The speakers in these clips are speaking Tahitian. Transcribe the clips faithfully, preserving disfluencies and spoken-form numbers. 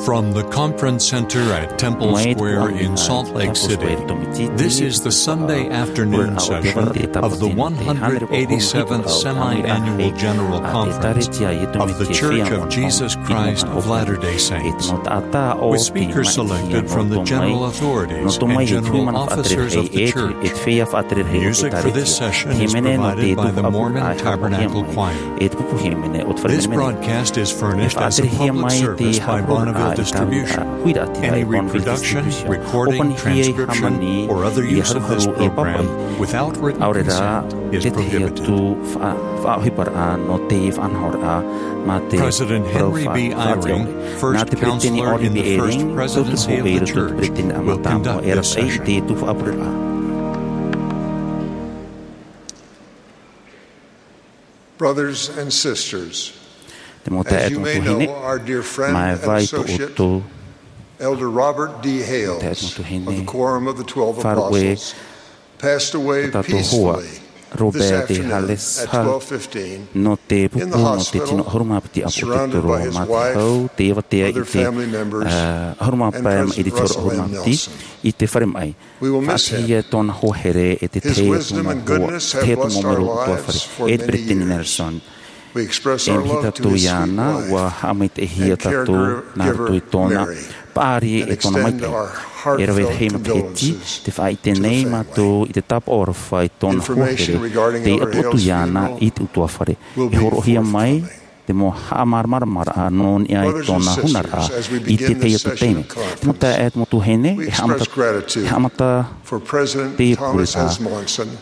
From the conference center at Temple Square in Salt Lake City, this is the Sunday afternoon session of the one hundred eighty-seventh Semi-Annual General Conference of The Church of Jesus Christ of Latter-day Saints, with speakers selected from the general authorities and general officers of the church. Music for this session is provided by the Mormon Tabernacle Choir. This broadcast is furnished as a public service by Bonneville Distribution. Any reproduction, recording, transcription, or other use of this program without written consent is prohibited. President Henry B. Eyring, first counselor in the First Presidency of the Church, will conduct this session. Brothers and sisters, as you may know, our dear friend and associate, Elder Robert D. Hales of the Quorum of the Twelve Apostles, passed away peacefully this afternoon at twelve fifteen in the hospital, surrounded by his wife, other family members, and President Russell M. Nelson. We will miss him. His wisdom and goodness have blessed our lives for many years. We express our love to his sweet wife and caregiver, Mary, and extend our heartfelt condolences to the family. Information regarding Elder Hales' funeral will be forthcoming. Brothers and sisters, as we begin this session of conference, we express gratitude for President Thomas S. Monson,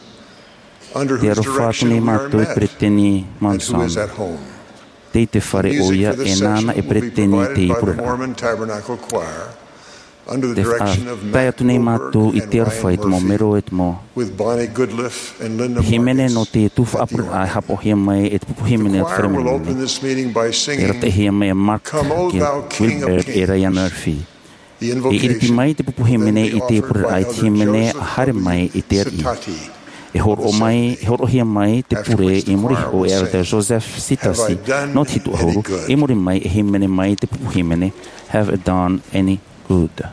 under whose direction we are met, and who is at home. Music for this session will be provided by the Mormon Tabernacle Choir, under the direction of Matt Goldberg and Ryan Murphy, with Bonnie Goodliff and Linda Marcus at the organ. The choir will open this meeting by singing, "Come, O thou King of Kings." The invocation then be offered by Elder George Miller Junior Satati. After which the choir will sing, "Have I done any good?"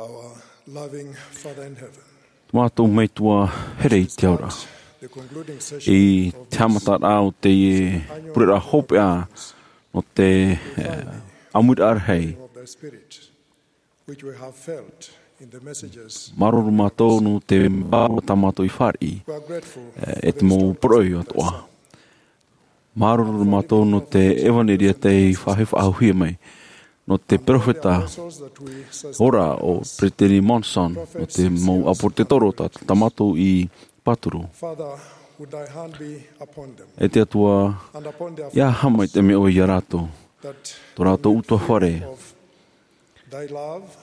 Our loving Father in heaven, Mātou Metua here i te ao ra. The concluding session I te haʻamataraʻa o te pureraʻa hopeʻa nō te, eh, ʻāmuiraʻa rahi. Of the Spirit, which we have felt in the messages. Māuruuru mātou nō te vārua tā mātou i fāriʻi, We are grateful eh, for e the te mau history poroʻi of atoʻa. Māuruuru mātou nō te ʻevanelia tei faʻahi-, faʻahiahia mai, nō te perofeta ora o Peretiteni Monson, nō te mau ʻāpōsetolo tā, tā mātou i pāturu. Father, would thy hand be upon them, E te Atua, and upon their ia haʻamaitaʻi mai ʻoe ia rātou, that tō rātou ʻutuāfare. Of thy love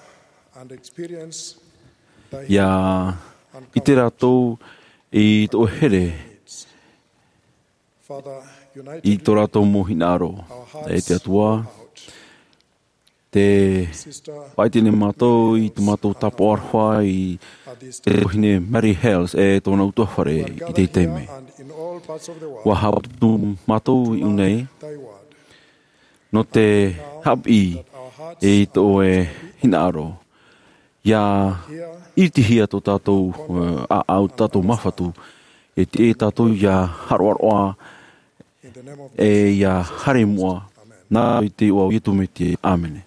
and experience thy ia healing and ʻite rātou i tō here needs. Father, unite i tō rātou mau hinaʻaro. Our hearts E te Atua, out. Te Sister faʻaʻite nei mātou i tō mātou tāpaʻo aroha i te tuahine Mary Hales e tōna ʻutuāfare i te taime. And in all parts of the world. ʻUa haʻaputu mātou i ʻō nei. Thy word. Nō te haʻapiʻi i tō ʻoe hinaʻaro. Ia ʻiritihia tō tātou, eh, ʻāʻau, tātou māfatu. E tiʻa tātou ia haroʻaroʻa, e ia haere i mua. Nā i te iʻoa o Iesu Mesia. ʻĀmene.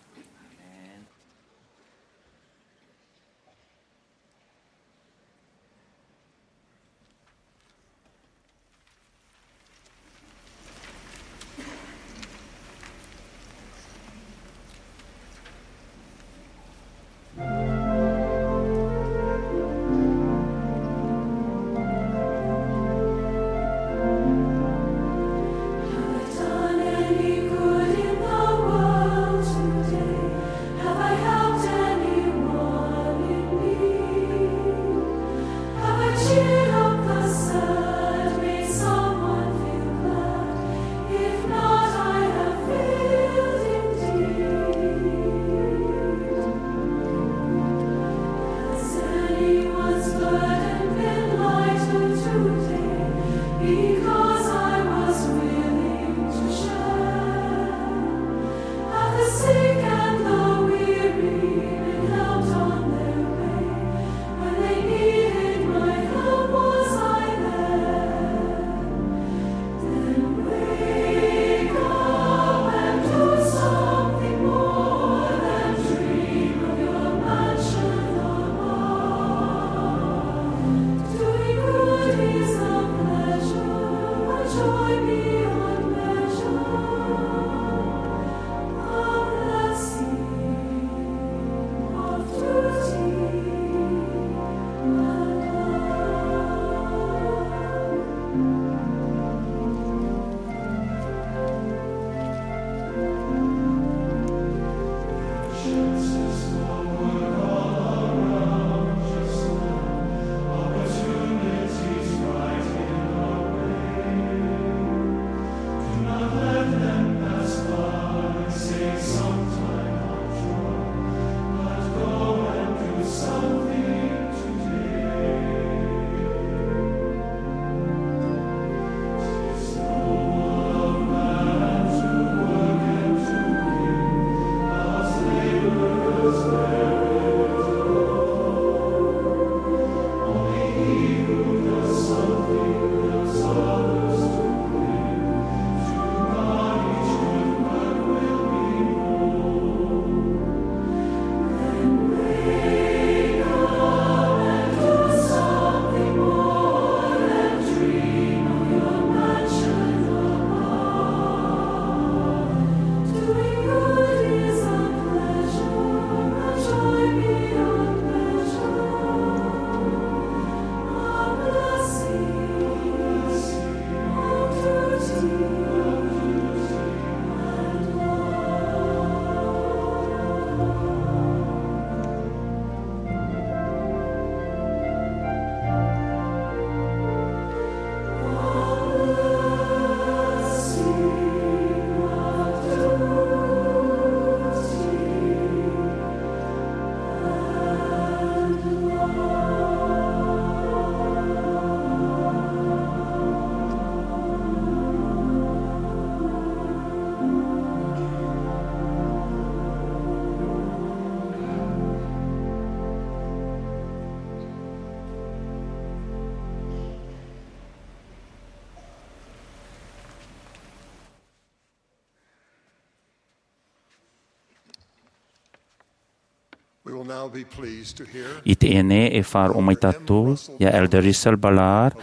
I teie nei e faʻaroʻo mai tātou iā Elder Russell Ballard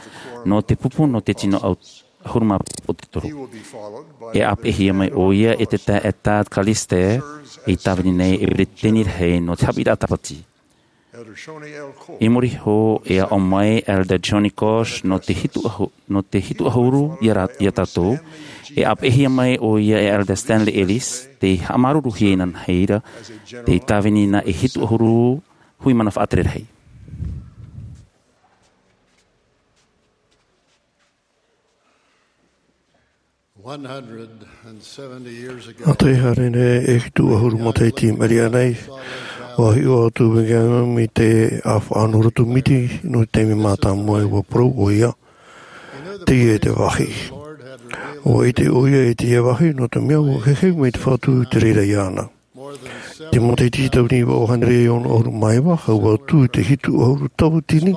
nō te pupu nō te tino ʻahuru mā piti o te toru. E ʻāpeʻehia mai ʻoia e te taeaʻe Tad Callister, i tāvini nei e peretiteni rahi nō te haʻapiʻiraʻa tāpati. I muri iho e aʻo mai Elder Johnny Kosh nō te hitu ʻahu-, nō te hitu ʻahuru iā ra-, iā tātou. E ʻāpeʻehia mai ʻoia e Elder Stanley Ellis, tei haʻamāuruuruhia inanahi ra, tei tāvini na e hitu ʻahuru hui mana faʻatere rahi. Ā, tē haere nei e hitu ʻahuru matahiti i maʻiri aʻe nei, ʻua hiʻo atu Brigham Young i te ʻāfaʻa nō Roto Miti, nō te taime mātāmua ʻua parau ʻoia, teie te vāhi. ʻUa ʻite ʻoia i teie vāhi, nō te mea ʻua heheu mai te Fatu i te reira iāna. Te matahiti tauatini vaʻu hānere ono ʻahuru mā iva, hau atu i te hitu ʻahuru tauatini,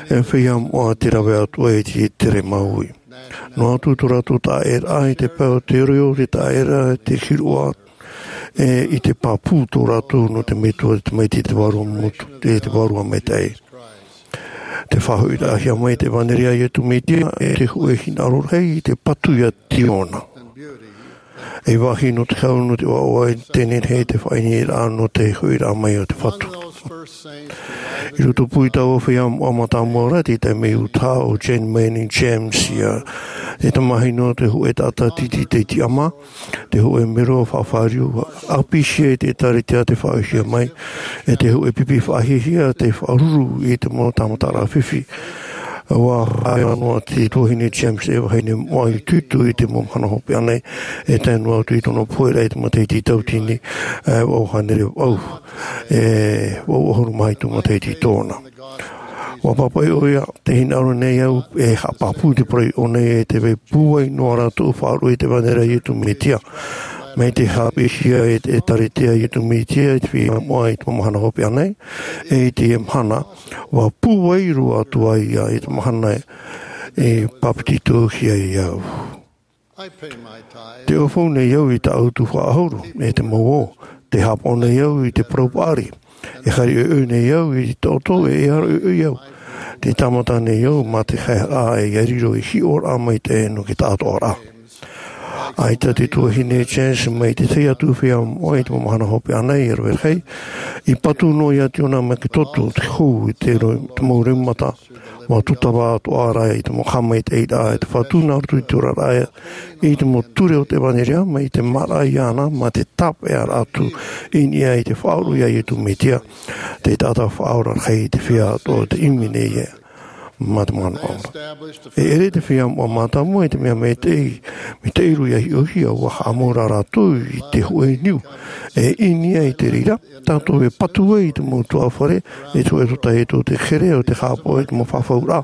e feiā moʻa tei rave atu ai i te tere māuiui. Noa atu tō rātou taʻaʻēraʻa i te pae o te reo, te taʻaʻēraʻa i te hiroʻa, e, i te pāpū tō rātou nō te Metua, te Tamaiti, te Vārua Motu, te, te Vārua Maitaʻi. Tē faʻahoʻiraʻahia mai te ʻevaneria a Iesu Mesia, e te hōʻē hinaʻaro rahi i te patu iā Ziona. E vāhi nō te hau, nō te ʻoaʻoa, i teie nei te faʻaineineraʻa nō te hoʻiraʻa mai o te Fatu. I roto pū i taua feiā moʻa mātāmua ra, tei tae mai Utah, ʻo Jane Manning James ia. E tamahine nō te hōʻē taʻata tītī tei tiʻamā, te hōʻē mero faʻafāriu, ʻāpīhia i te ʻĒtārētia tei faʻaʻitehia mai, e te hōʻē pipi faʻahiahia tei faʻaruru i te mau tāmataraʻa fifi. ʻUa haere noa te tuahine James e vahine moʻa i tuitui i te mau mahana hopeʻa nei, e tae noa atu i tōna pohe ra i te matahiti tauatini, e, vaʻu hānere vaʻu, e, vaʻu ʻahuru mā hitu matahiti tōna. ʻUa pāpaʻi ʻoia, tē hinaʻaro nei au, e haʻapāpū te parau i ʻō nei, e tē vai pūai noa ra tōʻu faʻaroʻo i te ʻevaneria a Iesu Mesia. Mai te haʻapiʻihia e te ʻĒtārētia a Iesu Mesia i te feiā moʻa i te mau mahana hopeʻa nei, e i teie mahana, ʻua pūai roa atu ai ia i te mahana e pāpetitohia ai au. Tē ʻaufau nei au i tāʻu tuhaʻa ʻahuru, e te mau ō, tē haʻapaʻo nei au i te parau paʻari, e haere ʻoiʻoi nei au i te taʻoto, e ʻere ʻoiʻoi au. Tē tāmata nei au mā te haereraʻa e ia riro ei hiʻoraʻa maitaʻi nō te taʻatoʻaraʻa. ʻAita te tuahine James mai te tahi atu feiā moʻa i te mau mahana hopeʻa nei e rave rahi, i patu noa ia Ziona mai te toto, te hou, te rau-, te mau reumata, ʻua tūtava atoʻa ra i te mau haʻamaitaʻiraʻa a te Fatu nā roto i te oraraʻa, i te mau ture o te ʻevaneria, mai te māraʻa iāna, mā te tāpeʻaraʻa atu i niʻa i te faʻaroʻo iā Iesu Mesia, te taʻata faʻaora rahi i te feiā atoʻa o tei ʻimi nei ia mā te manaʻo ora. E ʻere te feiā moʻa mātāmua i te mea maitaʻi, maitaʻi roa ia hiʻohia, ʻua haʻamau ra rātou i te hōʻē niu, e i niʻa i te reira, tātou e patu ai i te mau tuhaʻa fare, e te hōʻē tōtaiete o te here, ʻo tē haʻapaʻo i te mau fafauraʻa,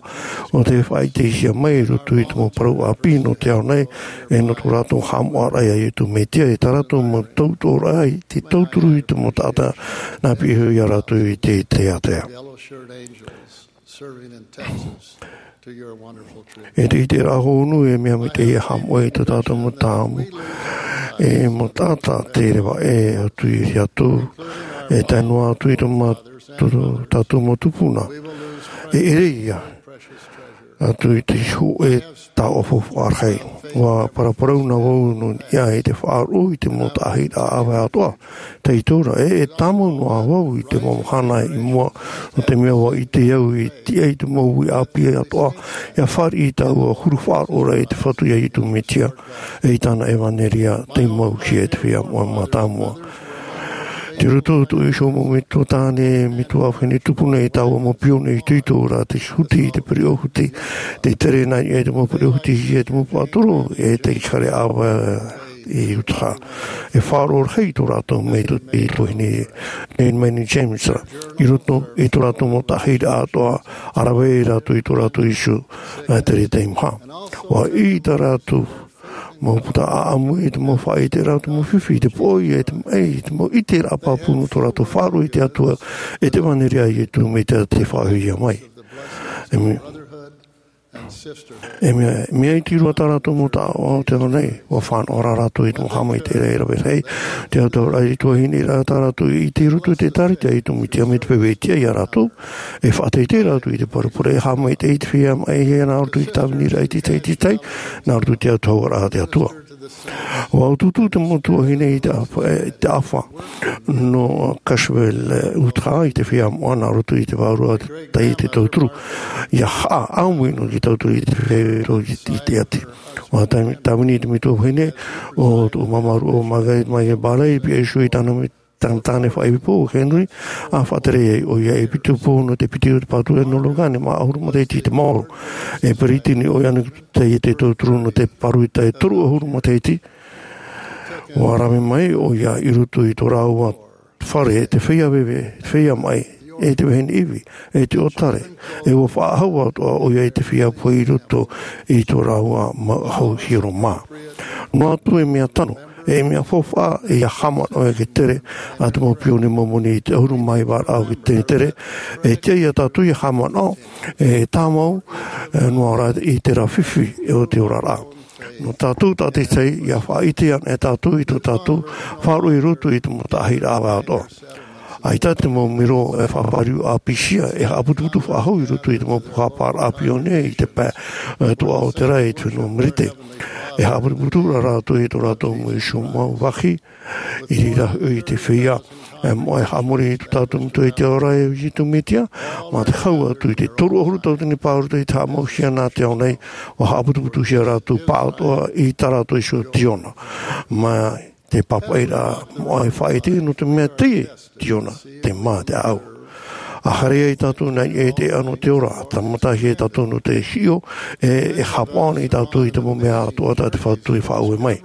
ʻo tē faʻaʻitehia mai i roto i te mau parau ʻāpī nō te ao nei, e nō tō rātou haʻamoʻaraʻa iā Iesu Mesia, e tā rātou mau tautoʻoraʻa i te tauturu i te mau taʻata nā piʻi iho ia rātou i te, te ātea. E te ʻiteraʻa hou nō e mea maitaʻi e haʻamoʻe i tō tātou mau tāmu, e mau taʻata tei reva ʻē atu ia rātou, e tae noa atu i tō mā-, tō, tō tātou mau tupuna. E ʻere ia atu i te hōʻē taoʻa faufaʻa rahi. ʻUa paraparau na vau nō niʻa i te faʻaroʻo i te mau taʻahiraʻa ʻāvae atoʻa. Tei tō ra, e, e tāmau noa vau i te mau mahana i mua, nō te mea ʻua ʻite au i tiʻa i te mau uʻi ʻāpī atoʻa, ʻia fāriʻi i tāua huru faʻaroʻoraʻa i te Fatu iā Iesu Mesia, e i tāna ʻevaneria, tei mauhia e te feiā moʻa mātāmua. Tei roto tō iho mau metua tāne, metua vahine tupuna i tāua mau pione itoito ra, tei huti i te pereʻoʻo huti, tei tere nā niʻa i te mau pereʻoʻo huti, i te mau pātoro, e tei haere ʻāvae i Utah. E faʻaroʻo rahi tō rātou metua, te tuahine, Jane Manning James ra. I roto i tō rātou mau taʻahiraʻa atoʻa, ʻa rave ai rātou i tō rātou iho, nā te reira maha. ʻUa ʻī tā rātou mau puta ʻāʻamu i te mau faʻaʻiteraʻa o te mau fifi, te poʻoi, e te maʻi, i te mau ʻiteraʻa pāpū nō tō rātou faʻaroʻo i te Atua, e te ʻevaneria a Iesu Mesia tei faʻahoʻihia mai. E me-, E mea, mea iti roa tā rātou mau taʻata o te ao nei, ʻua fānaʻo rā rātou i te mau haʻamaitaʻiraʻa e rave rahi, te autahuʻaraʻa i te tuahine ra tā rātou i ʻite i roto i te ʻĒtārētia i te Metia mai te feiā tiʻa ia rātou, e faʻateitei rātou i te paru pure, e haʻamaitaʻi i te feiā maʻi, e nā roto i te tāviniraʻa i te tahi, i te tahi, nā roto i te autahuʻaraʻa a te Atua. ʻUa ʻutuʻutu te mau tuahine i te ʻāfa, e, te ʻāfa nō Cashville, e, Utah, i te feiā moʻa nā roto i te vārua taiete tauturu. ʻIa haʻa ʻāmui noa i te tauturu i te feiā i te, i te ʻati. ʻUa tāvi-, tāvini te metua vahine, ʻo tōʻu māmā rūʻau, ʻo Margaret Mayer Barley, i pihaʻi iho i tāna me-, tāna tāne faʻaipoipo, ʻo Henry, ʻa faʻatere ai ʻoia e piti pō nō te piti o te pāturu nō Logan, e maha ʻahuru matahiti i te maoro. E Brittany ʻoia nō te taiete tauturu nō te paru i te toru ʻahuru matahiti. ʻUa rave mai ʻoia i roto i tō rāua fare, te feiā veve, te feiā maʻi, e te vahine ivi, e te ʻōtare, e ʻua faʻahou atoʻa ʻoia i te feiā pohe i roto i tō rāua mau hau hiero mā. Noa atu e mea tano, e mea faufaʻa, e ʻia haʻamanaʻo e te tere a te mau pione Momoni i te ʻahuru mā iva raʻa o te tere, e tiʻa ia tātou ʻia haʻamanaʻo, e tāmau, e noa ra i terā fifi o te oraraʻa. Nō tātou tātaʻitahi, ʻia faʻaʻite ana e tātou i tō tātou faʻaroʻo i roto i te mau taʻahiraʻa ʻāvae atoʻa. ʻAita te mau mero e faʻafāriu ʻāpīsia, e haʻaputuputu faʻahou i roto i te mau pūhaparaʻa pione i te pae, e, atoʻa o te raʻi i te fenua Merete. E haʻaputuputu ra rātou i tō rātou mau iho mau vāhi, i reira hoʻi te feiā, e, moʻa e haʻamori i tō tātou Metua i te ao ra, e Iesu Metia, mā te hau atu i te toru ʻahuru tauatini pae i roto i te haʻamauhia nā te ao nei, ʻua haʻaputuputuhia rātou pāʻatoʻa i tā rātou iho tiona. Mā te pāpaʻiraʻa moʻa e faʻaʻite nō te mea teie tiona, te mā te ʻāʻau. ʻA haere ai tātou nā niʻa i te ʻēʻa nō te ora, tāmatahia tātou nō te hiʻo, e, e haʻapaʻo nei tātou i te mau mea atoʻa tā te Fatu e faʻaue mai.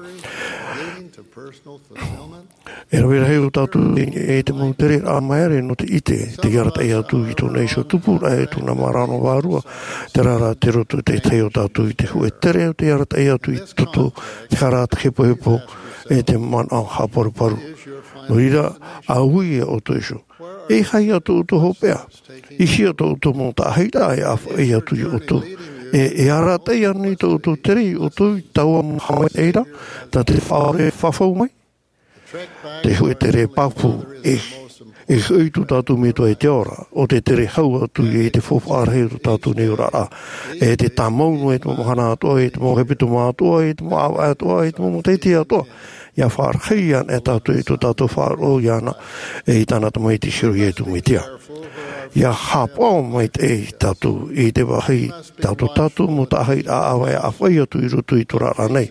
E rave rahi ō tātou i, i te mau tereraʻa māere nō te ʻite, te arataʻi atu i tōna iho tupuraʻa, e tōna mārama vārua, terā rā te roto te tahi o tātou i te hōʻē tere o te arataʻi atu i te toto, te hara, te hepohepo, e te manaʻo haʻaparuparu. Nō reira, ʻa ui ia ʻoutou iho. E aha ia tō ʻoutou hopeʻa? E hia tō ʻoutou mau taʻahiraʻa e ʻāfaʻi atu ia ʻoutou? E, e arataʻi ānei tō ʻoutou tere ia ʻoutou i taua mau haʻamaitaʻiraʻa, tā te Faʻaora e fafau mai? Te hōʻē tere pāpū, e, e hoʻi tō tātou Metua i te ao ra, ʻo te tere hau atu i te faufaʻa rahi o tō tātou nei oraraʻa. E te tāmau noa i te mau mahana atoʻa, i te mau hepetoma atoʻa, i te mau ʻāvaʻe atoʻa, i te mau matahiti atoʻa. ʻIa faʻarahi ana e tātou i tō tātou faʻaroʻo iāna, e i tāna Tamaiti hiero Iesu Metia. ʻIa haʻapaʻo maitaʻi tātou i te vāhi tātou, tātou mau taʻahiraʻa ʻāvae e ʻāfaʻi atu i roto i te oraraʻa nei.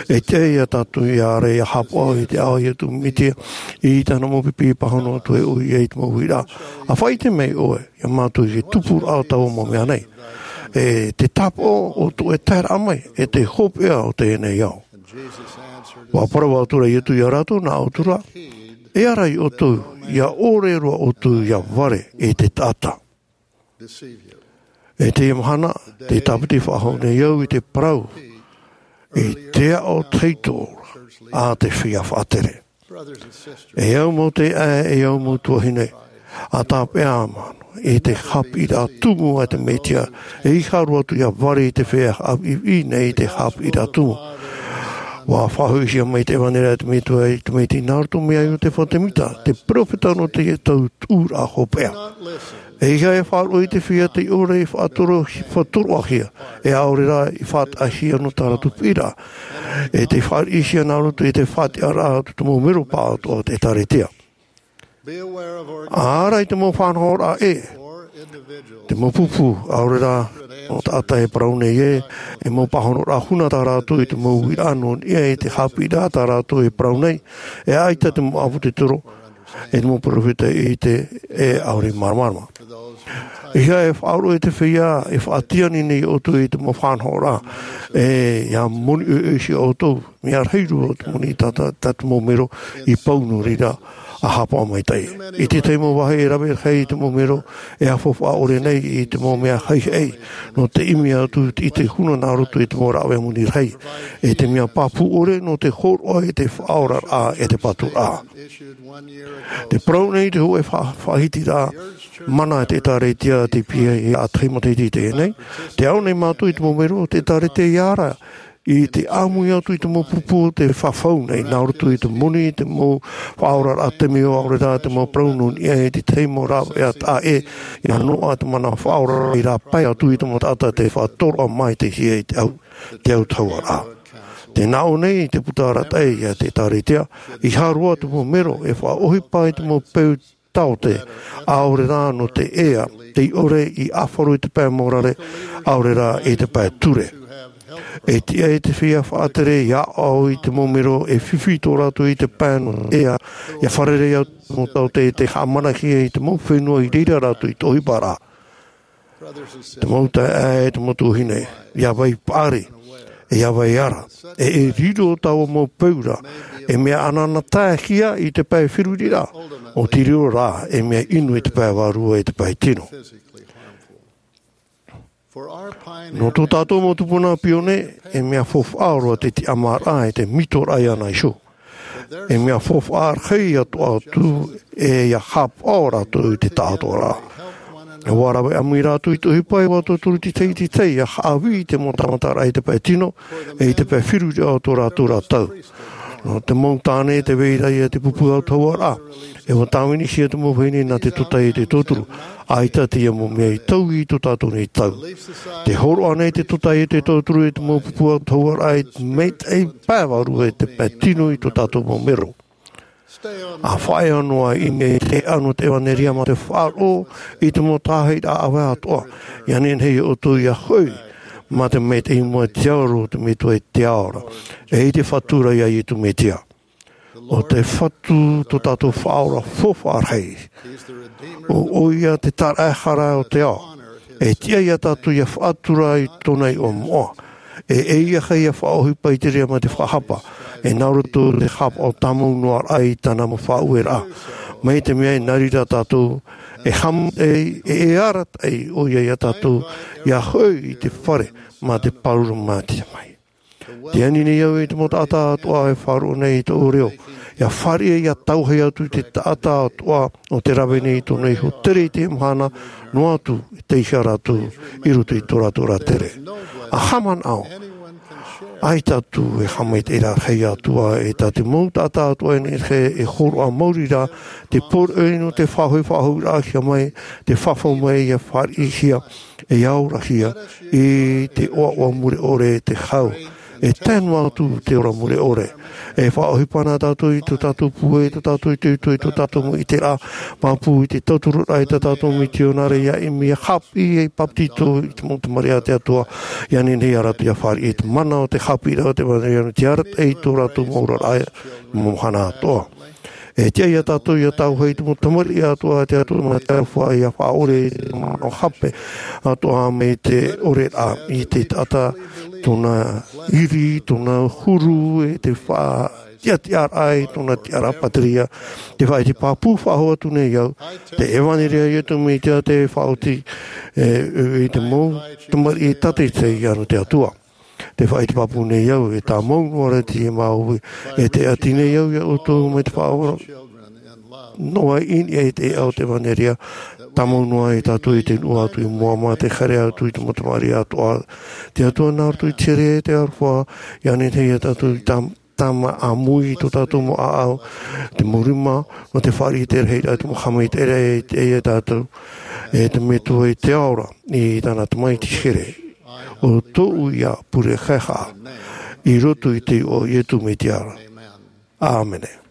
E tiʻa ia tātou ʻia haere ʻia haʻapaʻo i te ao o Iesu Metia, i tāna mau pipi e pāhono atu ai ʻoia i te mau uiraʻa. ʻA faʻaʻite mai ʻoe ia mātou i te tupuraʻa o taua mau mea nei. E te tāpaʻo o tō ʻoe taeraʻa mai, e te hopeʻa o teie nei ao. ʻUa parau atu ra Iesu ia rātou, nā ʻoutou rā, e ara ia ʻoutou, ʻia ʻore roa ʻoutou ʻia vare i te taʻata. E teie mahana, tē tāpiti faʻahou nei au i te parau, i te aʻo tahito a te feiā faʻatere. E au mau taeaʻe, e au mau tuahine, ʻa tāpeʻa māna i te haʻapiʻiraʻa tumu a te Mesia, e ʻeiaha roa atu ʻia vare i te feiā haʻapiʻipiʻi nei i te haʻapiʻiraʻa tumu. ʻUa faʻahoʻihia mai te ʻevanelia a te Metua i te Tamaiti nā roto mai iā Iotefa Semita, te peropheta nō te tau tuʻuraʻa hopeʻa. E ʻeiaha e faʻaroʻo i te feiā tei ʻore i faʻatoro-, faʻatoroʻahia, e ʻaore rā i faʻataʻahia nō tā rātou piʻiraʻa, e tei fāriʻihia nā roto i te faʻatiʻaraʻa a tō te mau mero pāʻatoʻa o te ʻĒtārētia. ʻA ara i te mau faʻanahoraʻa ʻē, te mau pupu, ʻaore rā mau taʻata e parau nei ē, e mau pāhonoraʻa huna tā rātou i te mau uiraʻa nō niʻa i te haʻapiʻiraʻa tā rātou e parau nei, e ʻaita te mau ʻāpōsetolo, e te mau peropheta i ʻite, e ʻaore i māramarama. ʻEiaha e faʻaroʻo i te feiā e faʻatiʻa nei iā ʻoutou i te mau faʻanahoraʻa, e ʻia moni ʻoiʻoi iho ʻoutou, mea rahi roa te moni tā, tā, tā te mau mero i pau nō reira. ʻa haʻapaʻo maitaʻi. I te tahi mau vāhi e rave rahi i te mau mero e faufaʻa ʻore nei i te mau mea haʻihaʻi nō te ʻimi atu i te huna nā roto i te mau rāveʻa moni rahi, e te mea pāpū ʻore nō te hōroʻa i te faʻaoraraʻa e te pātūraʻa. Te parau nei te hōʻē fa-, faʻahitiraʻa mana e te ʻĒtārētia te pīhaʻi ʻa tahi matahiti i teie nei, te ao nei mātou i te mau mero o te ʻĒtārētia i ara i te ʻāmui atu i te mau pupu o te fafau nei, nā roto i te moni, te mau faʻaoraraʻa te mea ʻaore rā te mau parau nō niʻa i te tahi mau rāveʻa taʻa ʻē, i noaʻa te mana faʻaora i rāpae atu i te mau taʻata te faʻatoroʻa mai te hia i te au, te au tahuaraʻa. Te nāʻō nei te puta arataʻi a te ʻĒtārētia, ʻeiaha roa te mau mero e faʻaʻohipa i te mau peu taote, ʻaore rā nō te ea, tei ʻore i ʻāfaro i te pae morare, ʻaore rā i te pae ture. E tiʻa i te feiā faʻatere ia ʻaʻau i te mau mero e fifi tō rātou i te pae nō te ea, ia fārerei atu te mau taote i te haʻamanahia i te mau fenua i reira rātou i te ʻohiparaʻa. Te mau taeaʻe, te mau tuahine, ia vai paʻari, e ia vai ara, e, e riro taua mau peu ra e mea anaanataehia i te pae feruriraʻa, ʻo te riro rā e mea inu i te pae vārua, i te pae tino. Nō tō tātou mau tupuna pione, e mea faufaʻa roa te tiʻamāraʻa e te mitoraʻa iāna iho. E mea faufaʻa rahi atoʻa atu e ia haʻapaʻo rātou i te taʻatoʻaraʻa. ʻUa rave ʻāmui rātou i te ʻohipa, ʻua tauturu te tahi i te tahi ia haʻavī i te mau tāmataraʻa i te pae tino, e i te pae feruriraʻa o tō rātou ra tau. Nō te mau tāne te vai ra ia te pupu autahuʻaraʻa, e ʻua tāvinihia te mau vahine nā te tōtaiete tauturu, ʻaita teie mau mea i taui i tō tātou nei tau. Te hōroʻa nei te tōtaiete tauturu e te mau pupu autahuʻaraʻa i te maitaʻi pae vārua e te pae tino i tō tātou mau mero. ʻA faʻaea noa i ʻō nei te ʻano o te ʻevanelia mā te faʻaroʻo i te mau tāhiraʻa ʻāvae atoʻa, ia nehenehe ia ʻoutou ia hoʻi mā te maitaʻi i mua i te ao o te Metua i te ao ra, e i te Fatu ra ia Iesu Mesia. ʻO te Fatu tō tātou Faʻaora faufaʻa rahi. ʻO, ʻoia te tāraʻehara o te ao. E tiʻa ia tātou ia faʻatura i tōna iʻoa moʻa. E, e ʻeiaha ia faʻaʻohipa i te reira mā te faʻahapa. E nā roto te haʻapaʻo tāmau noa raʻa i tāna mau faʻaueraʻa. Mai te mea e nā reira tātou, e haʻamau, e, e, e arataʻi ʻoia ia tātou, ia hoʻi i te fare, mā te pāruru mā te mai. Tē ani nei au i te mau taʻata atoʻa e faʻaroʻo nei i tōʻu reo, ia fāriʻi ia tauhei atu i te taʻata atoʻa ʻo tē rave nei i tōna iho tere i teie mahana, noa atu, tei hea rātou i roto i tō rātou ra tere. ʻA haʻamanaʻo, ʻaita atu e haʻamaitaʻi rahi atu ā, e tā te mau taʻata atoʻa e nehenehe e hōroʻa maori ra, te poroʻi nō te faʻahoʻi faʻahou raʻa mai, te fafau mai ia fāriʻihia, e aorahia i te ʻoaʻoa mure ʻore te hau. E tae noa atu te ora mure ʻore. E faʻaʻohipa na tātou i tō tātou pūai, i tō tātou itoito, i tō tātou mau ʻiteraʻa, pāpū i te tauturu raʻa i tā tātou mitionare ia ʻimi, ia haʻapiʻi, ia papetito i te mau tamariʻi a te Atua, ia nehenehe ia rātou ia fāriʻi i te mana o te haʻapiʻiraʻa o te ʻevanelia, te arataʻi i tō rātou mau oraraʻa, mau mahana atoʻa. E tiʻa ia tātou ia tauhei i te mau tamariʻi atoʻa a te Atua, mā te aroha ia faʻaʻore i te manaʻo hape atoʻa mai te ʻoreraʻa i te taʻata, tōna iri, tōna huru, e te faʻatiʻatiʻaraʻa i tōna tiʻaraʻa pātireia. Te faʻaʻite pāpū faʻahou atu nei au, te ʻevanelia a Iesu Mesia te faʻaoti, e, e, i te mau tamariʻi tātaʻitahi anaʻe a te Atua. Te faʻaʻite pāpū nei au, e tāmau noa ra teie māuiui, e tē ʻati nei au ia ʻoutou mai te faʻaora noa i niʻa i te ʻēʻa o te ʻevanelia, tāmau noa ia tātou i te nuʻu atu i mua mā te haere atu i te mau tamariʻi atoʻa a te Atua nā roto i te here e te aroha, ia nehenehe ia tātou i tam-, tama ʻāmui i tō tātou mau ʻāʻau, te mau rima, nō te fāriʻi i te rahiraʻa, te mau haʻamaitaʻiraʻa i te, ia tātou, e te Metua i te ao ra, i tāna Tamaiti here. ʻO tōʻu ia pure haehaʻa, i roto i te iʻoa o Iesu Mesia. ʻĀmene.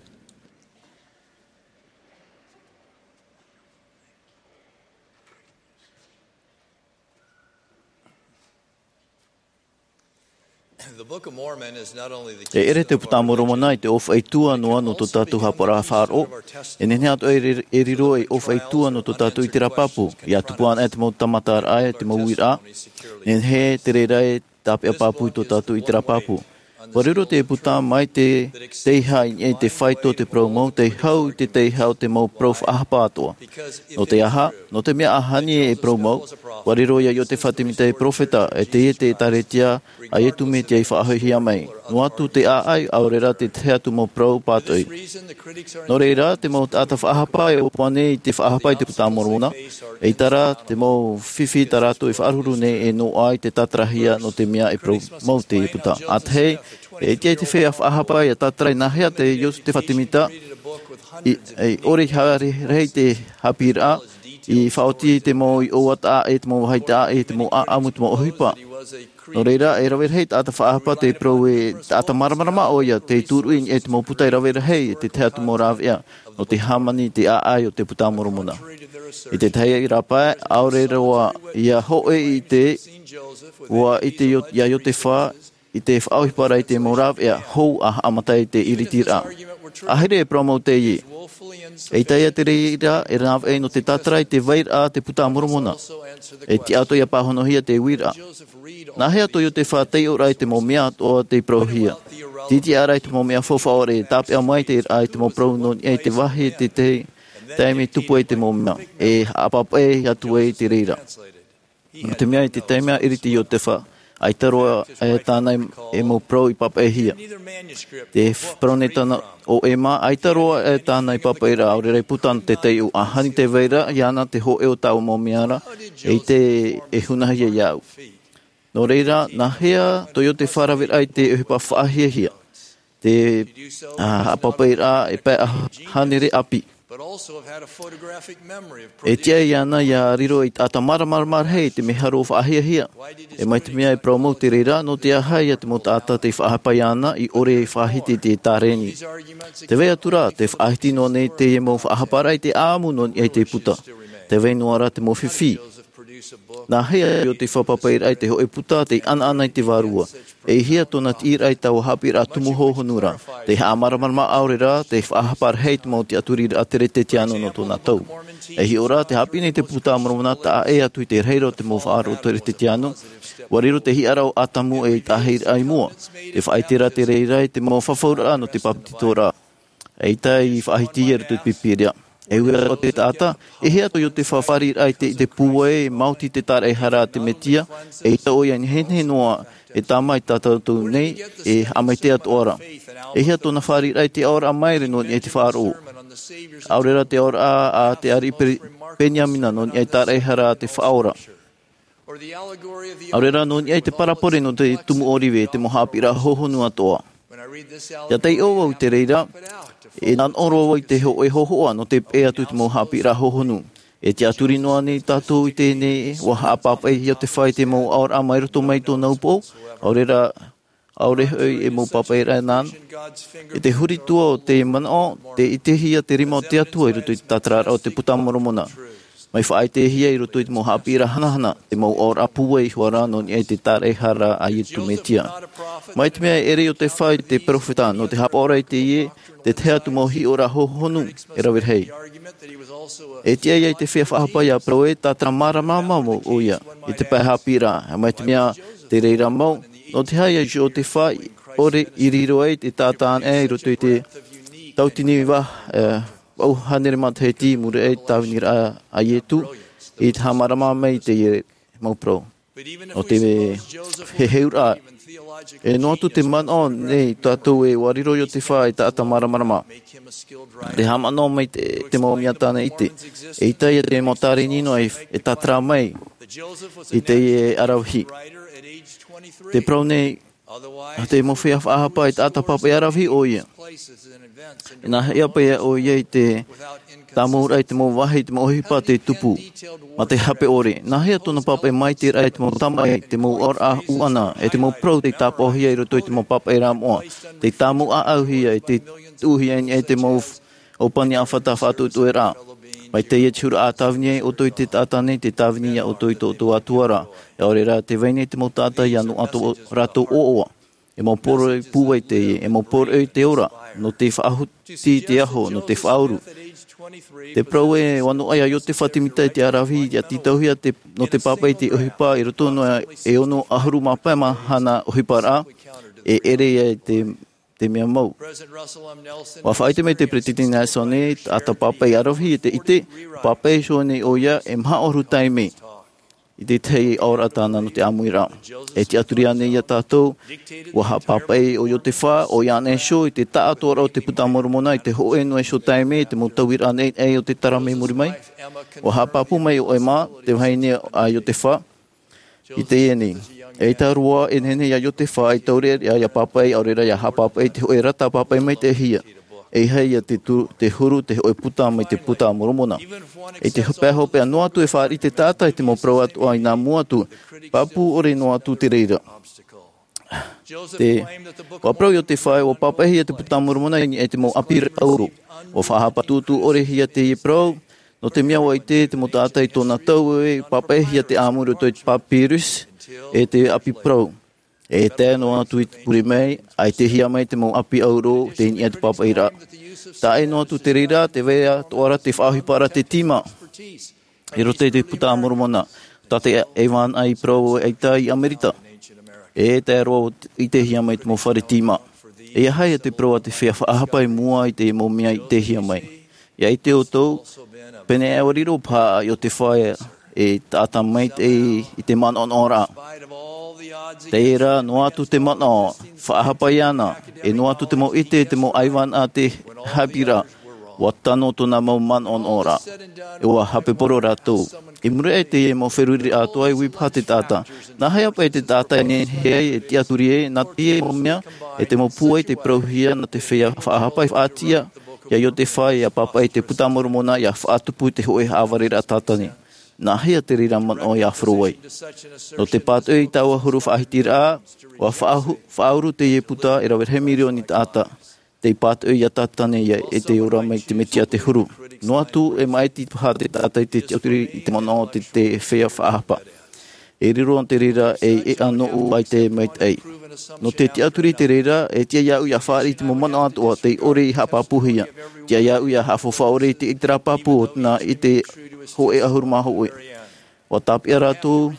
E ʻere te Puta a Moromona i te ʻōfaʻi tua noa nō tō tātou haʻapaʻoraʻa faʻaroʻo. E nehenehe atoʻa e ri-, e riro ei ʻōfaʻi tua nō tō tātou ʻiteraʻa pāpū. ʻIa tupu anaʻe te mau tāmataraʻa, te mau uiraʻa. Nehenehe te reira e tāpeʻa pāpū i tō tātou ʻiteraʻa pāpū. Ua riro te Ieputa mai te teiaha i niʻa i te faito o te parau mau, tei hau i te teiaha o te mau parau faʻahapa atoʻa. Nō te aha? Nō te mea ʻa Hāniē e parau mau, ua riro ia Iotefa Temita e peropheta, e teie te ʻĒtārētia a Iesu Mesia i faʻahoʻihia mai. Noa atu te ʻāʻau, ʻaore rā te tahi atu mau parau pātoʻi. Nō reira, te mau taʻata faʻahapa e ʻōpua nei i te faʻahapa i te Puta a Moromona, ʻeita rā te mau fifi tā rātou e faʻaruhuru nei e noaʻa i te tātarahia nō te mea e parau mau te Ieputa. ʻAtahi, e ʻite ai te feiā faʻahapa ia tātara i nāhea te Iotefa Temita i, i ʻore i haere rahi te haʻapiʻiraʻa, i faʻaoti i te mau iʻoa taʻa ʻē, te mau vāhi taʻa ʻē, te mau ʻāʻamu, te mau ʻohipa. Nō reira, e rave rahi taʻata faʻahapa tei parau ē, taʻata māramarama ʻoia, tei tūruʻi i niʻa i te mau puta e rave rahi, te tahi atu mau rāveʻa nō te hāmani i te ʻāʻau o te Puta a Moromona. I te tahi rāpae, ʻaore roa ia hōʻē i te, ua ʻite Io-, ia Iotefa, i te faʻaʻohipa ra i te mau rāveʻa hou a haʻamata i te ʻiritiraʻa. ʻAhiri e parau mau teie. ʻEita ia te reira e rāveʻa nō te tātara i te vairaʻa a te Puta a Moromona. E tiʻa atoʻa ia pāhonohia te uiraʻa. Nāhea tō Iotefa taiʻo ra i te mau mea atoʻa tei parauhia? Tītiʻa ra i te mau mea faufaʻa ʻore e tāpeʻa mai te reira i te mau parau nō niʻa i te vāhi i te tahi taime tupu ai te mau mea. E haʻapāpaʻi atu ai te reira. Nō te mea i te taime a ʻiriti Iotefa, ʻaita roa e tāna e mau parau i pāpaʻihia. Te parau nei tāna o Ema, ʻaita roa e tāna i pāpaʻi ra, ʻaore rā i puta nō te taiʻo, ʻa Hāniē te vairaʻa, iāna te hōʻē o taua mau mea ra, e ʻite e hunahia iāʻu. Nō reira, nāhea tō Iotefa raveraʻa i te ʻohipa faʻahiahia? Te, ā, haʻapāpaʻiraʻa e pae ʻahuru hānere ʻāpī. E tiʻa iāna ia riro ei taʻata māramarama rahi i te mea hou faʻahiahia. E mai te mea e parau mau te reira, nō te aha ia te mau taʻata tei faʻahapa iāna i ʻore e faʻahiti i te ʻĒtārēni? Tē vai atu ra, tē faʻahiti noa nei teie mau faʻahaparaʻa i te ʻāʻamu nō niʻa i te puta. Tē vai noa ra te mau fifi. Nāhea tō Iotefa pāpaʻiraʻa i te hōʻē puta tei ʻanaʻana i te vārua? E ʻihia tōna tiʻiraʻa i taua haʻapiʻiraʻa tumu hohonu ra? Tei haʻamāramarama ʻaore rā, tei faʻahapa rahi i te mau tiʻaturiraʻa Teretetiāno nō tōna tau. E hiʻo ra, tē haʻapiʻi nei te Puta a Moromona taʻa ʻē atu i te rahiraʻa o te mau faʻaroʻo Teretetiāno, ua riro te hiʻaraʻa o ʻĀtamu ei taʻahiraʻa i mua. Tē faʻaʻite ra te reira i te mau fafauraʻa nō te papetitoraʻa. ʻEita i faʻahiti i roto i te Pīpīria. E ui ra o te taʻata, e ʻihia tō Iotefa fāriʻiraʻa i te, i te pūai, maoti te tāraʻehara a te Mesia, ʻeita ʻoia e nehenehe noa e tāmau iā tātou nei, e haʻamaitaʻi atoʻa ra. E ʻihia tōna fāriʻiraʻa i te ʻaoraʻa maere nō niʻa i te faʻaroʻo. ʻAore rā te ʻaoraʻa a te ariʻi Pe-, Beniamina nō niʻa i te tāraʻehara a te Faʻaora. ʻAore rā nō niʻa i te parabole nō te tumu ʻōrive, te mau haʻapiʻiraʻa hohonu atoʻa. ʻIa taiʻo vau i te reira, e nā ʻō roa vau i te hōʻē hōhoʻa nō te peʻe atu i te mau haʻapiʻiraʻa hohonu. E tiʻaturi noa nei tātou i teie nei, ʻua haʻapāpaʻi Iotefa i te mau ʻaoraʻa mai roto mai i tōna upoʻo, ʻaore rā, ʻaore hoʻi e mau pāpaʻiraʻa nāna. I te huri atu o te manaʻo, tē ʻitehia te rima o te Atua i roto i te tātararaʻa o te Puta a Moromona. Mai faʻaʻitehia i roto i te mau haʻapiʻiraʻa hanahana, te mau ʻaoraʻa pūai iho ā rā nō niʻa i te tāraʻehara a Iesu Mesia. Mai te mea e ʻere Iotefa i te peropheta, nō te haʻapaʻo ra i teie, te tahi atu mau hiʻoraʻa hohonu e rave rahi. E tiʻa ia i te feiā faʻahapa ʻia parau ē, tātara māramarama mau ʻoia, i te pae haʻapiʻiraʻa, mai te mea te reira mau, nō te aha ia Iotefa i ʻore i riro ai te taʻata anaʻe i roto i te tauatini vā, e, vaʻu hānere matahiti i muri aʻe i te tāviniraʻa a Iesu, i te haʻamārama mai i teie mau parau. Nō te heheuraʻa, e noa atu te manaʻo nei tātou ē ʻua riro Iotefa ei taʻata māramarama. Te haʻamanaʻo mai te, te mau mea tāna i ʻite. ʻEita ia te mau tārēni noa e, e tātara mai i teie aravihi. Tē parau nei, te mau feiā faʻahapa ei taʻata pāpaʻi aravihi ʻoia. E nāhea paʻi ʻoia i te tāmau ra i te mau vāhi, te mau ʻohipa tei tupu. Mā te hape ʻore. Nāhea tōna pāpaʻi maitaʻi ra i te mau tamaʻi, te mau ʻaoraʻa ʻuʻana, e te mau parau tei tāpaʻohia i roto i te mau pāpaʻiraʻa moʻa. Tei tāmau ʻāʻauhia, e tei tuʻuhia i niʻa i te mau ʻōpani ʻāfata faʻatuʻetuʻeraʻa. Mai teie te huru ʻa tāvini ai ʻoutou i te taʻata nei, tē tāvini iā ʻoutou i tō ʻoutou Atua ra. ʻAore rā, tē vai nei te mau taʻata ʻia noaʻa tō rātou ʻoaʻoa. E mau poroʻi pūai teie, e mau poroʻi i te ora, nō te faʻaoti i te aho, nō te faʻauru. Tē parau ē, ʻua noaʻa ia Iotefa Temita i te aravihi, ʻia tītauhia te, nō te pāpaʻi i te ʻohipa i roto noa e ono ʻahuru mā pae mahana ʻohiparaʻa. e ʻere ia i te, te mea mau. Ua faʻaʻite mai te Peretiteni Nelsoni, taʻata pāpaʻi ʻaravihi e te ʻite, pāpaʻi iho nei ʻoia e maha ʻahuru taime i te tahi aʻoraʻa tāna nō te ʻāmuiraʻa. E tiʻaturi ānei ia tātou, ua haʻapāpaʻi ʻo Iosepha, ʻoia ānei iho i te taʻatoʻaraʻa o te Buka a Moromona i te hōʻē noa iho taime, te mau tauiraʻa nei, ʻe o te tara mai muri mai? Ua haʻapāpū mai ʻo Emma, te vahine a Iosepha, i teie nei. Eʻita roa e nehenehe ia Iosepha e taureʻareʻa ia pāpaʻi, ʻaore rā ia haʻapāpaʻi te hōʻē rata pāpaʻi maitaʻihia. E ʻeiaha ia te tu-, te huru te hōʻē buka mai te Buka a Moromona. I te pae hopeʻa noa atu e fāriʻi te taʻata i te mau parau atoʻa i nā mua atu, pāpū ʻore noa atu te reira. Te, ua parau Iosepha ē ua pāpaʻihia te Buka a Moromona i niʻa i te mau ʻapi auro. Ua faʻahapa tūtū ʻorehia teie parau, nō te mea ua ʻite te mau taʻata i tōna tau e pāpaʻihia te ʻāmui i roto i te papyrus, ʻe te ʻapi parau. E tae noa atu i te pure mai, ʻaitehia mai te mau ʻapi auro, tei niʻa i te pāpaʻiraʻa. Taʻa ʻē noa atu te reira, tē vai atoʻa ra te faʻaʻohiparaʻa te tīma i roto i te Buka a Moromona, tā te ʻaivānaʻa i parau ʻaita i Amerika. E tae roa ʻo ʻitehia mai te mau fare tīma. E aha ia te parau a te feiā faʻahapa i mua i te mau mea i ʻitehia mai? ʻIa ʻite ʻoutou, pēneiaʻe ʻua riro paha ʻo Iosepha e taʻata maitaʻi i te manaʻonaʻoraʻa. Terā, noa atu te manaʻo, faʻahapa iāna, e noa atu te mau ʻite, te mau ʻaivānaʻa te haʻapiʻiraʻa, ua tano tōna mau manaʻonaʻoraʻa. E ua haʻapaʻo rātou. I muri aʻe i teie mau feruriraʻa atoʻa, e ui paha te taʻata, nā hea paʻi te taʻata e nehenehe ai e tiʻaturi ai, nā teie mau mea, e te mau pūai tei parauhia nā te feiā faʻahapa e faʻatiʻa ia Iosepha ʻia pāpaʻi i te Buka a Moromona ʻia faʻatupu i te hōʻē haʻavareraʻa Sātane. Nā hea te reira manaʻo ʻia horo ai? Nō te pātoʻi i taua huru faʻahitiraʻa, ua faʻahu-, faʻauru teie buka e rave rahi mirioni taʻata. Tei pātoʻi ia Sātane ʻia ʻite ora mai te Mesia te huru. Noa atu e maʻiti paha te taʻata i te tiʻaturi i te manaʻo o te, te feiā faʻahapa. E riro te reira ei ʻēʻa nōʻu ʻaita e maitaʻi. Nō te tiʻaturi i te reira, e tiʻa iāʻu ʻia fāriʻi i te mau manaʻo atoʻa tei ʻore i haʻapāpūhia. Tiʻa iāʻu ʻia haʻafaufaʻa ʻore i te ʻiteraʻa pāpū o tōna ʻite hōʻē ʻahuru mā hōʻē. ʻUa tāpeʻa rātou,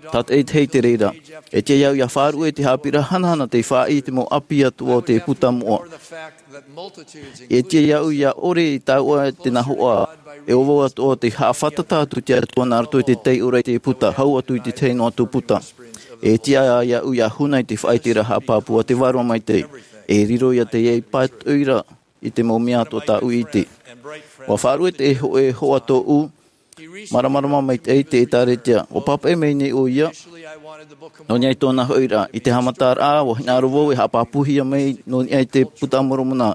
tātaʻitahi i te reira. E tiʻa iāʻu ʻia faʻaruʻe i te haʻapiʻiraʻa hanahana tei fāriʻi i te mau ʻapi atoʻa o te buka moʻa. E tiʻa iāʻu ʻia ʻore i taua te nahoʻa, e ʻo vau atoʻa tei haʻafātata atu i te Atua nā roto i te taiʻoraʻa i te buka, hau atu i te tahi noa atu buka. E tiʻa iāʻu ʻia huna i te faʻaʻiteraʻa haʻapāpū a te Vārua Maitaʻi. E riro ia teie pātoʻiraʻa i te mau mea atoʻa tāʻu i ʻite. ʻUa faʻaruʻe te hōʻē hoa tōʻu, māramarama maitaʻi te ʻĒtārētia. ʻUa pāpaʻi mai nei ʻoia, nō niʻa i tōna hoʻiraʻa. I te haʻamataraʻa, ʻua hinaʻaro vau e haʻapāpūhia mai nō niʻa i te Buka a Moromona,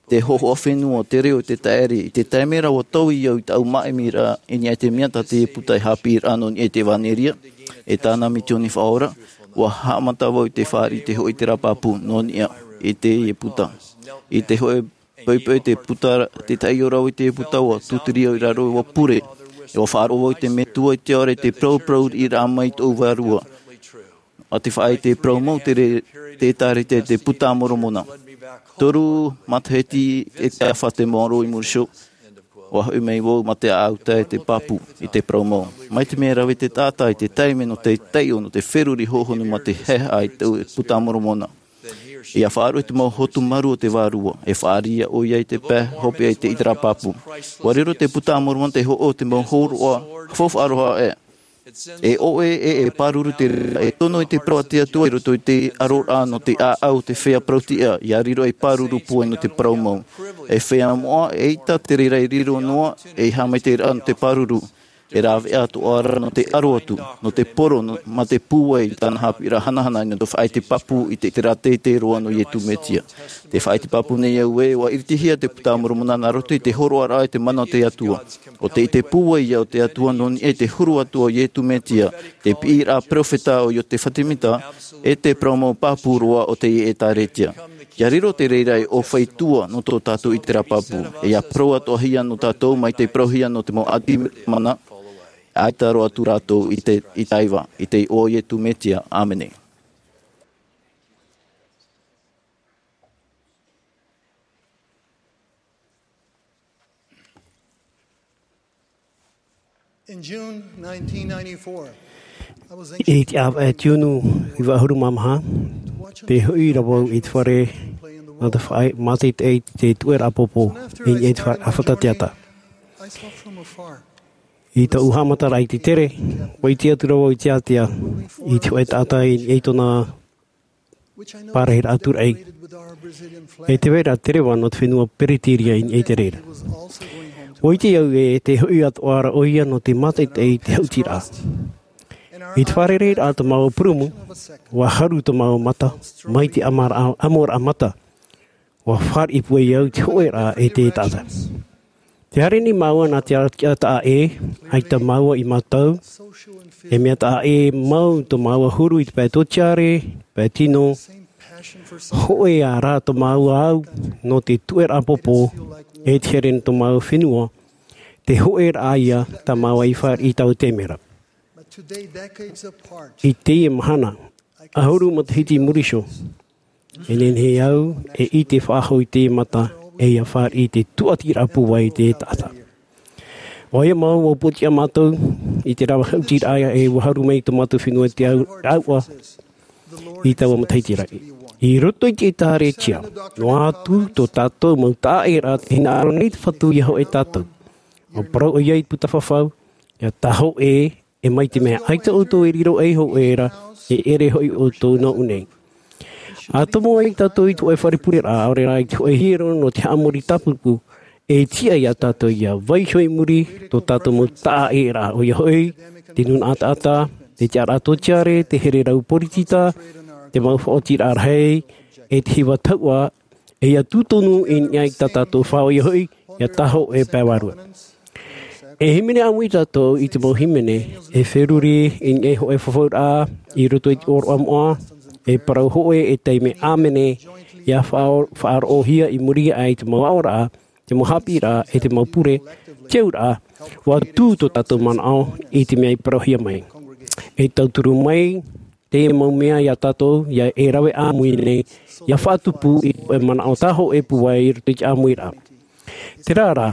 te hōhoʻa fenua, te reo, te taʻere. I te taime ra ʻua taui au i tāʻu māʻimiraʻa i niʻa i te mea tā te buka e haʻapiʻiraʻa nō niʻa i te ʻevanelia, e tāna misioni faʻaora. ʻUa haʻamata vau i te fāriʻi i te hōʻē ʻiteraʻa pāpū nō niʻa i teie buka. I te hōʻē poʻipoʻi te buka, te taiʻo rave i te buka, ʻua tūturi au i raro, ʻua pure. E ʻua faʻaroʻo vau i te Metua i te ora i te parauparau riʻiraʻa mai i tōʻu vārua. ʻA te faʻaʻite parau mau te re-, te ʻĒtārētia i te Buka a Moromona. Toru matahiti e te afa te maoro i muri iho, ʻua hoʻi mai vau mā te ʻāʻau tae te pāpū i te parau mau. Mai te mea e rave te taʻata i te taime nō te taiʻo, nō te feruri hōhonu mā te haʻehaʻa i te Buka a Moromona. ʻIa faʻaruʻe te mau hotu maru o te Vārua, e fāriʻi ʻoia i te pae hopeʻa i te ʻiteraʻa pāpū. ʻUa riro te Buka a Moromona te hōʻē o te mau hōroʻa faufaʻa roa aʻe. E ʻoʻe, e, e pāruru te reira, e tono i te parau a te Atua i roto i te aroraʻa nō te ʻāʻau o te feiā parau-tiʻa, ʻia riro ei pāruru pūai nō te parau mau. E feiā moʻa, eʻita te reira e riro noa ei haʻamaitaʻiraʻa nō te pāruru. E rāveʻa atoʻa ra nō te aro atu, nō te poro, nō, mā te pūai i tāna haʻapiʻiraʻa hanahana nō te faʻaʻite pāpū i te, te reira teitei roa nō Iesu Mesia. Tē faʻaʻite pāpū nei au ē, ʻua iritihia te Buka a Moromona nā roto i te hōroʻaraʻa i te mana o te Atua. ʻO te ʻite pūai ïa o te Atua nō niʻa i te huru atoʻa o Iesu Mesia, te piʻiraʻa peropheta ʻo Iosefa Semita, e te parau mau pāpū roa o te ʻĒtārētia. ʻIa riro te reira ei ʻōfaʻi tua nō tō tātou ʻiteraʻa pāpū, e ʻia parau atoʻahia nō tātou mai te parauhia nō te mau ʻāti mana, ʻaita roa atu rātou i te, i te iʻoa, i te iʻoa o Iesu Mesia. ʻĀmene. In June nineteen ninety-four, I te ʻāvaʻe Tiunu iva ʻahuru mā maha, Te hoʻi ra vau i te fare nā te faʻaʻite i te tuʻeraʻa pōpō i niʻa i te fare ʻāfata teata. I taʻu haʻamataraʻa i te tere, ʻua ʻite atu ra vau i te ātea i te hōʻē taʻata i niʻa i tōna pārahiraʻa tūraʻi. E te vai ra te reva nō te fenua Pereteria i niʻa i te reira. ʻUa ʻite au e te hoʻi atoʻa ra ʻoia nō te mātaʻitaʻi i te haʻutiraʻa. I te fārereiraʻa tō māua purumu, ʻua haru tō māua mata, mai te ʻamaraʻa, ʻamoraʻa mata, ʻua fāriʻi pūai au te hōʻēraʻa e te taʻata. Tē haere nei māua nā te ʻātaʻa ʻē, ʻaita māua i mātau, e mea taʻa ʻē mau tō māua huru i te pae tōtiare, pae tino, hōʻē ā rā tō māua au nō te tuʻeraʻa pōpō, e te here nō tō māua fenua, te hōʻēraʻa ia tā māua i fāriʻi i taua taime ra. I teie mahana, ʻahuru matahiti i muri iho, e nehenehe au e ʻite faʻahou i teie mata, e ʻia fāriʻi i te tūʻatiraʻa pūai i te taʻata. ʻOia mau, ʻua pōtiʻa mātou i te rave haʻutiraʻa e ʻua haru mai tō mātou fenua i te au-, rāua i taua matahiti ra. I roto i te ʻĒtārētia, noa atu tō tātou mau taʻaʻēraʻa tei hinaʻaro nei te Fatu ʻia hōʻē tātou. ʻUa parau ʻoia i te puta fafau, ʻia tāhōʻē, e mai te mea ʻaita ʻoutou e riro ei hōʻē ra, e ʻere hoʻi ʻoutou nō ʻō nei. ʻA tomo ai tātou i te hōʻē fare pureraʻa, ʻaore rā i te hōʻē hiero nō te haʻamori tāpūpū, e tiʻa ia tātou ʻia vaiiho i muri tō tātou mau taʻaʻēraʻa, ʻoia hoʻi, te nūnaʻa taʻata, te tiʻaraʻa tōtiare, te here rau poritita, te mau faʻaotiraʻa rahi, e te hiva tauʻa, e ʻia tū tonu i niʻa i tā tātou fā, ʻoia hoʻi, ʻia tāhōʻē pae vārua. E hīmene ʻāmui tātou i te mau hīmene, e feruri i niʻa i hōʻē fafauraʻa i roto i te ʻōroʻa moʻa, e parau hōʻē e taime ʻāmene, ʻia faʻa-, faʻaroʻohia i muri aʻe i te mau aʻoraʻa, te mau haʻapiʻiraʻa, e te mau pure, te auraʻa, ʻua tū tō tātou manaʻo i te mea i parauhia mai. E tauturu mai, te mau mea ia tātou, ia e rave ʻāmui nei, ia faʻatupu i te manaʻo tāhōʻē pūai i roto i te ʻāmuiraʻa. Terā rā,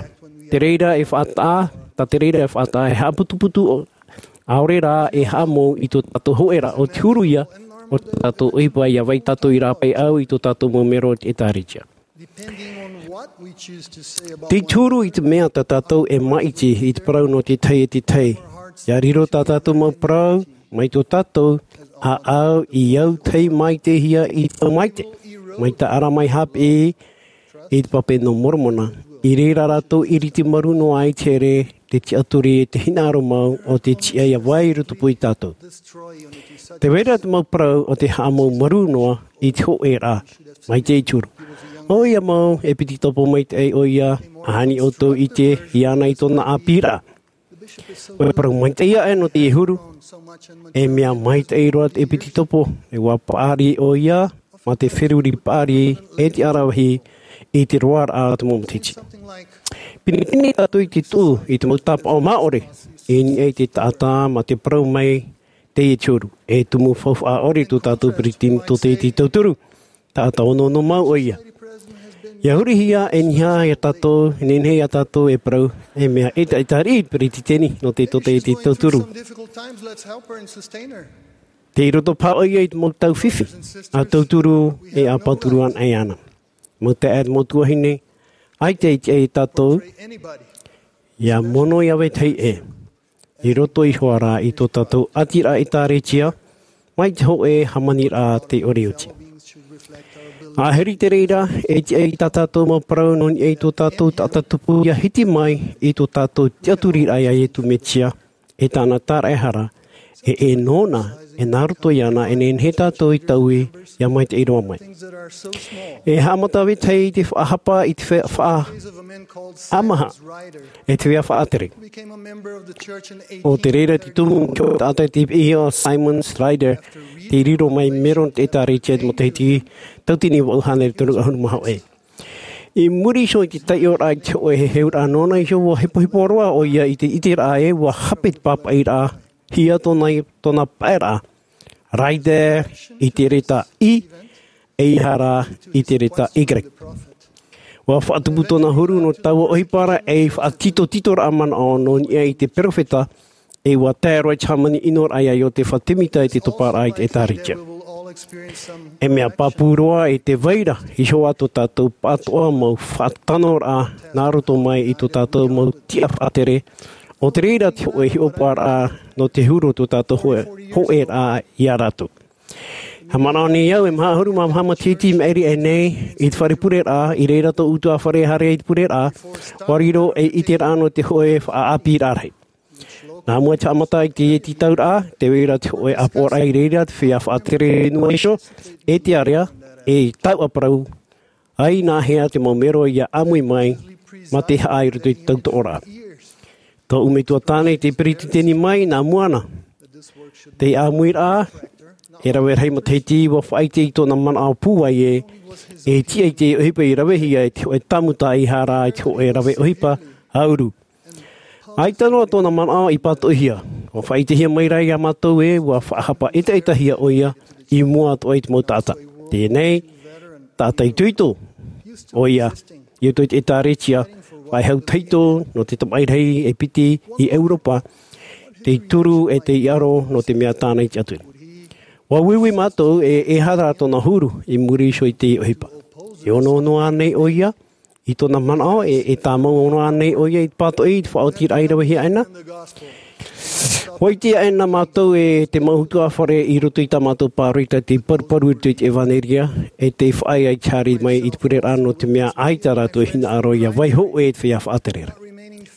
te reira e faʻataʻa, tā te reira e faʻataʻa e haʻaputuputu ʻo-, ʻaore rā e haʻamou i tō tātou hōʻēraʻa ʻo te huru ia, o tō tātou ʻohipa ʻia vai tātou i rāpae au i tō tātou mau mero o te ʻĒtārētia. Tei te huru i te mea tā tātou e māʻiti i te parau nō te tahi e te tahi. ʻIa riro tā tātou mau parau, mai tō tātou, ʻāʻau i au tahi maitaʻihia i te mau maitaʻi. Mai tā ʻArama i haʻapiʻi, i te pape nō Moromona, i reira rātou ʻiriti marū noa ai te here, te tiʻaturi, te hinaʻaro mau, ʻo te tiʻa ʻia vai i rotopū ia tātou. Tē vai ra te mau parau ʻo te haʻamou marū noa i te hōʻēraʻa, mai te huru. ʻOia mau, ʻEpitetopo maitaʻi ʻoia, ʻa ʻāni ʻoutou i ʻite, ʻia ana i tōna ʻāpīraʻa. ʻUa parau maitaʻi aʻe nō te huru, e mea maitaʻi roa te ʻEpitetopo, e ʻua paʻari ʻoia, mā te feruri paʻari, e te aravihi, i te roaraʻa o te mau matahiti. Pinepine tātou i te tuʻu, i te mau tāpaʻo māʻore, i niʻa i te taʻata, mā te parau mai, teie te huru, e tumu faufaʻa ʻore tō tātou peretiteni tōtaiete tauturu, taʻata onoono mau ʻoia. ʻIa hurihia e niʻa ia tātou, e nehenehe ia tātou e parau, e mea ʻetaʻeta riʻi peretiteni nō te tōtaiete tauturu. Tei roto paha ʻoia i te mau tau fifi, ʻa tauturu e ʻa pāturu ana e ana. Mau taeaʻe, mau tuahine, ʻaita e tiʻa ia tātou, ʻia mono ia vetahi ʻē. I roto iho ā rā i tō tātou ʻātiraʻa ʻĒtārētia, mai te hōʻē hāmaniraʻa tei ʻore oti. ʻA huri te reira, e tiʻa i tā tātou mau parau nō niʻa i tō tātou taʻata tupu ʻia hiti mai i tō tātou tiʻaturiraʻa ia Iesu Mesia, e tāna tāraʻehara, e, e nōna, e nā roto iāna, e nehenehe tātou i taui, ʻia maitaʻi roa mai. E haʻamata vetahi i te faʻahapa i te fe-, faʻa-, ʻamaha, e te feiā faʻatere. ʻO te reira te tumu taʻata i te piʻihia ʻo Simeon Ryder, tei riro mai mero nō te ʻĒtārētia i te matahiti tauatini vaʻu hānere toru ʻahuru mā hōʻē. I muri iho i te taiʻoraʻa i te hōʻē heheuraʻa nōna iho, ʻua hepohepo roa ʻoia i te ʻiteraʻa ē ʻua hape te pāpaʻiraʻahia tōna, tōna paʻeraʻa. Ryder i te reta I, ʻeiaha rā i te reta Y. ʻUa faʻatupu tōna huru nō taua ʻohipa ra, e faʻatitotitoraʻa manaʻo nō niʻa i te perofeta, e ʻua tae roa i te hāmani ʻinoraʻa ia Iosepha Semita i te toparaʻa i te ʻĒtārētia. E mea pāpū roa i te vai ra, i hoʻi tō tātou pātoʻa mau faʻatanoraʻa nā roto mai i tō tātou mau tiʻa faʻatere, ʻo te reira te hōʻē hiʻopoʻaraʻa nō te huru o tō tātou hōʻē, hōʻēraʻa ia rātou. Haʻamanaʻo nei au, e maha ʻahuru mā maha matahiti i maʻiri aʻe nei, i te fare pureraʻa, i reira tō ʻutuāfare e haere ai te pureraʻa, ʻua riro ei ʻiteraʻa nō te hōʻē faʻaʻāpīraʻa rahi. Nā mua i te haʻamata i te tītauraʻa, tē vai ra te hōʻē ʻāpoʻoraʻa i reira, te feiā faʻatere fenua iho, e te ārea, e tauʻaparau, ʻaita nā hea te mau mero ia ʻāmui mai, mā te haʻa i roto i te tautoʻoraʻa. Tōʻu metua tāne i te peretiteni mai, nā mua na. Te ʻāmuiraʻa, e rave rahi matahiti ʻua faʻaʻite i tōna manaʻo pūai ē, e tiʻa i te ʻohipa i ravehia e te hōʻē tāmuta i hara i te hōʻē rave ʻohipa, ʻauru. ʻAita noa tōna manaʻo i pātoʻihia. ʻUa faʻaʻitehia mai ra iā mātou ē, ʻua faʻahapa ʻetaʻetahia ʻoia i mua atoʻa i te mau taʻata. Teie nei, taʻata itoito ʻoia, i roto i te ʻĒtārētia, faʻehau tahito nō te tamaʻi rahi e piti i ʻEuropa, tei turu e tei ʻaro nō te mea tāna i te Atua. ʻUa uiui mātou e, e aha rā tōna huru i muri iho i te ʻohipa. E ono noa nei ʻoia, i tōna manaʻo, e, e tāmau noa nei ʻoia i te pātoʻi, i te faʻaotiraʻa i ravehia aʻena. ʻUa ʻite aʻena mātou e te mau ʻutuāfare i roto i tā mātou pāroita tei paruparu i roto i te ʻevanelia, e tei faʻaea i te haere mai i te pureraʻa nō te mea ʻaita rātou e hinaʻaro ia vaiiho e te feiā faʻatere ra.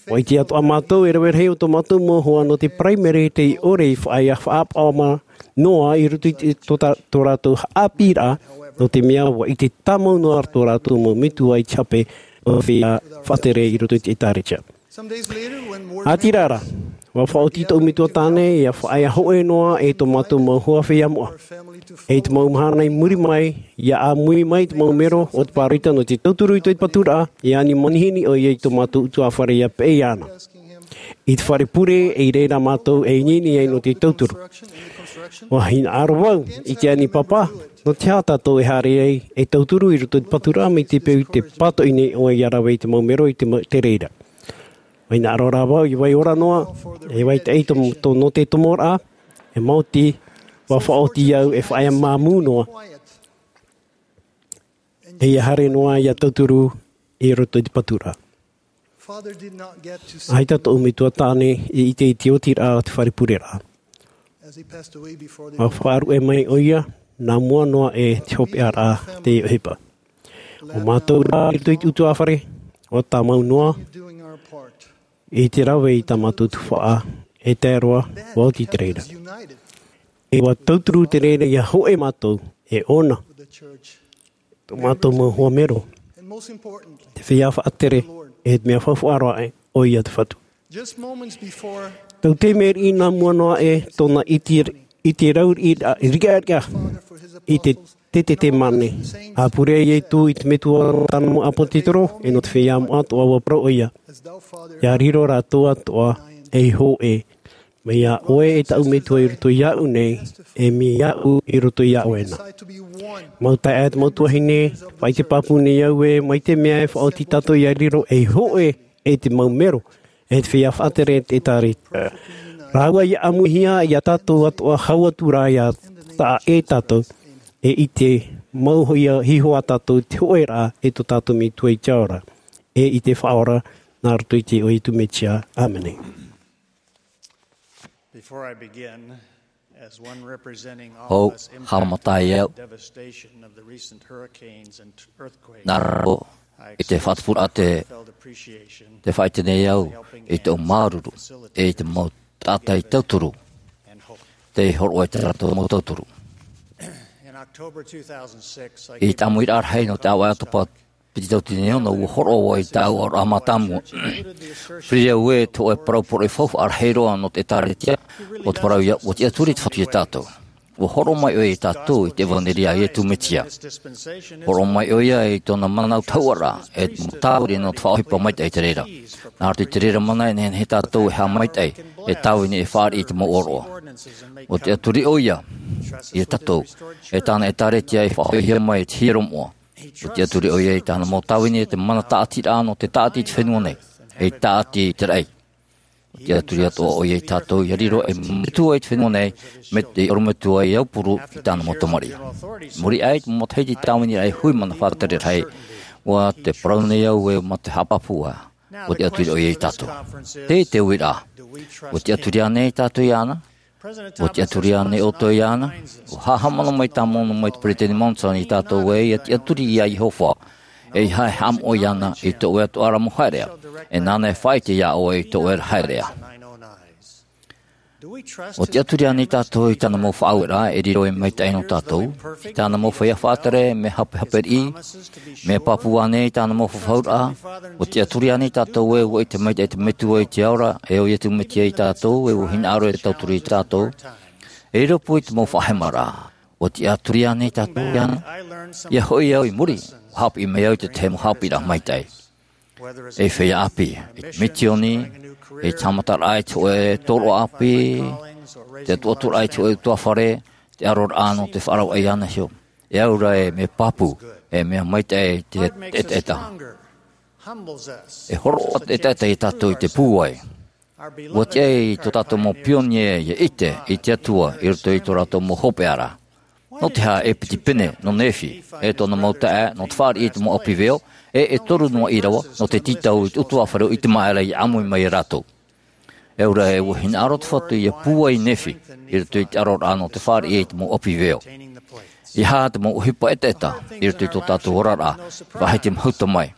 ʻUa ʻite atoʻa mātou e rave rahi o tō mātou mau hoa nō te paraimere tei ʻore i faʻaea faʻapaʻo mā noa i roto i te, tō tā-, tō rātou haʻapiʻiraʻa, nō te mea ʻua ʻite tāmau noa tō rātou mau metua i te hape o te feiā faʻatere i roto i te ʻĒtārētia. ʻĀtīrā ra, ʻua faʻaoti tōʻu metua tāne ia faʻaea hōʻē noa e tō mātou mau hoa feiā moʻa. E te mau mahana i muri mai, ia ʻāmui mai te mau mero o te pāroita nō te tauturu i te paturaʻa, ia ani manihini ʻoia i tō mātou ʻutuāfare ia peʻe iāna. I te fare pure, i reira mātou e ʻineine ai nō te tauturu. ʻUa hinaʻaro vau i te ani papa, nō te aha tātou e haere ai e tauturu i roto i te paturaʻa mai te peu i te pātoʻi nei ʻoe ia rave i te mau mero i te ma-, te reira. ʻUa hinaʻaro rā vau i vai ora noa, e vai taʻi tō, tō, nō te tomoraʻa, e maoti, ʻua faʻaoti au e faʻaea māmū noa. E ia haere noa ia tauturu i roto i te paturaʻa. ʻAita tōʻu metua tāne i ʻite i te otiraʻa o te fare pureraʻa. ʻUa faʻaruʻe mai ʻoia, nā mua noa e te hopeʻaraʻa te ʻohipa. ʻO mātou rā i roto i te ʻutuāfare, ʻua tāmau noa, i te rave i tā mātou tuhaʻa, e tae roa, ʻua oti te reira. E ʻua tauturu te reira ia hōʻē mātou, e ʻōna. Tō mātou mau hoa mero. Te feiā faʻatere, e te mea faufaʻa roa aʻe, ʻoia te Fatu. Tau te mea riʻi nā mua noa e tōna ʻite, ʻite rau riʻi, riʻariʻa i te, te, te, te mane. ʻA pure ai Ietu i te metua o tāna mau ʻāpōtetoro, e nō te feiā moʻa atoʻa ʻua parau ʻoia. ʻIa riro rātou atoʻa, ei hōʻē. Mai iā ʻoe e tāʻu metua i roto iāʻu nei, e mai iāʻu i roto iāʻu ena. Mau taeaʻe, mau tuahine, faʻaʻite pāpū nei au ē, mai te mea e faʻaoti tātou ʻia riro ei hōʻē e te mau mero, e te feiā faʻatere e te ʻĒtārētia. Rāua ʻia ʻāmuihia iā tātou atoʻa hau atu rā ʻia taʻa ʻē tātou, e ʻite mau hoʻi ā, hiʻo ā tātou te hōʻēraʻa e tō tātou Metua i te ao ra, e i te Faʻaora, nā roto i te iʻoa o Ietu Mesia. ʻĀmene. Before I begin, as one representing all Hou, of us haʻamata ai au. Impacted by the devastation of the recent hurricanes and earthquakes, nā roto i te faʻatupuraʻa te, heartfelt appreciation te faʻaʻite nei au i te mau māuruuru, e i te mau taʻata i tauturu, and hope. Tei hōroʻa i tā rātou mau tauturu. In October two thousand six, I I te ʻāmuiraʻa rahi nō te ʻāvaʻe ʻātopa piti tauatini e ono, ʻua hōroʻa vau i tāʻu aroha mātāmua. Piri au ē te hōʻē parau poroʻi faufaʻa rahi roa nō te ʻĒtārētia, ʻo te parau ia, ʻua tiʻaturi te Fatu iā tātou. ʻUa hōroʻa mai ʻoia iā tātou i te ʻevanelia a Ietu Mesia. Hōroʻa mai ʻoia i tōna mana tahuʻaraʻa, e te mau tāviri nō te faʻaʻohipa maitaʻi i te reira. Nā roto i te reira mana e nehenehe tātou e haʻamaitaʻi, e tāvini e fāriʻi i te mau ʻōroʻa. ʻUa tiʻaturi ʻoia iā tātou, e tāna ʻĒtārētia e faʻahoʻihia mai e te hiero moʻa. ʻUa tiʻaturi ʻoia i tāna mau tāvini e te mana tāʻatiraʻa nō te tāʻati i te fenua nei, e tāʻati i te raʻi. Tiʻaturi atoʻa ʻoia ia tātou ia riro ei metua i te fenua nei, mai te ʻorometua i Aupuru i tāna mau tamariʻi. Muri aʻe i te mau matahiti tāviniraʻa e hui mana faʻatere rahi, ʻua te parau nei au ē mā te haʻapāpū ā. ʻUa tiʻaturi ʻoia ia tātou. Tē te uiraʻa. ʻUa tiʻaturi ānei tātou iāna? ʻUa tiʻaturi ānei ʻoutou iāna? ʻUa haʻamanaʻo mai tāmau noa mai te Peresideni Monson ia tātou ē ia tiʻaturi ia Iehova. ʻEiaha e haʻamoʻe iāna i tō ʻoe atoʻa ra mau haereʻa. E nāna e faʻaʻite ia ʻoe i tō ʻoe ra haereʻa. ʻUa tiʻaturi ānei tātou i tāna mau faʻaueraʻa e riro ei maitaʻi nō tātou, i tāna mau feiā faʻatere, mea hapehape riʻi, mea pāpū ānei i tāna mau fafauraʻa? ʻUa tiʻaturi ānei tātou ē ʻua ʻite maitaʻi te Metua i te ao ra, e ʻo Iesu Mesia ia tātou, e ʻua hinaʻaro e tauturu ia tātou? E riro pū i te mau faʻahemaraʻa. ʻUa tiʻaturi ānei tātou iāna? ʻIa hoʻi au i muri, ʻua haʻapiʻi mai au i te tahi mau haʻapiʻiraʻa maitaʻi. Ei feiā ʻāpī, ei misioni, ei tāmataraʻa i te hōʻē tōroʻa ʻāpī, te atuaturaʻa i te hōʻē ʻutuāfare, te ʻaroraʻa nō te faʻarauaʻa iāna iho. E au ra e mea pāpū, e mea maitaʻi te ʻetaʻeta. E hōroʻa te ʻetaʻeta ia tātou i te pūai. ʻUa tiʻa ai tō tātou mau pionie ia ʻite i te Atua i roto i tō rātou mau hopeʻa ra. Nō te aha e piti pene nō Nephi, e tōna mau taeaʻe, nō te fāriʻi i te mau ʻapi veo, e e toru noa ʻīrava, nō te tītau i te ʻutuāfare ʻo Itemaʻera ʻia ʻāmui mai ia rātou. E au ra ē ʻua hinaʻaro te Fatu ʻia pūai Nephi, i roto i te ʻaroraʻa nō te fāriʻi i te mau ʻapi veo. ʻEiaha te mau ʻohipa ʻetaʻeta, i roto i tō tātou oraraʻa, faʻahiti mahuta mai.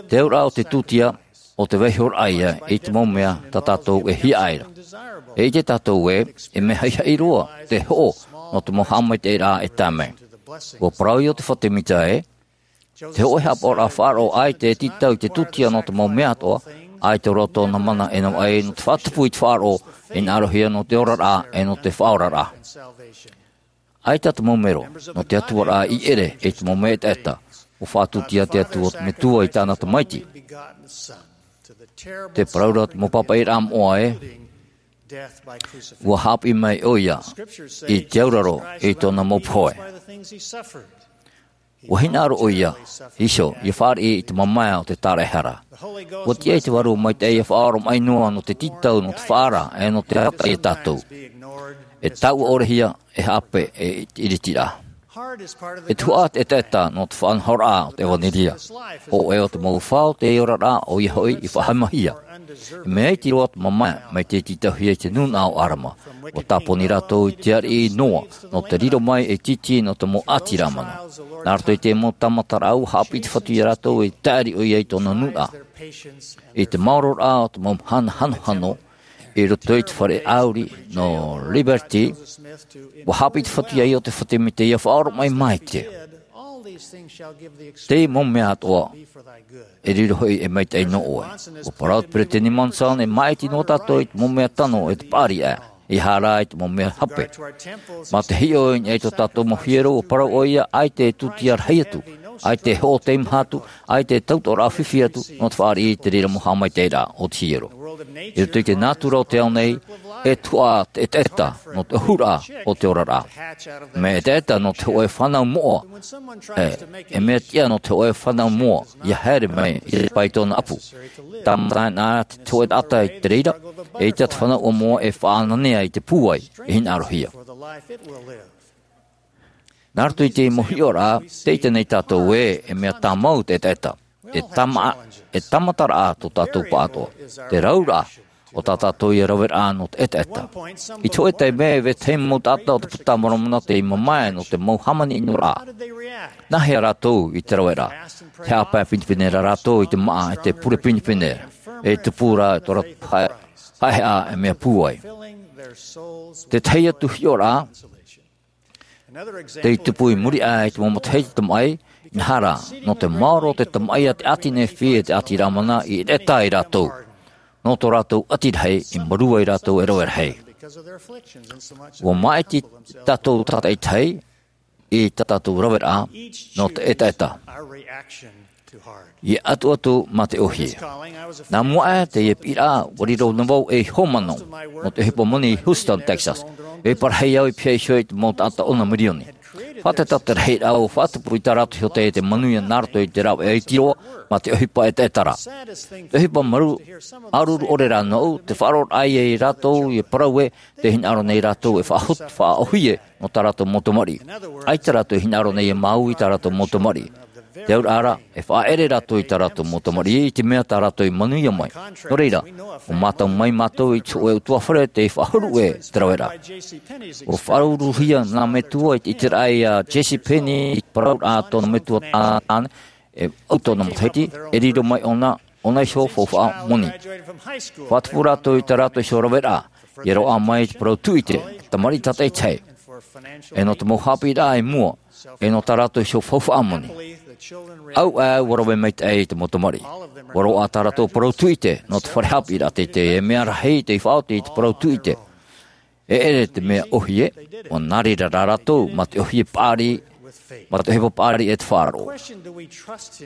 Te auraʻa o te tūtia, ʻo te vaihoraʻa ïa i te mau mea tā tātou e hiaʻai ra. E ʻite tātou ē, e mea haʻihaʻi roa te hoʻo nō te mau haʻamaitaʻiraʻa e tae mai. ʻUa parau ïa ʻo te Fatu Mīsaia ē, te hōʻē haʻapaʻoraʻa faʻaroʻo ʻaita e tītau i te tūtia nō te mau mea atoʻa, ʻaita roa tōna mana e navaʻi nō te faʻatupu i te faʻaroʻo, e hinaʻarohia nō te oraraʻa, e nō te faʻaoraraʻa. ʻAita te mau mero nō te atuaraʻa i ʻere i te mau mea ʻetaʻeta, ʻua faʻatūtia te Atua o te Metua i tāna Tamaiti. Tē parau ra te mau pāpaʻiraʻa moʻa ē, ʻua haʻapiʻi mai ʻoia i te auraro i tōna mau pohe. ʻUa hinaʻaro ʻoia iho ʻia fāriʻi i te mamae o te tāraʻehara. ʻUa tiʻa ai te Vārua Maitaʻi ʻia faʻaoromaʻi noa nō te tītau, nō te faʻaara, e nō te ata ia tātou. E taʻua ʻore hia, e haʻapeʻe i te ʻiritiraʻa. E tuhaʻa te ʻetaʻeta nō te faʻanahoraʻa o te ʻevanelia. Hōʻē o te mau fā o te oraraʻa ʻoia hoʻi i faʻahamahia. E mea iti roa te mamae, mai tē tītauhia i te nūnaʻa o ʻĀrama. ʻUa tāponi rātou i te ariʻi Noa, nō te riro mai ei tītī nō te mau ʻāti Rāmana. Nā roto i te mau tāmataraʻa ʻua haʻapiʻi te Fatu ia rātou e taʻeri ʻoia i tōna nūnaʻa. I te maororaʻa o te mau mahana hanohano, i roto i te fare ʻāuri nō Liberty, ʻua haʻapiʻi te Fatu ia Iosepha Semita ʻia faʻaoromaʻi maite. Te mau mea atoʻa, e riro hoʻi ei maitaʻi nō ʻoe. ʻUa parau te Peresideni Monson, e māʻiti noa tātou i te mau mea tano e te paʻari aʻe, ʻeiaha rā i te mau mea hape. Mā te hiʻo i niʻa i tō tātou mau hiero, ʻua parau ʻoia, ʻaita e tūtia rahi atu, ʻaita e hoʻo teimaha atu, ʻaita e tautoʻoraʻa fifi atu, nō te fāriʻi i te reira mau haʻamaitaʻiraʻa o te hiero. I roto i te nātura o te ao nei, e tuhaʻa te ʻetaʻeta nō te ʻohuraʻa o te oraraʻa. Mea ʻetaʻeta nō te hōʻē fānau moʻa, e, e mea tiʻa nō te hōʻē fānau moʻa ʻia haere mai i te pae i tōna ʻapu. Tāmata anaʻe te hōʻē taʻata i te reira, eʻita te fānau moʻa e faʻaʻananea i te pūai, e hinaʻarohia. Nā roto i te mau hiʻoraʻa, tē ʻite nei tātou ē, e mea tāmau te ʻetaʻeta. E tāma-, e tāmataraʻa tō tātou pāʻatoʻa. Te rauraʻa o tā tātou ia raveraʻa nō te ʻetaʻeta. I te hōʻē taime, e vetahi mau taʻata o te Puta a Moromona tei mamae nō te mau hāmani ʻinoraʻa. Nā hea rātou i te raveraʻa? Tē haʻapae pinepine ra rātou i te māʻa e te pure pinepine. E tupu rā tō rātou haʻe-, haʻehaʻa e mea pūai. Te tahi atu hiʻoraʻa, tei tupu i muri aʻe i te mau matahiti tamaʻi, ʻeʻita rā, nō te maoro o te tamaʻi a te ʻāti Nephi e te ʻāti Rāmana i ʻetaʻeta ai rātou. Nō tō rātou ʻati rahi, i marū ai rātou e rave rahi. ʻUa māʻiti tātou tātaʻitahi, i tā tātou raveraʻa, nō te ʻetaʻeta. ʻIa ʻatuʻatu mā te ʻōhie. Nā mua aʻe teie piʻiraʻa, ʻua riro na vau ei hōmano, nō te ʻohipa moni i Houston, Texas. E parahi au i pihaʻi iho i te mau taʻata ono mirioni. Faʻatataraʻa rahi rā ʻua faʻatupu i tā rātou iho tei te manuia nā roto i te rāveʻa iti roa mā te ʻohipa ʻetaʻeta ra. Te ʻohipa māuruuru ʻore rā nōʻu, te faʻaroʻoraʻa ia rātou e parau ē, tē hinaʻaro nei rātou e faʻahotu, faʻaʻōhie nō tā rātou mau tamariʻi. ʻAita rātou e hinaʻaro nei e māuiui i tā rātou mau tamariʻi. Te auraʻa ra, e faʻaʻere rātou i tā rātou mau tamariʻi i te mea tā rātou i manuia mai. Nō reira, ʻua mātau mai mātou i te hōʻē ʻutuāfare tei faʻahuru ʻē te raveraʻa. ʻUa faʻauruhia nā metua i te ʻiteraʻa ia Jesse Penney i te parauraʻa tōna metua tāne, e ʻau tōna matahiti, e riro mai ʻōna, ʻōna iho faufaʻa moni. Faʻatupu rātou i tā rātou iho raveraʻa, ia roaʻa mai te parau tūʻite, tamariʻi tātaʻitahi. E nō te mau haʻapiʻiraʻa i mua, e nō tā rātou iho faufaʻa moni. ʻAuʻa ʻua rave maitaʻi i te mau tamariʻi. ʻUa roaʻa tā rātou parau tūʻite, nō te fare haʻapiʻiraʻa teitei, e mea rahi tei faʻaoti i te parau tūʻite. E ʻere te mea ʻōhie, ʻua nā reira rā rātou, mā te ʻōhie paʻari, mā te ʻohipa paʻari e te faʻaroʻo.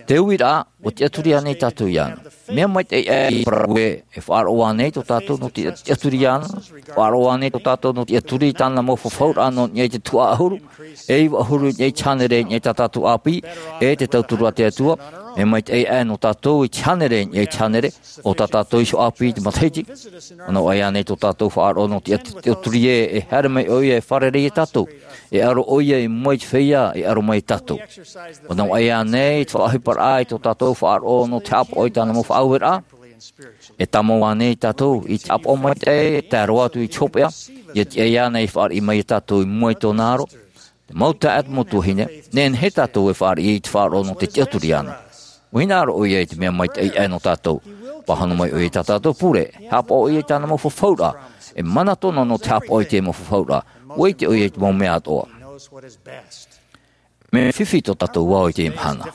Te uiraʻa, ʻua tiʻaturi ānei tātou iāna? Mea maitaʻi ʻē i parau ē, e faʻaroʻo ānei tō tātou nō te tiʻaturi iāna? Faʻaroʻo ānei tō tātou nō te tiʻaturi i tāna mau fafauraʻa nō niʻa i te tuhaʻa ʻahuru, e iva ʻahuru i niʻa i te hānere i niʻa i tā tātou ʻāpī, e te tauturu a te Atua? Mea maitaʻi ʻē nō tātou i te hānere i niʻa i te hānere, ʻo tā tātou iho ʻāpī i te matahiti? ʻUa nau ʻai ānei tō tātou faʻaroʻo nō te tiʻaturi ē, e haere mai ʻoia e fārerei ia tātou, e ʻaro ʻoia i mua i te feiā e ʻaro mai ia tātou? ʻUa nau ʻai ānei te faʻaʻohiparaʻa i tō tātou faʻaroʻo nō te haʻapaʻo i tāna mau faʻaueraʻa? E tāmau ānei tātou i te haʻapaʻo maitaʻi e tae roa atu i te hopeʻa, ia tiʻa iāna e fāriʻi mai ia tātou i mua i tōna aro? Te mau taeaʻe, te mau tuahine, nehenehe tātou e fāriʻi i te faʻaroʻo nō te tiʻaturi iāna. ʻUa hinaʻaro ʻoia i te mea maitaʻi ʻē nō tātou. Pāhono mai ʻoia i tā tātou pure, haʻapaʻo ʻoia i tāna mau fafauraʻa, e mana tōna nō te haʻapaʻo i te mau fafauraʻa, ʻua ʻite ʻoia i te mau mea atoʻa. Mea fifi tō tātou ao i teie mahana.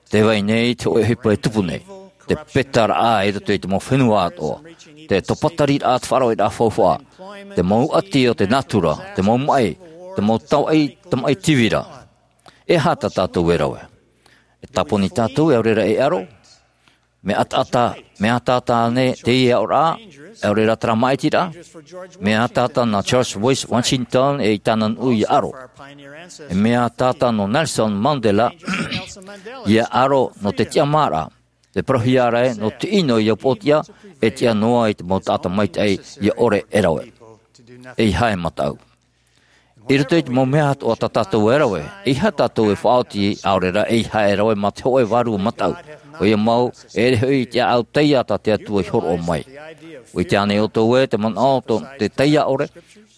Tē vai nei te hōʻē ʻohipa e tupu nei, te petaraʻa i roto i te mau fenua atoʻa, te topatariraʻa, te faʻaroʻoraʻa faufaʻa, te mau ʻati o te natura, te mau maʻi, te mau tamaʻi, tamaʻi tīvira. E aha tā tātou e rave? E tāponi tātou, e ʻaore rā e ʻaro? Mea ʻataʻata, mea ʻataʻata ānei teie aʻoraʻa, e ʻaore rā terā māʻitiraʻa? Mea ʻataʻata nā George Washington e i tāna nuʻu ia ʻaro. E mea ʻataʻata nō Nelson Mandela ia ʻaro nō te tiʻamāraʻa, te parauhia ra ē, nō te ʻino ia upoʻotiʻa, e tiʻa noa i te mau taʻata maitaʻi ia ʻore e rave. ʻEiaha e mataʻu. I roto i te mau mea atoʻa tā tātou e rave, ʻeiaha tātou e faʻaoti, ʻaore rā ʻeiaha e rave mā te hōʻē vārua mataʻu. ʻOia mau, e ʻere hoʻi i te ʻāʻau taiā tā te Atua i hōroʻa mai. ʻUa ʻite ānei ʻoutou ē, te manaʻo tō te taiā ʻore,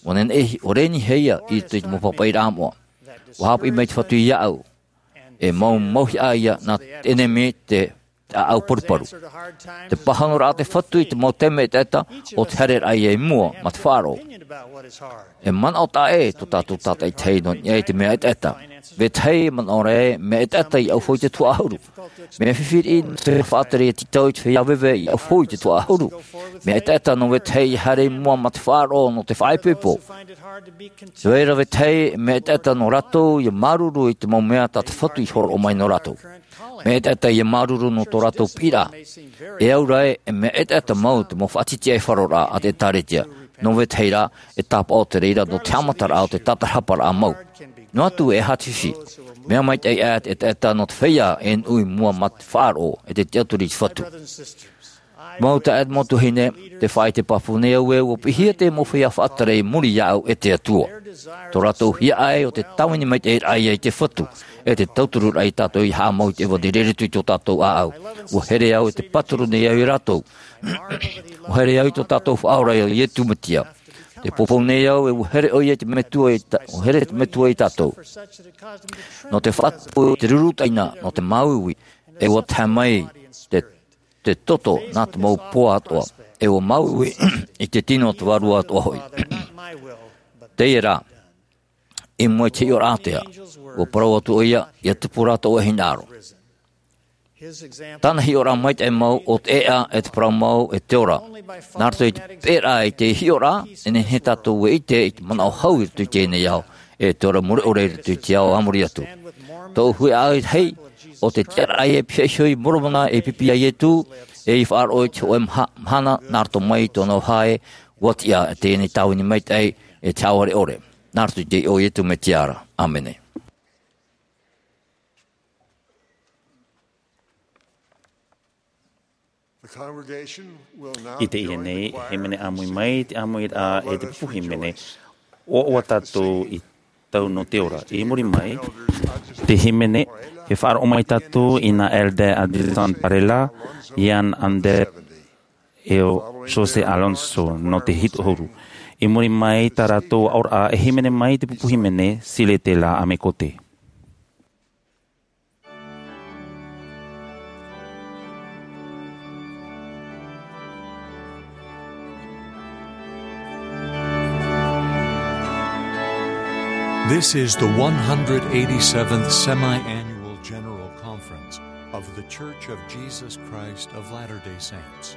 ʻua nehenehe, ʻua nehenehe ia i roto i te mau pāpaʻiraʻa moʻa. ʻUa haʻapiʻi mai te Fatu iāʻu, e mau mauhaʻa ia nā te ʻenemi, te te ʻāʻau paruparu. Te pāhonoraʻa a te Fatu i te mau taime ʻetaʻeta, ʻo te haereraʻa ia i mua mā te faʻaroʻo. E manaʻo taʻa ʻē tō tātou tātaʻitahi nō niʻa i te mea ʻetaʻeta. Vetahi e manaʻo ra ē, mea ʻetaʻeta ia ʻauhau i te tuhaʻa ʻahuru. Mea fifi riʻi nō te faʻatere tītau i te feiā veve ia ʻauhau i te tuhaʻa ʻahuru. Mea ʻetaʻeta nō vetahi ia haere i mua mā te faʻaroʻo nō te faʻaipoipo. Te vai ra vetahi mea ʻetaʻeta nō rātou ia māuruuru i te mau mea tā te Fatu i hōroʻa mai nō rātou. Mea ʻetaʻeta ia māuruuru nō tō rātou piʻiraʻa. E au ra ē, e mea ʻetaʻeta mau te mau faʻatitiʻaifaroraʻa a te ʻĒtārētia nō vetahi rā, e tāpaʻo te reira nō te haʻamataraʻa o te tātarahaparaʻa mau. Noa atu e aha te fifi. Mea maitaʻi ʻē te ʻetaʻeta nō te feiā e nuʻu i mua mā te faʻaroʻo e te tiʻaturi i te Fatu. Mau taeaʻe, mau tuahine, tē faʻaʻite pāpū nei au ē, ʻua piʻihia te mau feiā faʻatere i muri iāʻu e te Atua. Tō rātou hiaʻai ʻo te tāvini maitaʻiraʻa ia i te Fatu, e te tautururaʻa ia tātou ia haʻamau i te ʻevanelia i roto i tō tātou ʻāʻau. ʻUa here au e te pāturu nei au ia rātou. ʻUa here au i tō tātou Faʻaora ia Iesu Mesia. Tē poupou nei au ē, ʻua here ʻoia i te Metua ia tā-, ʻua here te Metua ia tātou. Nō te faʻatupu i te ruru taʻina, nō te māuiui, e ʻua tahe mai te te toto nā te mau poa atoʻa, e ʻua māuiui i te tino o te Vārua atoʻa hoʻi. Teie rā, i mua i te hiʻoraʻa ātea, ʻua parau atu ʻoia, ʻia tupu rā tō ʻoe hinaʻaro. Tāna hiʻoraʻa maitaʻi mau, ʻo te ʻēʻa, e te parau mau, e te ora. Nā roto i te pēraʻa i te hiʻoraʻa, e nehenehe tātou e ʻite i te manaʻo hau i roto i teie nei ao, e te ora mure ʻore i roto i te ao a muri atu. Tōʻu huiraʻatira, ʻo te tiʻaraʻa e pihaʻi iho i Moromona e pipi iā Iesu, e i faʻaroʻo i te hōʻē maha-, mahana nā roto mai i tōna vāhi, ʻua tiʻa, e teie nei tāvini maitaʻi, e te haʻavare ʻore. Nā roto i te iʻoa o Iesu Mesia ra. ʻĀmene. I teie nei, e hīmene ʻāmui mai te ʻāmuiraʻa e te pupu hīmene, ʻoaʻoa tātou i tau nō te ora. I muri mai, te hīmene, e faʻaroʻo mai tātou i nā Elder Adrián Varela, Ian Ander, e ʻo José Alonso nō te hitu ʻahuru. I muri mai tā rātou aʻoraʻa, e hīmene mai te pupu hīmene, Siletela Amekote. This is the one hundred eighty-seventh Semi-Annual General Conference of The Church of Jesus Christ of Latter-day Saints.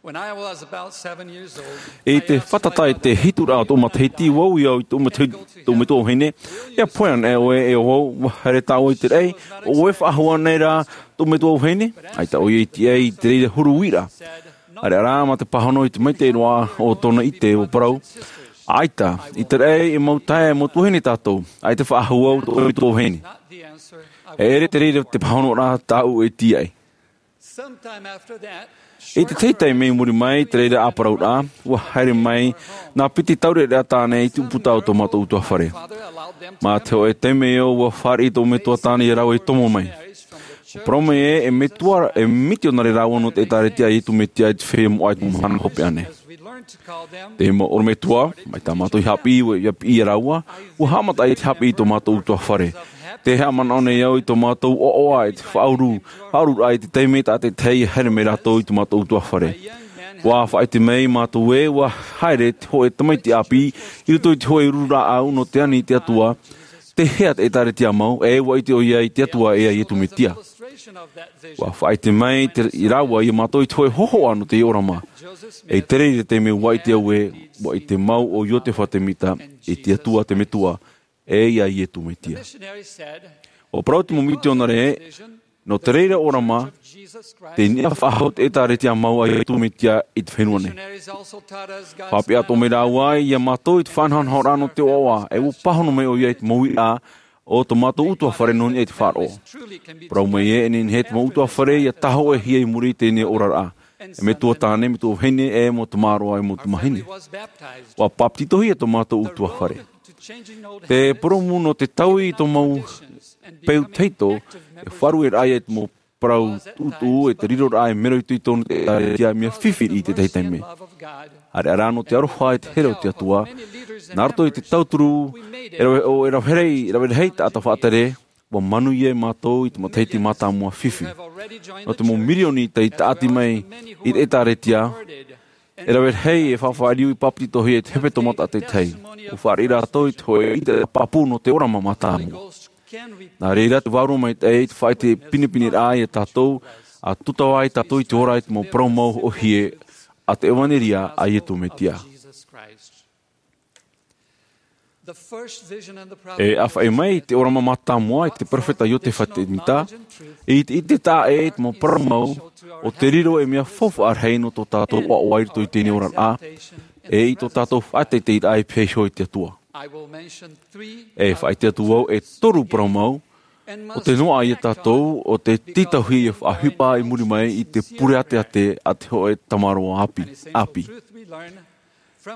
When I was about seven years old, I asked my mother, I te fātata i te hitu rā o tōʻu matahiti, ʻua au i au i tōʻu matahiti, tōʻu metua vahine, ʻia pohe anaʻe ʻoe e ʻo vau, ʻua haere tāʻu i te raʻi, ʻo ʻoe e faʻahou anaʻe ra tōʻu metua vahine? ʻAita ʻoia i tiʻa i te reira huru uiraʻa. ʻĀreʻa rā, mā te pāhono i te maitaʻi roa o tōna ʻite, ʻua parau, ʻAita, i te raʻi e mau taeaʻe, mau tuahine tātou, ʻaita e faʻahou au tōʻu metua vahine. E ʻere te reira te pāhonoraʻa tāʻu e tīaʻi. Sometime after that, I te tahi taime i muri mai i te reira ʻāparauraʻa, ua haere mai nā piti taureʻareʻa tāne i te ʻūputa o tō mātou ʻutuāfare. Mā te hōʻē taime ʻo ia, ua fāriʻi tō metua tāne ia rāua i tomo mai. Ua parau mai ē, e metua, e mitionare rāua nō te ʻĒtārētia a Iesu Mesia i te feiā moʻa i te mau mahana hopeʻa nei. Te mau ʻorometua, mai tā mātou i haʻapiʻi, ua, ʻia piʻi ia rāua, ua haʻamata i te haʻapiʻi i tō mātou ʻutuāfare. Tē haʻamanaʻo nei au i tō mātou ʻoaʻoa, i te faʻauru, faʻaururaʻa i te taime tātaʻitahi e haere mai rātou i tō mātou ʻutuāfare. Ua faʻaʻite mai mātou ē, ua haere te hōʻē tamaiti ʻāpī i roto i te hōʻē uru rāʻau nō te ani i te Atua, tei hea te ʻĒtārētia mau, e ua ʻite ʻoia i te Atua e a Iesu Mesia. Ua faʻaʻite mai te, i rāua ia mātou i te hōʻē hōhoʻa nō te ʻōrama. E i te reira taime ua ʻite au ē, ua ʻite mau ʻo Iosepha Semita i te Atua te Metua, e i a Iesu Mesia. Ua parau te mau mitionare ē, nō te reira ʻōrama, tei niʻa faʻahou te ʻĒtārētia mau a Iesu Mesia i te fenua nei. Faʻaʻite atoʻa mai rāua ia mātou i te faʻanahonahoraʻa nō te ʻoaʻoa, e ua pāhono mai ʻoia i te mau uiraʻa o tō mātou ʻutuāfare nō niʻa i te faʻaroʻo. Parau mai ē, e nehenehe te mau ʻutuāfare ʻia tāhōʻēhia i muri i teie nei oraraʻa. E metua tāne, metua vahine, e mau tamāroa, e mau tamāhine. Ua bāpetizohia tō mātou ʻutuāfare. Te purōmu nō te taui i tō mau peu tahito, e faʻarueraʻa ia i te mau parau tuʻutuʻu, e te riroraʻa e mero itoito nō te ʻĒtārētia mea fifi i te tahi taime. ʻAreʻa rā nō te aroha e te here o te Atua, nā roto i te tauturu, e rave, ʻo, e rave rahi, e rave rahi taʻata faʻatere, ua manuia e mātou i te matahiti mātāmua fifi. Nō te mau mirioni tei tāʻati mai i te ʻĒtārētia, e rave rahi e faʻafaʻariu i bāpetizohia i te hepetoma tātaʻitahi. Ua fāriʻi rātou i te hōʻē ʻite pāpū nō te ʻōrama mātāmua. Nā reira te Vārua Maitaʻi i te faʻaʻite pinepineraʻa ia tātou, ʻa tūtava ai tātou i te ora i te mau parau mau ʻōhie a te ʻevanelia a Iesu Mesia. E ʻāfaʻi mai te ʻōrama mātāmua i te perofeta Iosepha Semita, i te, i te taʻa ē i te mau parau mau, ʻo te riro e mea faufaʻa rahi nō tō tātou ʻoaʻoa i roto i teie nei oraraʻa, e i tō tātou faʻateiteiraʻa e pēhia iho i te Atua. E faʻaʻite atu au e toru parau mau, ʻo te noaʻa ia tātou, ʻo te tītauhia ia faʻaʻohipa i muri mai i te pure ʻāteʻate a te hōʻē tamāroa ʻāpī, ʻāpī.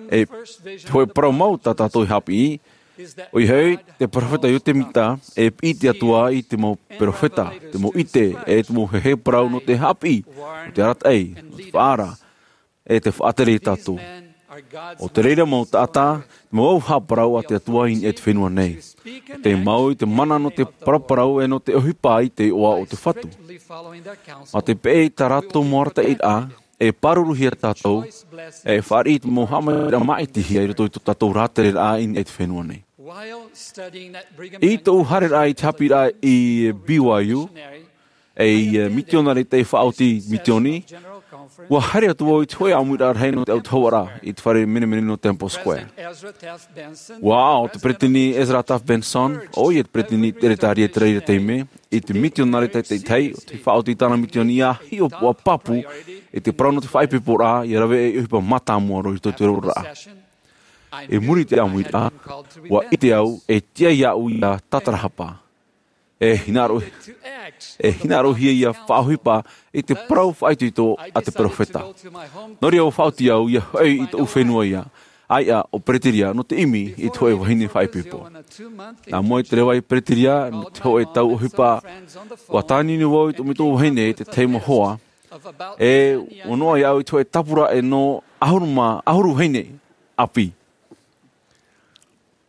E te hōʻē parau mau tā tātou i haʻapiʻi, ʻoia hoʻi, te perofeta Iosepha Semita, e piʻi te Atua i te mau perofeta, te mau ʻite, e te mau heheu parau nō te haʻapiʻi, nō te arataʻi, nō te faʻaara, e te faʻatere ia tātou. ʻO te reira mau taʻata, te mau auaha parau a te Atua i niʻa i te fenua nei. Tei mau i te mana nō te paraparau e nō te ʻohipa i te iʻoa o te Fatu. Mā te peʻe i tā rātou mau arataʻiraʻa, e pāruruhia tātou, e fāriʻi i te mau haʻamaitaʻiraʻa māʻitihia i roto i tō tātou rātereraʻa i niʻa i te fenua nei. I tōʻu haereraʻa i te haʻapiʻiraʻa i B Y U, ei, e, mitionare tei faʻaoti mitioni, ua haere atu au i te hōʻē ʻāmuiraʻa rahi nō te autahuʻaraʻa i te fare menemene nō Temple Square. Ua aʻo te peretiteni Ezra Taft Benson, ʻoia te peretiteni ʻeretārētia i te reira taime, i te mitionare tātaʻitahi, ʻo tei faʻaoti i tāna mitioni ʻia hiʻopoʻa pāpū i te parau nō te faʻaipoiporaʻa, ʻia rave ei ʻohipa mātāmua roa i roto i te oraraʻa. I muri i te ʻāmuiraʻa, ua ʻite au, e tiʻa iāʻu ʻia tātarahapa. E hinaʻaro, e hinaʻarohia ʻia faʻaʻohipa i te parau faʻaitoito a te perofeta. Nō reira ua faʻaoti au ʻia hoʻi i tōʻu fenua ia, ʻāiʻa ʻo Pereteria, nō te ʻimi i te hōʻē vahine faʻaipoipo. Nā mua i te reva i Pereteria, nō te hōʻē tau ʻohipa, ua tāniuniu vau i tō mātou vahine i te tahi mau hoa, e ua noaʻa iāʻu i te hōʻē tāpura e nō ʻahuru mā, ʻahuru vahine ʻāpī.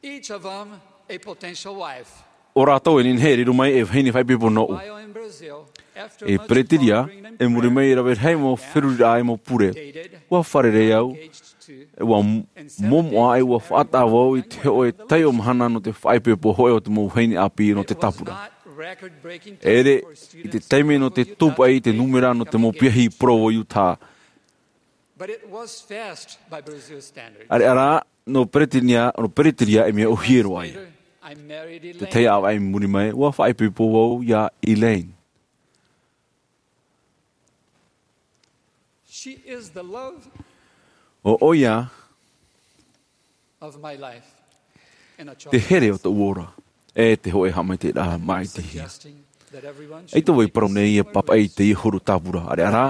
Each of them a potential wife. ʻO rātou e nehenehe e riro mai e vahine faʻaipoipo nōʻu. While in Brazil, after I much Pereteria, pondering and e muri mai i rave rahi mau feruriraʻa e mau pure. Ua fārerei au, e ua m-, momoʻa e ua faʻataʻa vau i te hōʻē taiʻo mahana nō te faʻaipoipo hōʻē o te mau vahine ʻāpī nō te tāpura. It was not record-breaking time for students to go to Utah. ʻEʻere i te taime nō te tūpaʻi i te nūmera nō te mau piahi i Provo, Utah. But it was fast by Brazil standards. ʻAreʻa rā, nō Pereteria, nō Pereteria e mea ʻōhie roa ia. Later, I married Elaine. Te tahi ʻāvaʻe i muri mai, ua faʻaipoipo vau ia Elaine. She is the love ʻO ʻoia of my life in a te here o tōʻu ora, e te hōʻē haʻamaitaʻiraʻa māʻitihia. Suggesting ʻAita vau e parau nei e pāpaʻi i teie huru tāpura, ʻareʻa rā,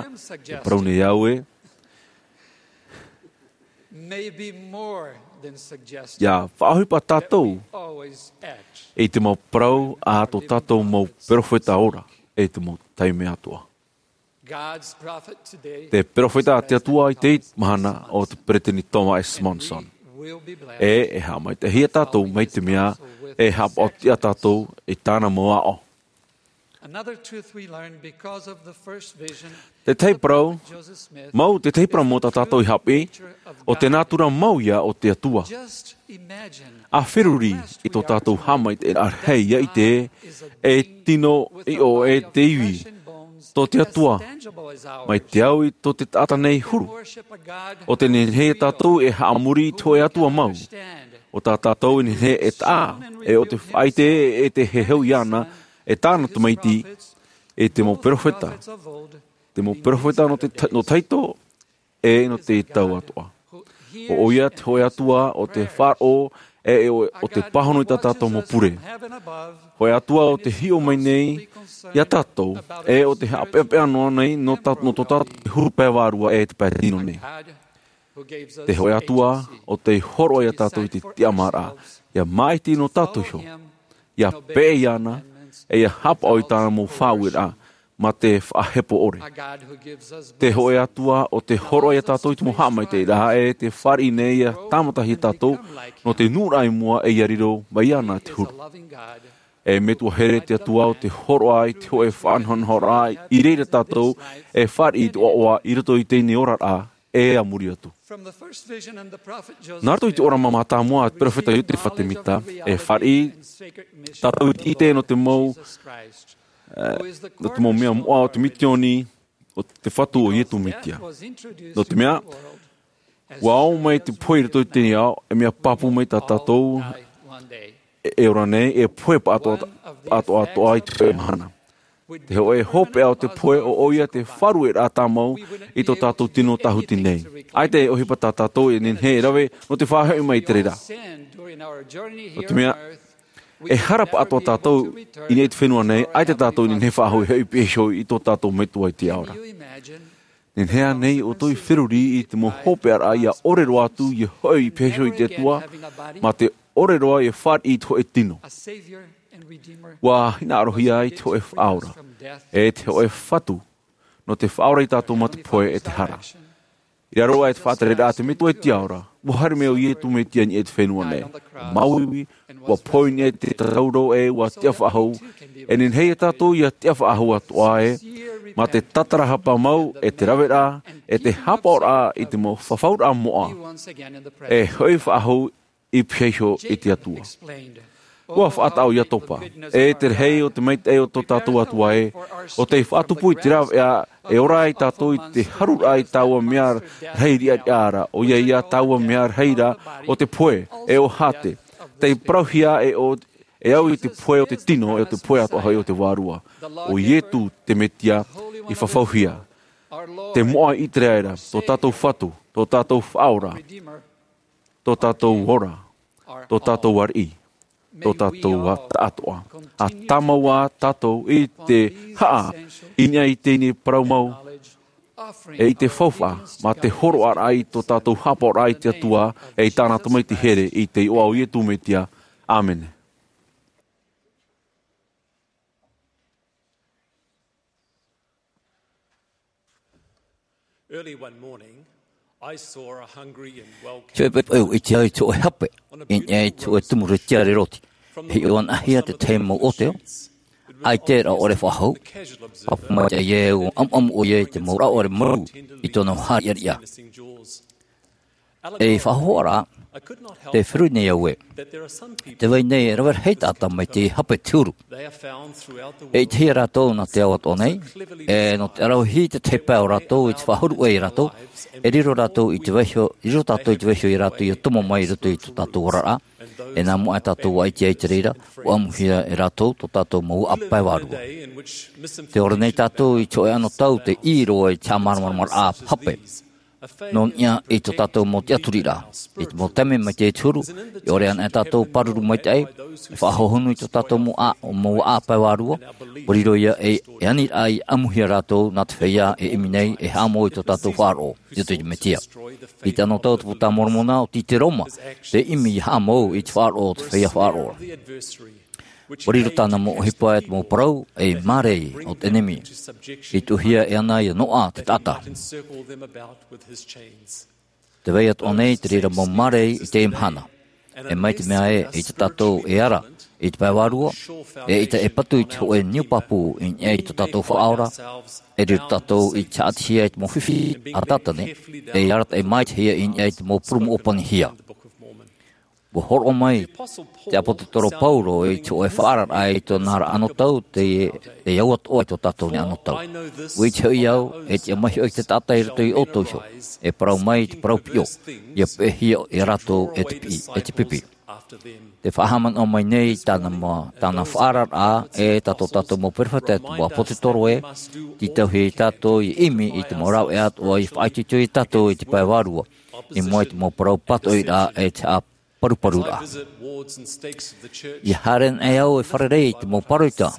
e parau nei au ē, ʻia faʻaʻohipa tātou i te mau parau a tō tātou mau perofeta ora, e te mau taime atoʻa. Te perofeta a te Atua i teie mahana ʻo te Peresideni Thomas S. Monson. E, e haʻamaitaʻihia tātou mai te mea e haʻapaʻo atu tātou i tāna mau aʻo. Te tahi parau mau, te tahi parau mau tā tātou i haʻapiʻi, ʻo te nātura mau ïa o te Atua. ʻA feruri i tō tātou haʻamaitaʻiraʻa rahi ʻia ʻite e tino ʻiʻo e te ivi tō te Atua, mai te au i tō te taʻata nei huru. ʻO te nehenehe tātou e haʻamori i te hōʻē Atua mau, ʻo tā tātou e nehenehe e taʻa, e ʻo te faʻaʻite e te heheu iāna e tāna tamaiti, e te mau perofeta, te mau perofeta nō te ta-, nō tahito, e nō te tau atoʻa. ʻO ʻoia te hōʻē Atua ʻo te faʻaroʻo, e ʻo, ʻo te pāhono i tā tātou mau pure. Hōʻē Atua ʻo te hiʻo mai nei iā tātou, e ʻo te haʻapeʻapeʻa noa nei nō tā-, nō tō tātou huru pae vārua e te pae tino nei. Te hōʻē Atua ʻo tei hōroʻa iā tātou i te tiʻamāraʻa, ʻia māʻiti nō tātou iho, ʻia peʻe iāna, e ʻia haʻapaʻo i tāna mau faʻaueraʻa, mā te faʻahepo ʻore. Te hōʻē Atua ʻo tei hōroʻa iā tātou i te mau haʻamaitaʻiraʻa, e tē fāriʻi nei ʻia tāmatahia tātou nō te nuʻuraʻa i mua, e ʻia riro mai iāna te huru. E Metua here te Atua ʻo tei hōroʻa i te hōʻē faʻanahonahoraʻa i reira tātou e fāriʻi i te ʻoaʻoa i roto i teie nei oraraʻa, e a muri atu. Nā roto i te ʻōrama mātāmua a te perofeta Iotefa Temita, e fāriʻi tātou i te ʻite nō te mau, e, nō te mau mea moʻa o te mitioni, ʻo te Fatu ʻo Iesu Mesia. Nō te mea, ʻua ō mai te pohe i roto i teie ao, e mea pāpū mai tā tātou, e, e ora nei, e pohe paʻatoʻa, paʻatoʻa atoʻa i te hōʻē mahana. Te hōʻē hopeʻa o te pohe ʻo, ʻoia te faʻarueraʻa tāmau i tō tātou tino tāhuti nei. ʻAita e ʻohipa tā tātou e nehenehe e rave nō te faʻahoʻi mai i te reira. Nō te mea, e hara paʻatoʻa tātou i niʻa i te fenua nei, ʻaita tātou e nehenehe e faʻahoʻi i pihaʻi iho i tō tātou Metua i te ao ra. Nehenehe ānei ʻoutou e feruri i te mau hopeʻaraʻa ʻia ʻore roa atu ʻia hoʻi i pihaʻi iho i te Atua, mā te ʻore roa ʻia fāriʻi i te hōʻē tino? ʻUa hinaʻarohia i te hōʻē Faʻaora, e te hōʻē Fatu, nō te faʻaora ia tātou mā te pohe e te hara. I raro aʻe i te faʻatereraʻa a te Metua i te ao ra, ʻua haere mai ʻo Iesu Mesia i niʻa i te fenua nei. ʻUa māuiui, ʻua pohe i niʻa i te tāuro, e ʻua tiʻa faʻahou. E nehenehe ia tātou ʻia tiʻa faʻahou atoʻa ē, mā te tātarahapa mau, e te raveraʻa, e te haʻapaʻoraʻa i te mau fafauraʻa moʻa, e hoʻi faʻahou i pihaʻi iho i te Atua. ʻUa faʻataʻa ʻo Iatopa, e te rahi o te maitaʻi o tō tātou Atua ē, ʻo tei faʻatupu i te rāveʻa, e ora ai tātou i te haruraʻa i taua mea rahi riʻariʻa ra, ʻoia ia taua mea rahi ra o te pohe, e ʻo hāte. Tei parauhia e ʻo, e au i te pohe o te tino, e ʻo te pohe atoʻa hoʻi o te vārua. ʻO Iesu te Mesia i fafauhia. Te moʻa i ʻĪteraʻera, tō tātou Fatu, tō tātou Faʻaora, tō tātou ora, tō tātou ariʻi, tō tātou taʻatoʻa. ʻA tāmau ā tātou i te haʻa i niʻa i teie nei parau mau, e i te faufaʻa, mā te hōroʻaraʻa i tō tātou haʻapaʻoraʻa i te Atua, e i tāna Tamaiti here, i te iʻoa o Iesu Mesia. ʻĀmene. Early one morning, I saw a hungry and well-cared Te pepe au i te ai te hōʻē hape, i niʻa i te hōʻē tumu tiare roti. Hiʻo anaʻe hia te tahi mau ʻōteo. ʻAita e rāʻore faʻahou. Pāpū mai te ʻaʻe ʻua ʻamuʻamu ʻoia i te mau rāʻore marū i tōna haʻariʻariʻa. E faʻahoʻoraʻa, tē feruri nei au ē, tē vai nei e rave rahi taʻata mai te hape te huru. E ʻitehia rātou nā te ao atoʻa nei, e nō te ʻaravihi te tahi pae o rātou i te faʻahuru ʻē ia rātou, e riro rātou i te vaiho, riro tātou i te vaiho ia rātou ʻia tomo mai i roto i tō tātou oraraʻa. E nā mua tātou ʻua ʻite ai i te reira, ʻua ʻamuhia e rātou tō tātou mau vaʻa pae vārua. Tē ora nei tātou i te hōʻē anotau tei ʻī roa i te haʻamāramaramaraʻa hape. Nō niʻa i tō tātou mau tiʻaturiraʻa, i te mau taime mai te huru, e ʻore anaʻe tātou e pāruru maitaʻi, e faʻahohonu i tō tātou mau ʻā, mau vaʻa pae vārua, ʻUa riro ia ei, ei aniraʻa i ʻamuhia rātou nā te feiā e ʻimi nei e haʻamou i tō tātou faʻaroʻo, i roto i te Mesia. I te anotau o te Puta a Moromona, ʻo Tite Roma te ʻimi i haʻamou i te faʻaroʻo o te feiā faʻaroʻo. ʻUa riro tāna mau ʻohipa e te mau parau ei māramarama o te ʻenemi. I tuʻuhia e ana ia noaʻa te taʻata. Te vai atoʻa nei te reira mau māramarama i teie mahana. E mai te mea ē, ʻeita tātou e ara i te pae vārua, e ʻeita e patu i te hōʻē niu pāpū i niʻa i tō tātou Faʻaora, e riro tātou i te haʻatihia i te mau fifi a Tātane, e arataʻi maitaʻihia i niʻa i te mau purūmu ʻōpanihia. ʻUa hōroʻa mai te ʻāpōsetolo Paulo i te hōʻē faʻaararaʻa i tōna ra anotau, te, te au atoʻa i tō tātou nei anotau. ʻUa ʻite hoʻi au, e tiʻa mai hoʻi te taʻata i roto ia ʻoutou iho, e parau mai te parau piʻo, ʻia peʻehia ia rātou e te piʻi, e te pipi. Tē faʻahaʻamanaʻo mai nei tāna ma-, tāna faʻaararaʻa e tā tō tātou mau perofeta, e te mau ʻāpōsetolo ē, tītauhia ia tātou ʻia ʻimi i te mau rāveʻa atoʻa i faʻaitoito ia tātou i te pae vārua, i mua i te mau parau pātoʻiraʻa e te haʻaparuparuraʻa. ʻIa haere anaʻe au e fārerei i te mau pāroita,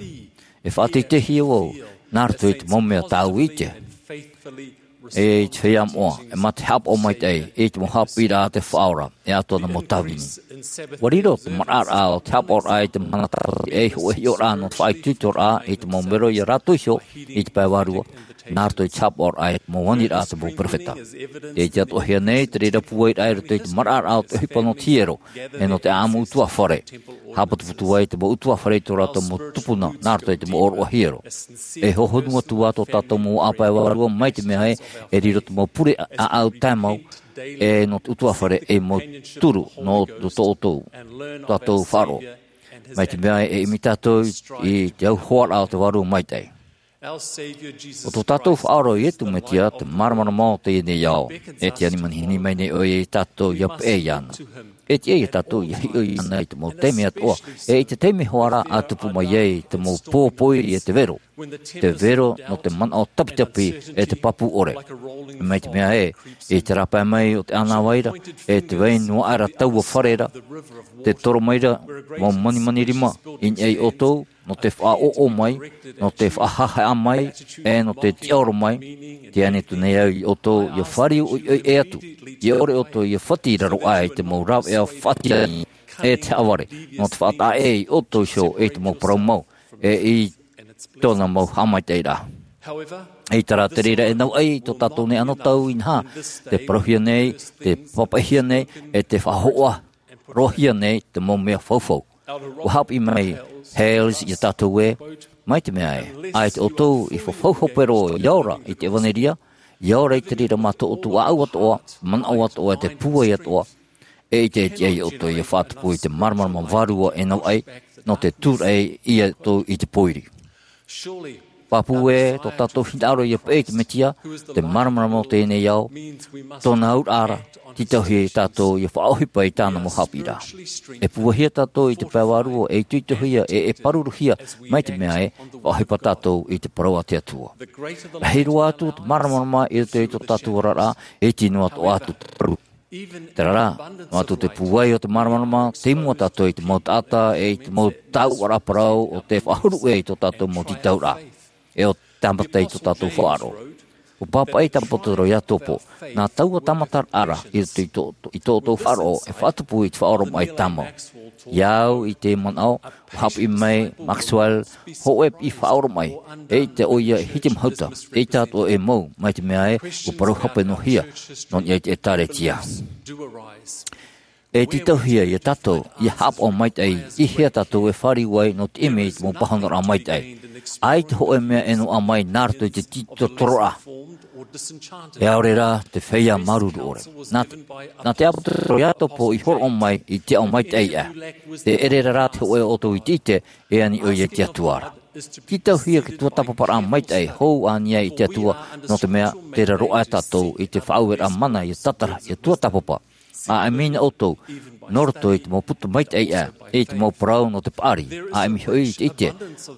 e faʻateiteihia vau nā roto i te mau mea tāʻu i ʻite. E i te feiā moʻa, e mā te haʻapaʻo maitaʻi i te mau haʻapiʻiraʻa a te Faʻaora, e atoʻa nā mau tāvini. ʻUa riro te maraʻaraʻa o te haʻapaʻoraʻa i te mahana tāpati ei hōʻē hiʻoraʻa nō te faʻaitoitoraʻa i te mau mero ia rātou iho i te pae vārua, nā roto i te haʻapaʻoraʻa i te mau aniraʻa a te mau perofeta. Tē ʻite atoʻahia nei te reira pūairaʻa i roto i te maraʻaraʻa o te ʻohipa nō te hiero, e nō te ʻāʻamu ʻutuāfare. Haʻaputuputu ai te mau ʻutuāfare i tō rātou mau tupuna, nā roto i te mau ʻōroʻa hiero. E hohonu atu ā tō tātou mau vaʻa pae vārua mai te mea ē, e riro te mau pure ʻāʻau tae mau, e nō te ʻutuāfare ei mau turu nō tō, tō, tō tātou faʻaroʻo. Mai te mea ē, e ʻimi tātou i te auhoaraʻa o te Vārua Maitaʻi. ʻO tō tātou Faʻaora ʻo Iesu Mesia te māramarama o teie nei ao. E tiʻa anaʻe mai nei ʻoia ia tātou ʻia peʻe iāna. E tiʻa ia tātou ʻia hiʻo iāna i te mau taime atoʻa, e i te taime hoʻi ra ʻa tupu mai ai te mau pō pōiri e te vero. Te vero nō te manaʻo tapitapi e te pāpū ʻore. Mai te mea ē, i te rāpae mai o te ʻānāvai ra, e te vai noa aʻe ra taua fare ra, tē toro mai ra mau manimani rima i niʻa ia ʻoutou, nō te faʻaʻoʻo mai, nō te faʻahaʻehaʻa mai, e nō te tiʻaoro mai, tē ani atu nei au ia ʻoutou ʻia fāriu ʻoiʻoi ʻē atu, ʻia ʻore ʻoutou ʻia fati i raro aʻe i te mau rāveʻa faʻatiʻa e te haʻavare, nō te faʻataʻa ʻē ia ʻoutou iho i te mau parau mau, e i tōna mau haʻamaitaʻiraʻa. ʻEita rā te reira e nau ʻai i tō tātou nei anotau inaha, tē parauhia nei, tē pāpaʻihia nei, e tē faʻahoʻa roahia nei te mau mea faufaʻa. ʻUa haʻapiʻi mai Hales ia tātou ē, mai te mea ē, ʻaita ʻoutou i fafau hope roa ʻia ora i te ʻevanelia, ʻia ora i te reira mā tō ʻoutou ʻāʻau atoʻa, manaʻo atoʻa, e te pūai atoʻa, e ʻaita e tiʻa ia ʻoutou ʻia faʻatupu i te māramarama vārua e nau ʻai, nō te tūraʻi ia ʻoutou i te pōiri. Pāpū ē, tō tātou hinaʻaro ʻia peʻe i te Mesia, te māramarama o teie nei ao, tōna auraʻa ra, tītauhia ia tātou ʻia faʻaʻohipa i tāna mau haʻapiʻiraʻa. E pūaihia tātou i te pae vārua, e itoitohia, e, e pāruruhia, mai te mea ē, faʻaʻohipa tātou i te parau a te Atua. Rahi roa atu te māramarama i roto i tō tātou oraraʻa, e iti noa atoʻa atu te parau. Terā rā, noa atu te pūai o te māramarama, tei mua tātou i te mau taʻata, e i te mau tāuʻaraʻa parau o tē faʻahuru ʻē i tō tātou mau tītauraʻa, e ʻo tāmata i tō tātou faʻaroʻo. ʻUa pāpaʻi te ʻāpōsetolo Iakobo, nā taua tāmataraʻa ra i roto i tō, i tō ʻoutou faʻaroʻo, e faʻatupu i te faʻaoromaʻi tāmau. Ia au i te manaʻo, ʻua haʻapiʻi mai Maxwell, hōʻē piʻi faʻaoromaʻi, eʻita ʻoia e hitimahuta, eʻita atoʻa e mau, mai te mea ē, ʻua parau hape noa hia, nō niʻa i te ʻĒtārētia. E tītauhia ia tātou, ʻia haʻapaʻo maitaʻi, i hea tātou e fāriu ai, nō te ʻimi i te mau pāhonoraʻa maitaʻi. ʻAita hōʻē mea e noaʻa mai nā roto i te tītorotororaʻa. E ʻaore rā te feiā māuruuru ʻore. Nā, nā te ʻāpōsetolo Iakobo i hōroʻa mai i te aʻo maitaʻi aʻe. Tē ʻere ra rā te hōʻē o ʻoutou i te ʻite, e ani ʻoia i te Atua ra. Tītauhia te tuatāpaparaʻa maitaʻi hou a niʻa i te Atua, nō te mea, tē raro aʻe tātou i te faʻaueraʻa mana ʻia tātara, ʻia tuatāpapa. ʻA ʻimi na ʻoutou, nō roto i te mau puta maitaʻi aʻe, i te mau parau nō te paʻari, ʻa ʻimi hoʻi i te ʻite,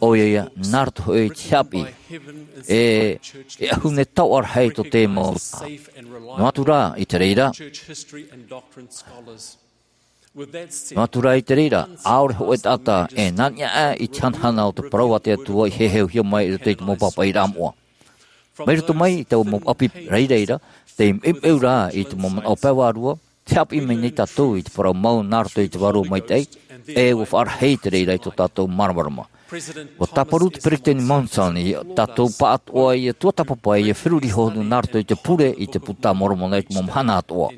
ʻoia ia, nā roto hoʻi i te haʻapiʻi, e, e ʻahune taoʻa rahi tō te mau. Noa atu rā, i te reira, Nō atu rā i te reira, ʻaore hōʻē taʻata e nā niʻa aʻe i te hanahana o te parau a te Atua i heheuhia mai i roto i te mau pāpaʻiraʻa moʻa. Mai roto mai i taua mau ʻapi rairai ra, tei meumeu rā i te mau manaʻo pae vārua, tē haʻapiʻi mai nei tātou i te parau mau nā roto i te Vārua Maitaʻi, e ʻua faʻarahi i te reira i tō tātou māramarama. ʻUa tāparu te peresideni Monson ia tātou pāʻatoʻa ʻia tuatāpapa ʻia feruri hohonu nā roto i te pure i te Puta a Moromona i te mau mahana atoʻa.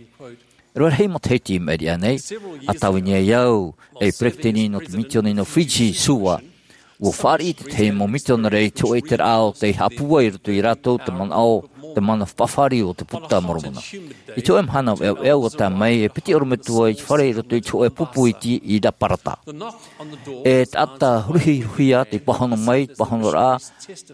E rave rahi matahiti i maʻiri aʻe nei, ʻa tāvini ai au ei peresideni nō te misiōni nō Fiji, Suva. ʻUa fāriʻi te tahi mau misionare i te hōʻē ʻiteraʻa o tei haʻapūai i roto ia rātou te manaʻo, te mana faʻafāriu o te Puta a Moromona. I te hōʻē mahana veʻaveʻa ʻua tae mai e piti ʻorometua i te fare i roto i te hōʻē pupu iti i Raparata. E taʻata huruhiruhia tei pāhono mai, pāhonoraʻa,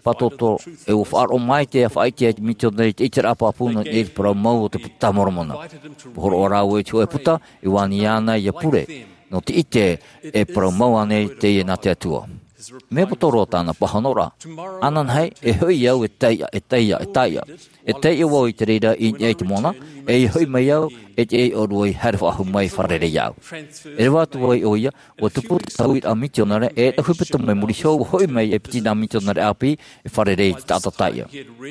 pātōtō, e ʻua faʻaroʻo mai te faʻaʻite ai te misionare i te ʻiteraʻa pāpū nō niʻa i te parau mau o te Puta a Moromona. ʻUa hōroʻa rāua i te hōʻē puta, e ani iāna ʻia pure, nō te ʻite e parau mau ānei teie nā te Atua. Mea poto roa tāna pāhonoraʻa. Ananahi, e hoʻi au e taiʻa, e taiʻa, e taiʻa. E taiʻa vau i te reira i niʻa i te moana, e ʻia hoʻi mai au, e te ʻōrua i haere faʻahou mai fārerei iāʻu. E reva atu ai ʻoia, ʻua tupu te tauiraʻa misionare, e tau hepetoma i muri iho, ʻua hoʻi mai e piti nā misionare ʻāpī, e fārerei i te taʻata taiʻa.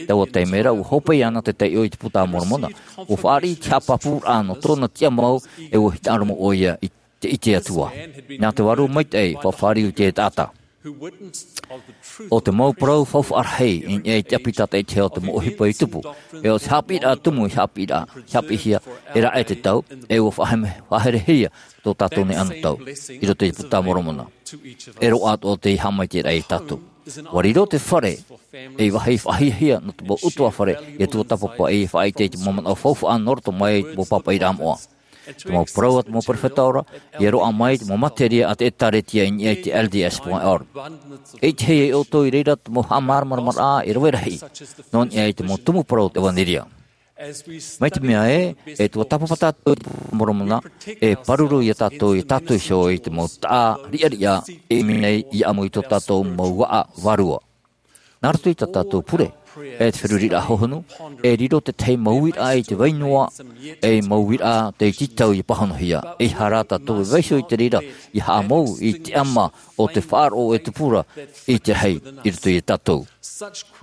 Taua taime ra, ʻua hope iāna te taiʻo i te Puta a Moromona. ʻUa fāriʻi te haʻapāpūraʻa nō tōna tiʻamau, e ʻua hinaʻaro mau ʻoia i te ʻite Atua. Nā te Vārua Maitaʻi, faʻafāriu i te taʻata. ʻO te mau parau faufaʻa rahi, i niʻa i te ʻapi tātaʻitahi o te mau ʻohipa i tupu. E ʻo te haʻapiʻiraʻa tumu i haʻapiʻiraʻa, i haʻapiʻihia, e raʻe te tau, e ʻua faʻahere-, faʻaherehia tō tātou nei anotau, i roto i te Puta a Moromona. E roaʻa atoʻa tei haʻamaitaʻiraʻa iā tātou. ʻUa riro te fare, ei vāhi faʻahiahia nō te mau ʻutuāfare, ʻia tuatāpapa ʻia faʻaʻite i te mau manaʻo faufaʻa nō roto mai i te mau pāpaʻiraʻa moʻa. Te mau parau a te mau perofeta ora, ʻia roaʻa mai te mau materia a te ʻĒtārētia i niʻa i te L D S point org. E ʻitehia iā ʻoutou i reira te mau haʻamāramaramaraʻa e rave rahi, nō niʻa i te mau tumu parau o te ʻevanelia. Mai te mea ē, e tuatāpapa tātou i te Puta a Moromona, e pāruru iā tātou, iā tātou iho i te mau taʻa riʻariʻa, e ʻimi nei i ʻamu i tō tātou mau vaʻa vārua. Nā roto i tā tātou pure, e te feruriraʻa hohonu, e riro te tahi mau uiraʻa i te vai noa, ei mau uiraʻa tei tītau ʻia pāhonohia, ʻeiaha rā tātou e vaiiho i te reira, ʻia haʻamou i te ʻama o te faʻaroʻo e tupu ra i te rahi i roto iā tātou.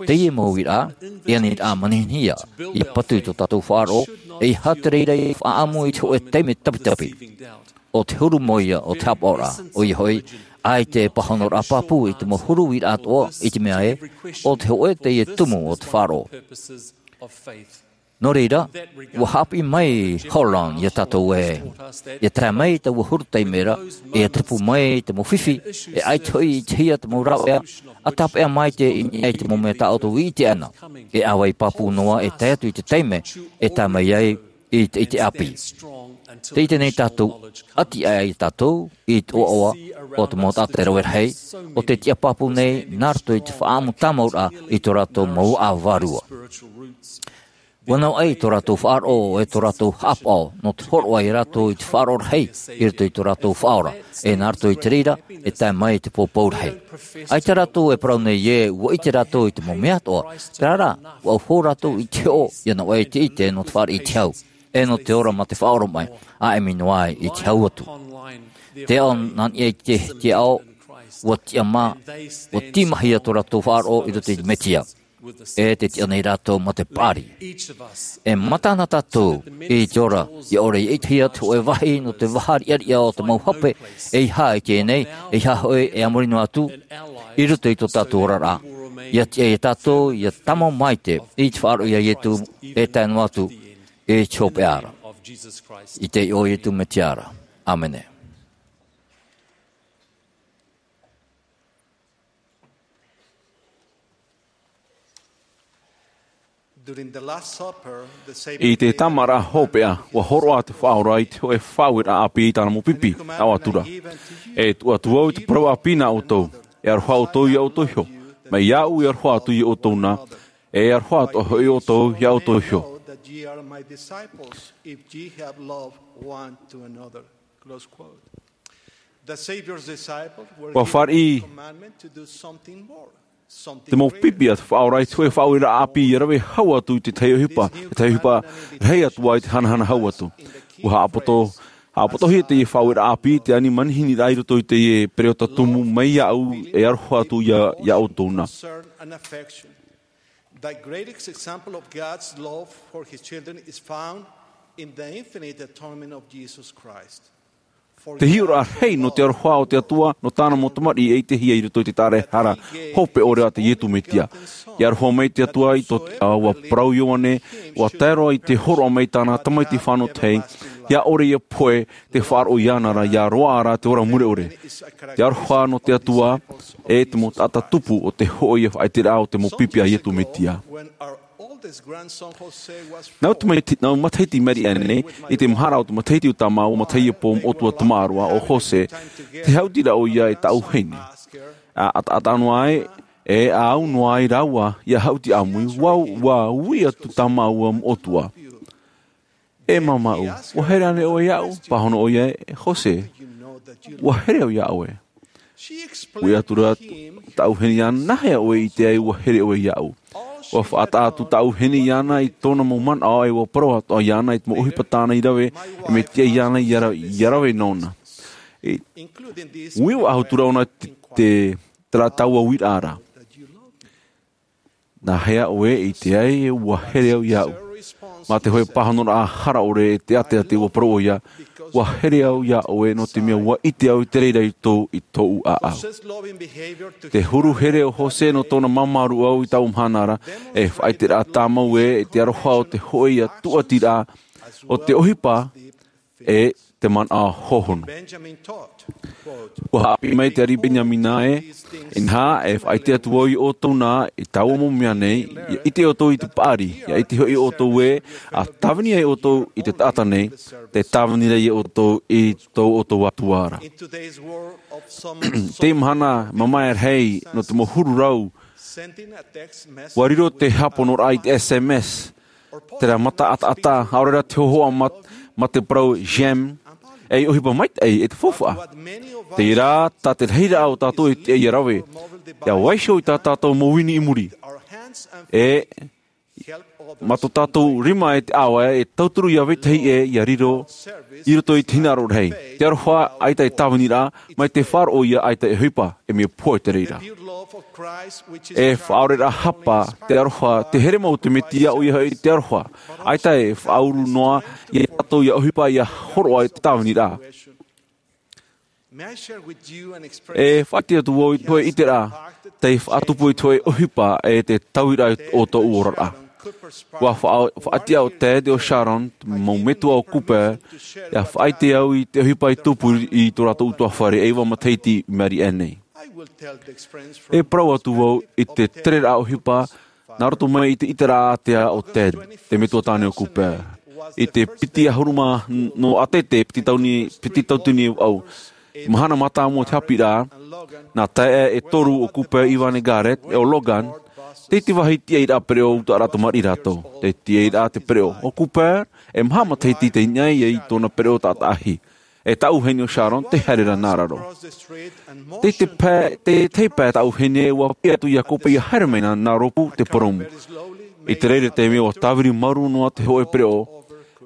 Teie mau uiraʻa, e aniraʻa manihini ia, ʻia patu i tō tātou faʻaroʻo, ʻeiaha te reira ʻia faʻaʻamu i te hōʻē taime tapitapi. ʻO te huru mau ïa o te haʻapaʻoraʻa, ʻoia hoʻi, ʻaita e pāhonoraʻa pāpū i te mau huru uiraʻa atoʻa, i te mea ē, ʻo te hōʻē teie tumu o te faʻaroʻo. Nō reira, ʻua haʻapiʻi mai Holland iā tātou ē, ʻia tae mai taua huru taime ra, ʻia tupu mai te mau fifi, e ʻaita hoʻi i ʻitehia te mau rāveʻa, ʻa tāpeʻa maitaʻi i niʻa i te mau mea tā ʻoutou i ʻite ana, e ʻāvaʻe pāpū noa e tae atu i te taime, e tae mai ai i te, i te ʻāpī. Tē ʻite nei tātou, ʻati aʻe ai tātou, i te ʻoaʻoa, o te mau taʻata e rave rahi, ʻo tē tiʻa pāpū nei, nā roto i te faʻaʻamu tāmauraʻa, i tō rātou mau vaʻa vārua. ʻUa navaʻi tō rātou faʻaroʻo, e tō rātou haʻapaʻo, nō te hōroʻa iā rātou i te faʻaroʻo rahi, i roto i tō rātou Faʻaora, e nā roto i te reira, e tae mai i te pōpou rahi. ʻAita rātou e parau nei ē, ʻua ʻite rātou i te mau mea atoʻa, terā rā, ʻua au hou rātou i te hoʻo, ʻia navaʻi te ʻite nō te fāriʻi i te hau, e nō te ora mā te faʻaoromaʻi, ʻa ʻimi noa ai i te hau atu. Te ao nā niʻa i te, te ao, ʻua tiʻamā, ʻua tīmahia tō rātou faʻaroʻo i roto i te Mesia. E tē tiʻa nei rātou mā te paʻari. E mata na tātou, i te ora, ʻia ʻore ʻia ʻitehia te hōʻē vāhi nō te vaha riʻariʻa o te mau hape, ʻeiaha i teie nei, ʻeiaha hoʻi e a muri noa atu, i roto i tō tātou oraraʻa. ʻIa tiʻa iā tātou, ʻia tāmau maitaʻi, i te faʻaroʻo iā Ietu, e tae noa atu, i te hopeʻa ra. I te iʻoa o Ietu Mesia ra. ʻĀmene. During the Last Supper, the Savior I te tāmāraʻa hopeʻa, ʻua hōroʻa te Faʻaora i te hōʻē faʻaueraʻa ʻāpī i tāna mau pipi, nā ʻō atu ra. E tuʻu atu vau i te parau ʻāpī nā ʻoutou, e aroha ʻoutou iā ʻoutou iho, mai iāʻu e aroha atu iā ʻoutou na, e aroha atoʻa hoʻi ʻoutou iā ʻoutou iho. That ye are my disciples, if ye have love one to another. Close quote. The Savior's disciples were ʻUa given fāriʻi a commandment to do something more, something greater. Te mau pipi a te Faʻaora i te hōʻē faʻaueraʻa ʻāpī ʻia rave hau atu i te tahi ʻohipa, te tahi ʻohipa rahi atu ai te hanahana hau atu. ʻUa haʻapoto A potohia teie faʻaueraʻa ʻāpī, te ani manihini rā i roto i teie pereota tumu mai iāʻu e aroha atu iā, iā ʻoutou na. Concern and affection. The greatest example of God's love for his children is found in the infinite atonement of Jesus Christ. Te hiʻoraʻa rahi nō te aroha o te Atua, nō tāna mau tamariʻi e ʻitehia i roto i te tāraehara hope ʻore a te Iesu Mesia. I aroha mai te Atua i tō te ao, ʻua parau Ioane, ʻua tae roa i te hōroʻa mai tāna Tamaiti fānau tahi, ʻia ʻore ia pohe, tē faʻaroʻo iāna ra, ʻia roaʻa ra te ora mure ʻore. Te aroha nō te Atua, e te mau taʻata tupu o te hōʻē ia faʻaʻiteraʻa o te mau pipi a Iesu Mesia. Nau te mati-, nau matahiti Mary Ann nei, i te mahara o te matahiti o tā māua matahiti pō moʻotua tamaroa ʻo Jose, tē hautiraʻa ʻoia e tāʻu vahine. ʻA, ʻataʻata noa ai, e ʻaʻau noa ai rāua, ʻia hauti ʻāmui, ʻua, ʻua ui atu tā māua moʻotua. E māmā, ʻua here ānei ʻoe iāʻu? Pāhono ʻoia, e Jose, ʻua here au iā ʻoe. Ui atu ra tāʻu vahine iāna, nāhea ʻoe i ʻite ai ʻua here ʻoe iāʻu? ʻUa faʻataʻa atu tāʻu vahine iāna i tōna mau manaʻo, e ʻua parau atoʻa iāna i te mau ʻohipa tāna i rave, e mea tiʻa iāna ʻia ra-, ʻia rave nōna. E, ui ʻua ahu atu ra ʻōna te, te, terā taua uiraʻa ra. Nāhea ʻoe i ʻite ai ʻua here au iāʻu? Mā te hōʻē pāhonoraʻa hara ʻore e te ʻateʻate ʻua parau ʻoia, ʻua here au iā ʻoe nō te mea ʻua ʻite au i te reira i tō, i tōʻu ʻāʻau. Te huru here o Jose nō tōna māmāruʻau i tāʻu mahana ra, e faʻaʻiteraʻa tāmau ē, e te aroha o te hōʻē ia tūʻatiraʻa, o te ʻohipa, e te manaʻo hōhonu. ʻUa haʻapiʻi mai te ariʻi Beniamina ē, inaha, e faʻaʻite atu vau iā ʻoutou na i taua mau mea nei, ʻia ʻite ʻoutou i te paʻari, ʻia ʻite hoʻi ʻoutou ē, ʻa tāvini ai ʻoutou i te taʻata nei, tē tāvini ra iā ʻoutou i tō ʻoutou Atua ra. Teie mahana, mamae rahi, nō te mau huru rau, ʻua riro te haʻaponoraʻa i te S M S, terā mata ʻataʻata, ʻaore rā te hōhoʻa mā, mā te parau j'aime, e ʻohipa maitaʻi e te faufaʻa. Terā, tā te rahiraʻa o tātou e tiʻa ʻia rave, ʻia vaiiho i tā tātou mau ini i muri. E, mā tō tātou rima e te ʻāvae, e tauturu iā vetahi ē ʻia riro, i roto i te hinaʻaro rahi. Te aroha, ʻaita e tāviniraʻa, mai te faʻaroʻo ïa ʻaita e ʻohipa, e mea pohe te reira. E faʻaoreraʻa hapa, te aroha, te here mau o te Mesia ʻoia hoʻi te aroha. ʻAita e faʻauru noa, iā tātou ʻia ʻohipa ʻia hōroʻa i te tāviniraʻa. E faʻaʻite atu vau i te hōʻē ʻiteraʻa, tei faʻatupu i te hōʻē ʻohipa e te tauiraʻa o tōʻu oraraʻa. ʻUa faʻa-, faʻatiʻa ʻo Ted ʻe ʻo Sharon, mau metua o Cooper, ʻia faʻaʻite au i te ʻohipa i tupu i tō rātou ʻutuāfare e iva matahiti i maʻiri aʻe nei. E parau atu vau i te tereraʻa ʻohipa, nā roto mai i te ʻiteraʻa ātea o Ted, te metua tāne o Cooper. I te piti ʻahuru mā nō ʻātete, piti tauatini, piti tauatini e vaʻu. Mahana mātāmua o te haʻapiʻiraʻa, nā taeaʻe e toru o Cooper, Ivan ʻe Garrett, ʻe ʻo Logan, tei te vāhi tiaʻiraʻa pereʻo ʻutaʻaraʻa tamariʻi rātou. Tei te tiaʻiraʻa te pereʻo. ʻO Cooper, e maha matahiti tei niʻa ïa i tōna pereʻo taʻata ʻahi. E tāʻu vahine ʻo Sharon, tei haere ra nā raro. Tei te pae, tei te pae tāʻu vahine ʻua piʻi atu iā Cooper ʻia haere mai nā, nā rōpū te purūmu. I te reira taime ʻua tāviri maru noa te hōʻē pereʻo,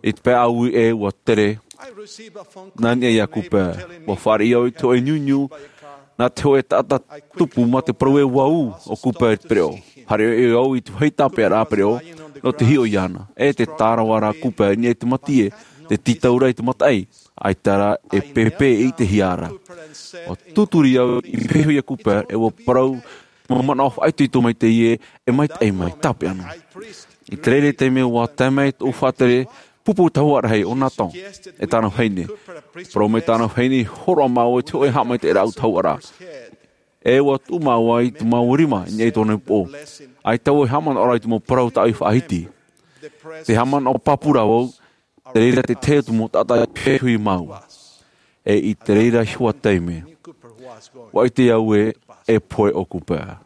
i te pae ʻāui ē ʻua tere, nā niʻa iā Cooper. ʻUa fāriʻi au i te hōʻē niuniu, nā te hōʻē taʻata tupu mā te parau ē ʻua ū ʻo Cooper i te pereʻo. Haere ʻoia au i te vāhi tāpeʻaraʻa pereʻo, nō te hiʻo iāna. E tē tārava ra Cooper i niʻa i te mati ē, tē tītau ra i te mataʻi, ʻaita rā e pēpē e ʻitehia ra. ʻUa tūturi au i pīhaʻi iho iā Cooper, e ʻua parau, mau manaʻo faʻaitoito maitaʻi ē, e maitaʻi mai, tāpeʻa noa. I te reira taime ʻua tae mai tōʻu faʻatere, pupu tahuʻa rahi ʻo Nathan, e tāna vahine. Parau mai tāna vahine, hōroʻa māua i te hōʻē haʻamaitaʻiraʻa ʻutahuʻa ra. E ʻua tuʻu māua i tō māua rima, i niʻa i tōna upoʻo. ʻAita vau e haʻamanaʻo ra i te mau parau tāʻu i faʻahiti. Tē haʻamanaʻo pāpū ra vau, te reira te tahi atu mau taʻata i pīhaʻi iho iā māua. E i te reira iho ā taime, ʻua ʻite au ē, e pohe ʻo Cooper.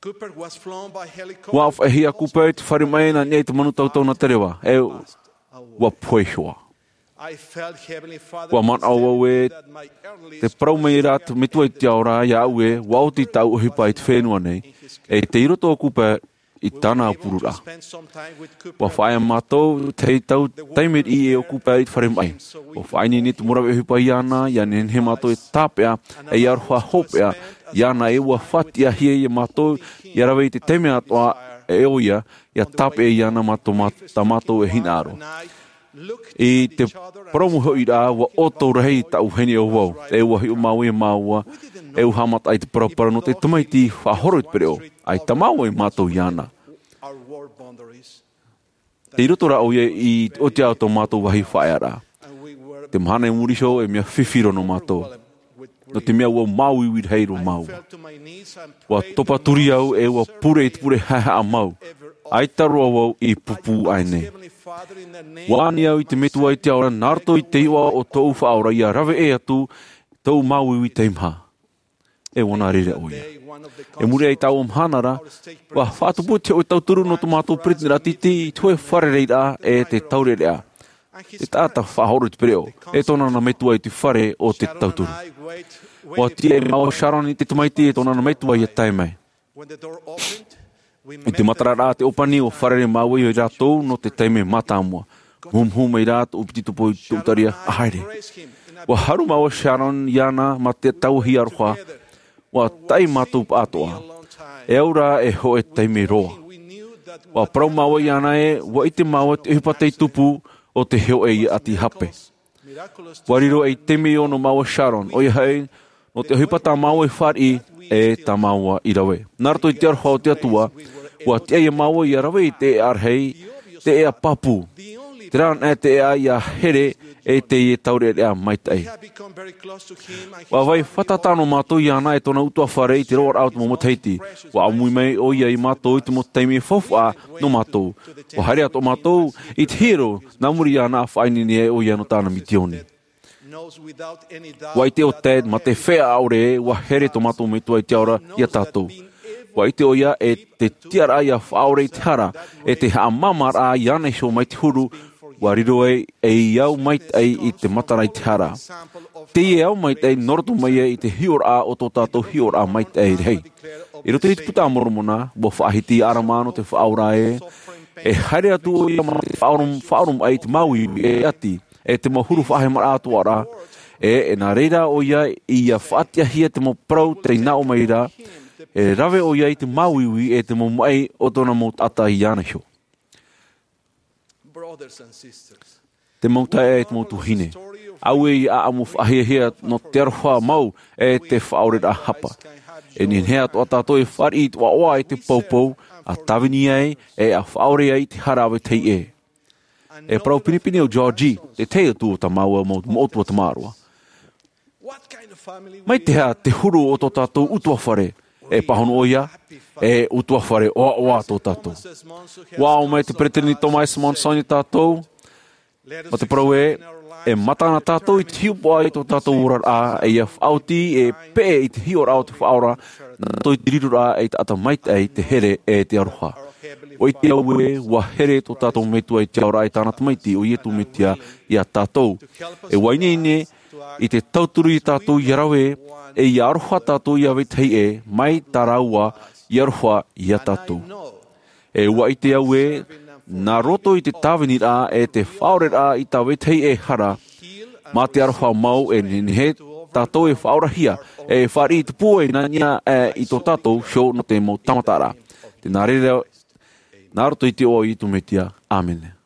ʻUa faʻaʻitehia Cooper i te fare maʻi nā niʻa i te manu tautau nā te reva, e ʻua pohe iho ā. ʻUa manaʻo vau ē, tē parau mai ra te Metua i te ao ra iāʻu ē, ʻua oti tāʻu ʻohipa i te fenua nei, e tei roto ʻo Cooper, i tāna aupururaʻa. Ua faʻaea mātou te tau taime riʻi e ʻoku pae i te fare maʻi. Ua faʻaineine te mau rave ʻohipa iāna, ʻia nehenehe mātou e tāpeʻa, e ʻia aroha hopeʻa iāna, e ua faʻatiʻahia ia mātou ʻia rave i te taime atoʻa e ʻo ia, ʻia tāpeʻa iāna mā tō mā-, tā mātou e hinaʻaro. I te parau mau hoʻi rā, ua ʻoto rahi taʻu vahine ʻo vau, e ua hiʻo māua ia māua, e ua haʻamata i te paraparau nō te tamaiti faʻahoro i te pereʻoʻo. ʻAita māua e mātau iāna. I roto rā ʻo ia i te ʻotiʻa o tō mātou vāhi faʻaearaʻa. Te mahana i muri iho e mea fifi roa nō mātou. Nō te mea ua māuiui rahi roa māua. Ua topa turi au e ua pure i te pure haʻehaʻa mau. ʻAita roa vau i pūpū aʻe nei. Ua ani au i te Metua i te ao ra, nā roto i te iʻoa o tōʻu Faʻaora ʻia rave ʻē atu tōʻu māuiui teimaha. E ua nā reira ʻo ia. I muri aʻe i taua mahana ra, ua faʻatupu te hōʻē tauturu nō tō mātou peresideni raʻatiti i te hōʻē fārereiraʻa e te taureʻareʻa. Te taʻata faʻahoro i te pereʻoʻo, e tōna nā metua i te fare o te tauturu. Ua tiʻa ia māua ʻo Sharon i te tamaiti e tōna nā metua ʻia tae mai. I te matararaʻa te ʻōpani, ua fārerei māua ia rātou nō te taime mātāmua. Muhumuhu mai rā tōʻu piti topo i tōʻu taria, ʻa haere. Ua haru māua ʻo Sharon iāna mā te tauahi aroha. Ua taʻi mātou pāʻatoʻa. E au rā e hōʻē taime roa. Ua parau māua iāna ē, ua ʻite māua te ʻohipa tei tupu o te hōʻē ʻati hape. Ua riro ei taime ʻino māua ʻo Sharon, ʻoia hoʻi, nō te ʻohipa tā māua i fāriʻi, e tā māua i rave. Nā roto i te aroha o te Atua, ua tiʻa ia māua ʻia rave i te ʻēʻa rahi, te ʻēʻa pāpū. Terā anaʻe te ʻēʻa ʻia here e teie taureʻareʻa maitaʻi. Ua vai fātata noa mātou iāna e tōna ʻutuāfare i te roaraʻa o te mau matahiti. Ua ʻāmui mai ʻo ia ia mātou i te mau taime faufaʻa nō mātou. Ua haere atoʻa mātou i te hiero, nā muri iāna ʻa faʻaineine ai ʻo ia nō tāna misiōni. Ua ʻite ʻo Ted, mā te feiā ʻaore, ua here tō mātou Metua i te Ao ra ia tātou. Ua ʻite ʻo ia ē te tiʻaraʻa ʻia faʻaʻore i te hara, e te haʻamāmāraʻa iāna iho mai te huru, ua riro ai ei ao maitaʻi i te matara i te hara. Teie ao maitaʻi nō roto mai ai i te hiʻoraʻa o tō tātou hiʻoraʻa maitaʻi rahi. I roto i te Puta a Moromona, ua faʻahiti ia ʻArama nō te Faʻaora ē, e haere atu ʻo ia mā te faʻaʻoro, faʻaʻoromaʻi i te māuiui e ʻati, e te mau huru faʻahemaraʻa atoʻa ra, e, e nā reira ʻo ia ʻia faʻatiʻahia te mau parau tei nā ʻō mai ra, e rave ʻo ia i te māuiui e te mau maʻi o tōna mau taʻata iāna iho. Te mau taeaʻe, te mau tuahine. ʻAuē ʻia ʻāʻamu faʻahiahia nō te aroha mau e te faʻaʻoreraʻa hapa. E nehenehe atoʻa tātou e fāriʻi i te ʻoaʻoa e te poupou, ʻa tāvini ai, e ʻa faʻaʻore ai i te hara a vetahi ʻē. E parau pinepine ʻo Georgie, te tahi atu o tā māua mau moʻotua tamaroa. Mai te aha te huru o tō tātou ʻutuāfare? E pāhono ʻo ia, e ʻutuāfare ʻoaʻoa tō tātou. Ua ʻō mai te Peresideni Thomas S. Monson ia tātou, mā te parau ē, e mata na tātou i te hiʻopoʻa i tō tātou oraraʻa, e ʻia faʻaoti e peʻe i te hiʻoraʻa o te Faʻaora, nā roto i te riroraʻa ei taʻata maitaʻi, te here, e te aroha. ʻUa ʻite au ē, ʻua here tō tātou Metua i te Ao ra e tāna Tamaiti, ʻo Iesu Mesia, ia tātou. E ʻua ineine i te tauturu ia tātou ʻia rave, e ʻia aroha tātou ia vetahi ē, mai tā rāua i aroha ia tātou. E ʻua ʻite au ē, nā roto i te tāviniraʻa e te faʻaʻoreraʻa i tā vetahi ē hara, mā te aroha mau e nehenehe tātou e faʻaorahia, e fāriʻi i te pūai nā niʻa aʻe i tō tātou iho nō te mau tāmataraʻa. Tē nā reira, nā roto i te iʻoa o Iesu Mesia. ʻĀmene.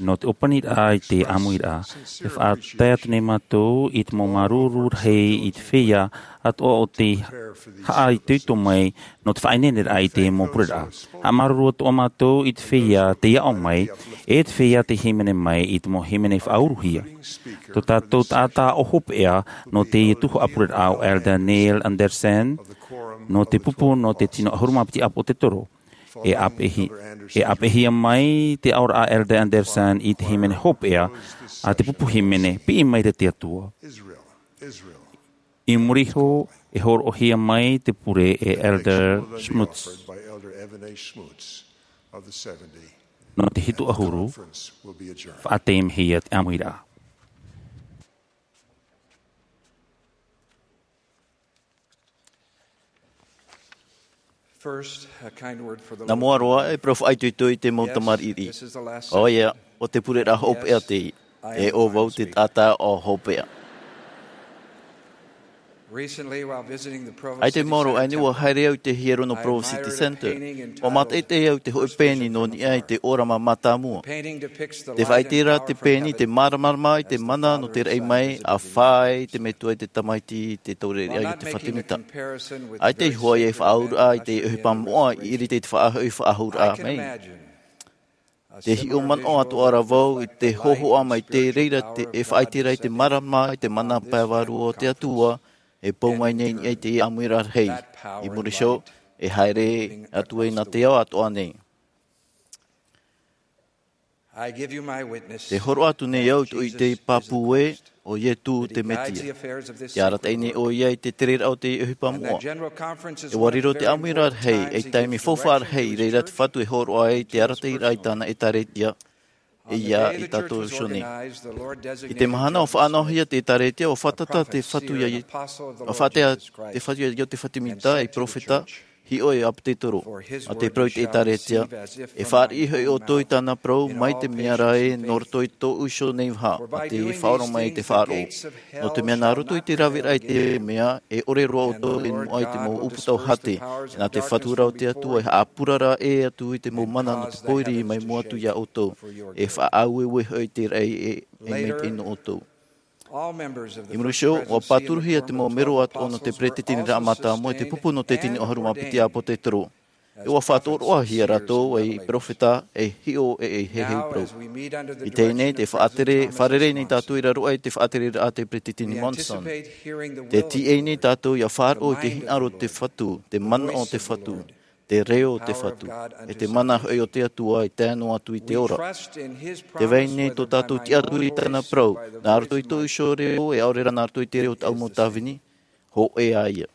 Nō te ʻōpaniraʻa i te ʻāmuiraʻa, e faʻatae atu nei mātou i te mau māuruuru rahi i te feiā atoʻa o te haʻaitoito mai nō te faʻaineineraʻa i te mau pureraʻa. Haʻamāuruuru atoʻa mātou i te feiā tei aʻo mai, e te feiā tei hīmene mai i te mau hīmene faʻauruhia. Tō tātou taʻata ʻo hopeʻa nō teie tuhaʻa pureraʻa ʻo Elder Neil Andersen, nō te pupu nō te tino ʻahuru mā piti ʻāpōsetolo. E ʻāpeʻehi-, e ʻāpeʻehia mai te aʻoraʻa a Elder Andersen i te hīmene hopeʻa a te pupu hīmene, Piʻi Maira te Atua. I muri iho, e hōroʻahia mai te pure e Elder Schmutz. Nō te hitu ʻahuru, faʻateimehia te ʻāmuiraʻa. First, a kind word for the Nā mua roa, e parau faʻaitoito i te mau tamariʻi. ʻOia, ʻo te pureraʻa hopeʻa teie. E ʻo vau te taʻata ʻo hopeʻa. Recently, while visiting the Provo City Sanitarium, ʻAita e maoro aʻe nei, ʻua haere au i te hiero nō Provo City Center. ʻUa mātaʻitaʻi au i te hōʻē pēni nō niʻa i te ʻōrama mātāmua. Te faʻaʻite ra te pēni te māramarama i te mana nō te raʻi mai, ʻa fā ai te metua i te tamaiti i te taureʻareʻa i te fatu mita. ʻAita i hoʻi e faʻaauraʻa i te ʻohipa moʻa i ʻiriti i te faʻahoʻi faʻaauraʻa mai. Te hiʻo manaʻo atoʻa ra vau i te hōhoʻa mai te reira te, e faʻaʻite ra i te māramarama i te mana pae vārua o te Atua, e pou mai nei i te ʻāmuiraʻa rahi. I muri iho, e haere atu ai nā te ao atoʻa nei. Te hōroʻa atu nei au i te pāpū ē, ʻo Ietu te Mesia. Te arataʻi nei ʻoia i te tereraʻa o te ʻohipa moʻa. E ʻua riro te ʻāmuiraʻa rahi, ei taime faufaʻa rahi, i reira te Fatu e hōroʻa ai te arataʻiraʻa i tāna ʻētāretia, e ia i tātou iho nei. I te mahana ʻua faʻanahohia te ʻētāretia, ʻua fātata te Fatu ia Ie-, ʻua fātea te Fatu ia Iosepha Sāmita, ei perofeta, hiʻo ei ʻāpōsetolo. ʻA te parau i te ʻētāretia, e fāriʻi hoʻi ʻoutou i tāna parau mai te mea ra ē nō roto i tōʻu iho nei vaha, ʻa te faʻaora mai i te faʻaroʻo. Nō te mea nā roto i te raveraʻa i te mea, e ʻore roa ʻoutou e moʻa i te mau ʻūputa ʻo Hate, e nā te Fatu ra o te Atua e haʻapurara ʻē atu i te mau mana nō te pōiri mai mua atu ia ʻoutou, e faʻaaueue hoʻi te raʻi e, e maitaʻi nō ʻoutou. I muri iho, ʻua pāturuhia te mau mero atoʻa nō te Peretiteniraʻa Mātāmua e te pupu nō te tino ʻahuru mā piti ʻāpōsetolo. E ʻua faʻatoroʻahia rātou ei perofeta, ei hiʻo, e ei heheu parau. I teie nei, tē faʻatere, fārerei nei tātou i raro aʻe i te faʻatereraʻa a te Peretiteni Monson. Tē tīaʻi nei tātou ʻia faʻaroʻo i te hinaʻaro o te Fatu, te manaʻo o te Fatu, te reo o te Fatu, e te mana hoʻi o te Atua i tae noa atu i te ora. Tē vai nei tō tātou tiʻaturi i tāna parau, nā roto i tōʻu iho reo, e ʻaore rā nā roto i te reo o tāʻu mau tāvini, hōʻē ā ia.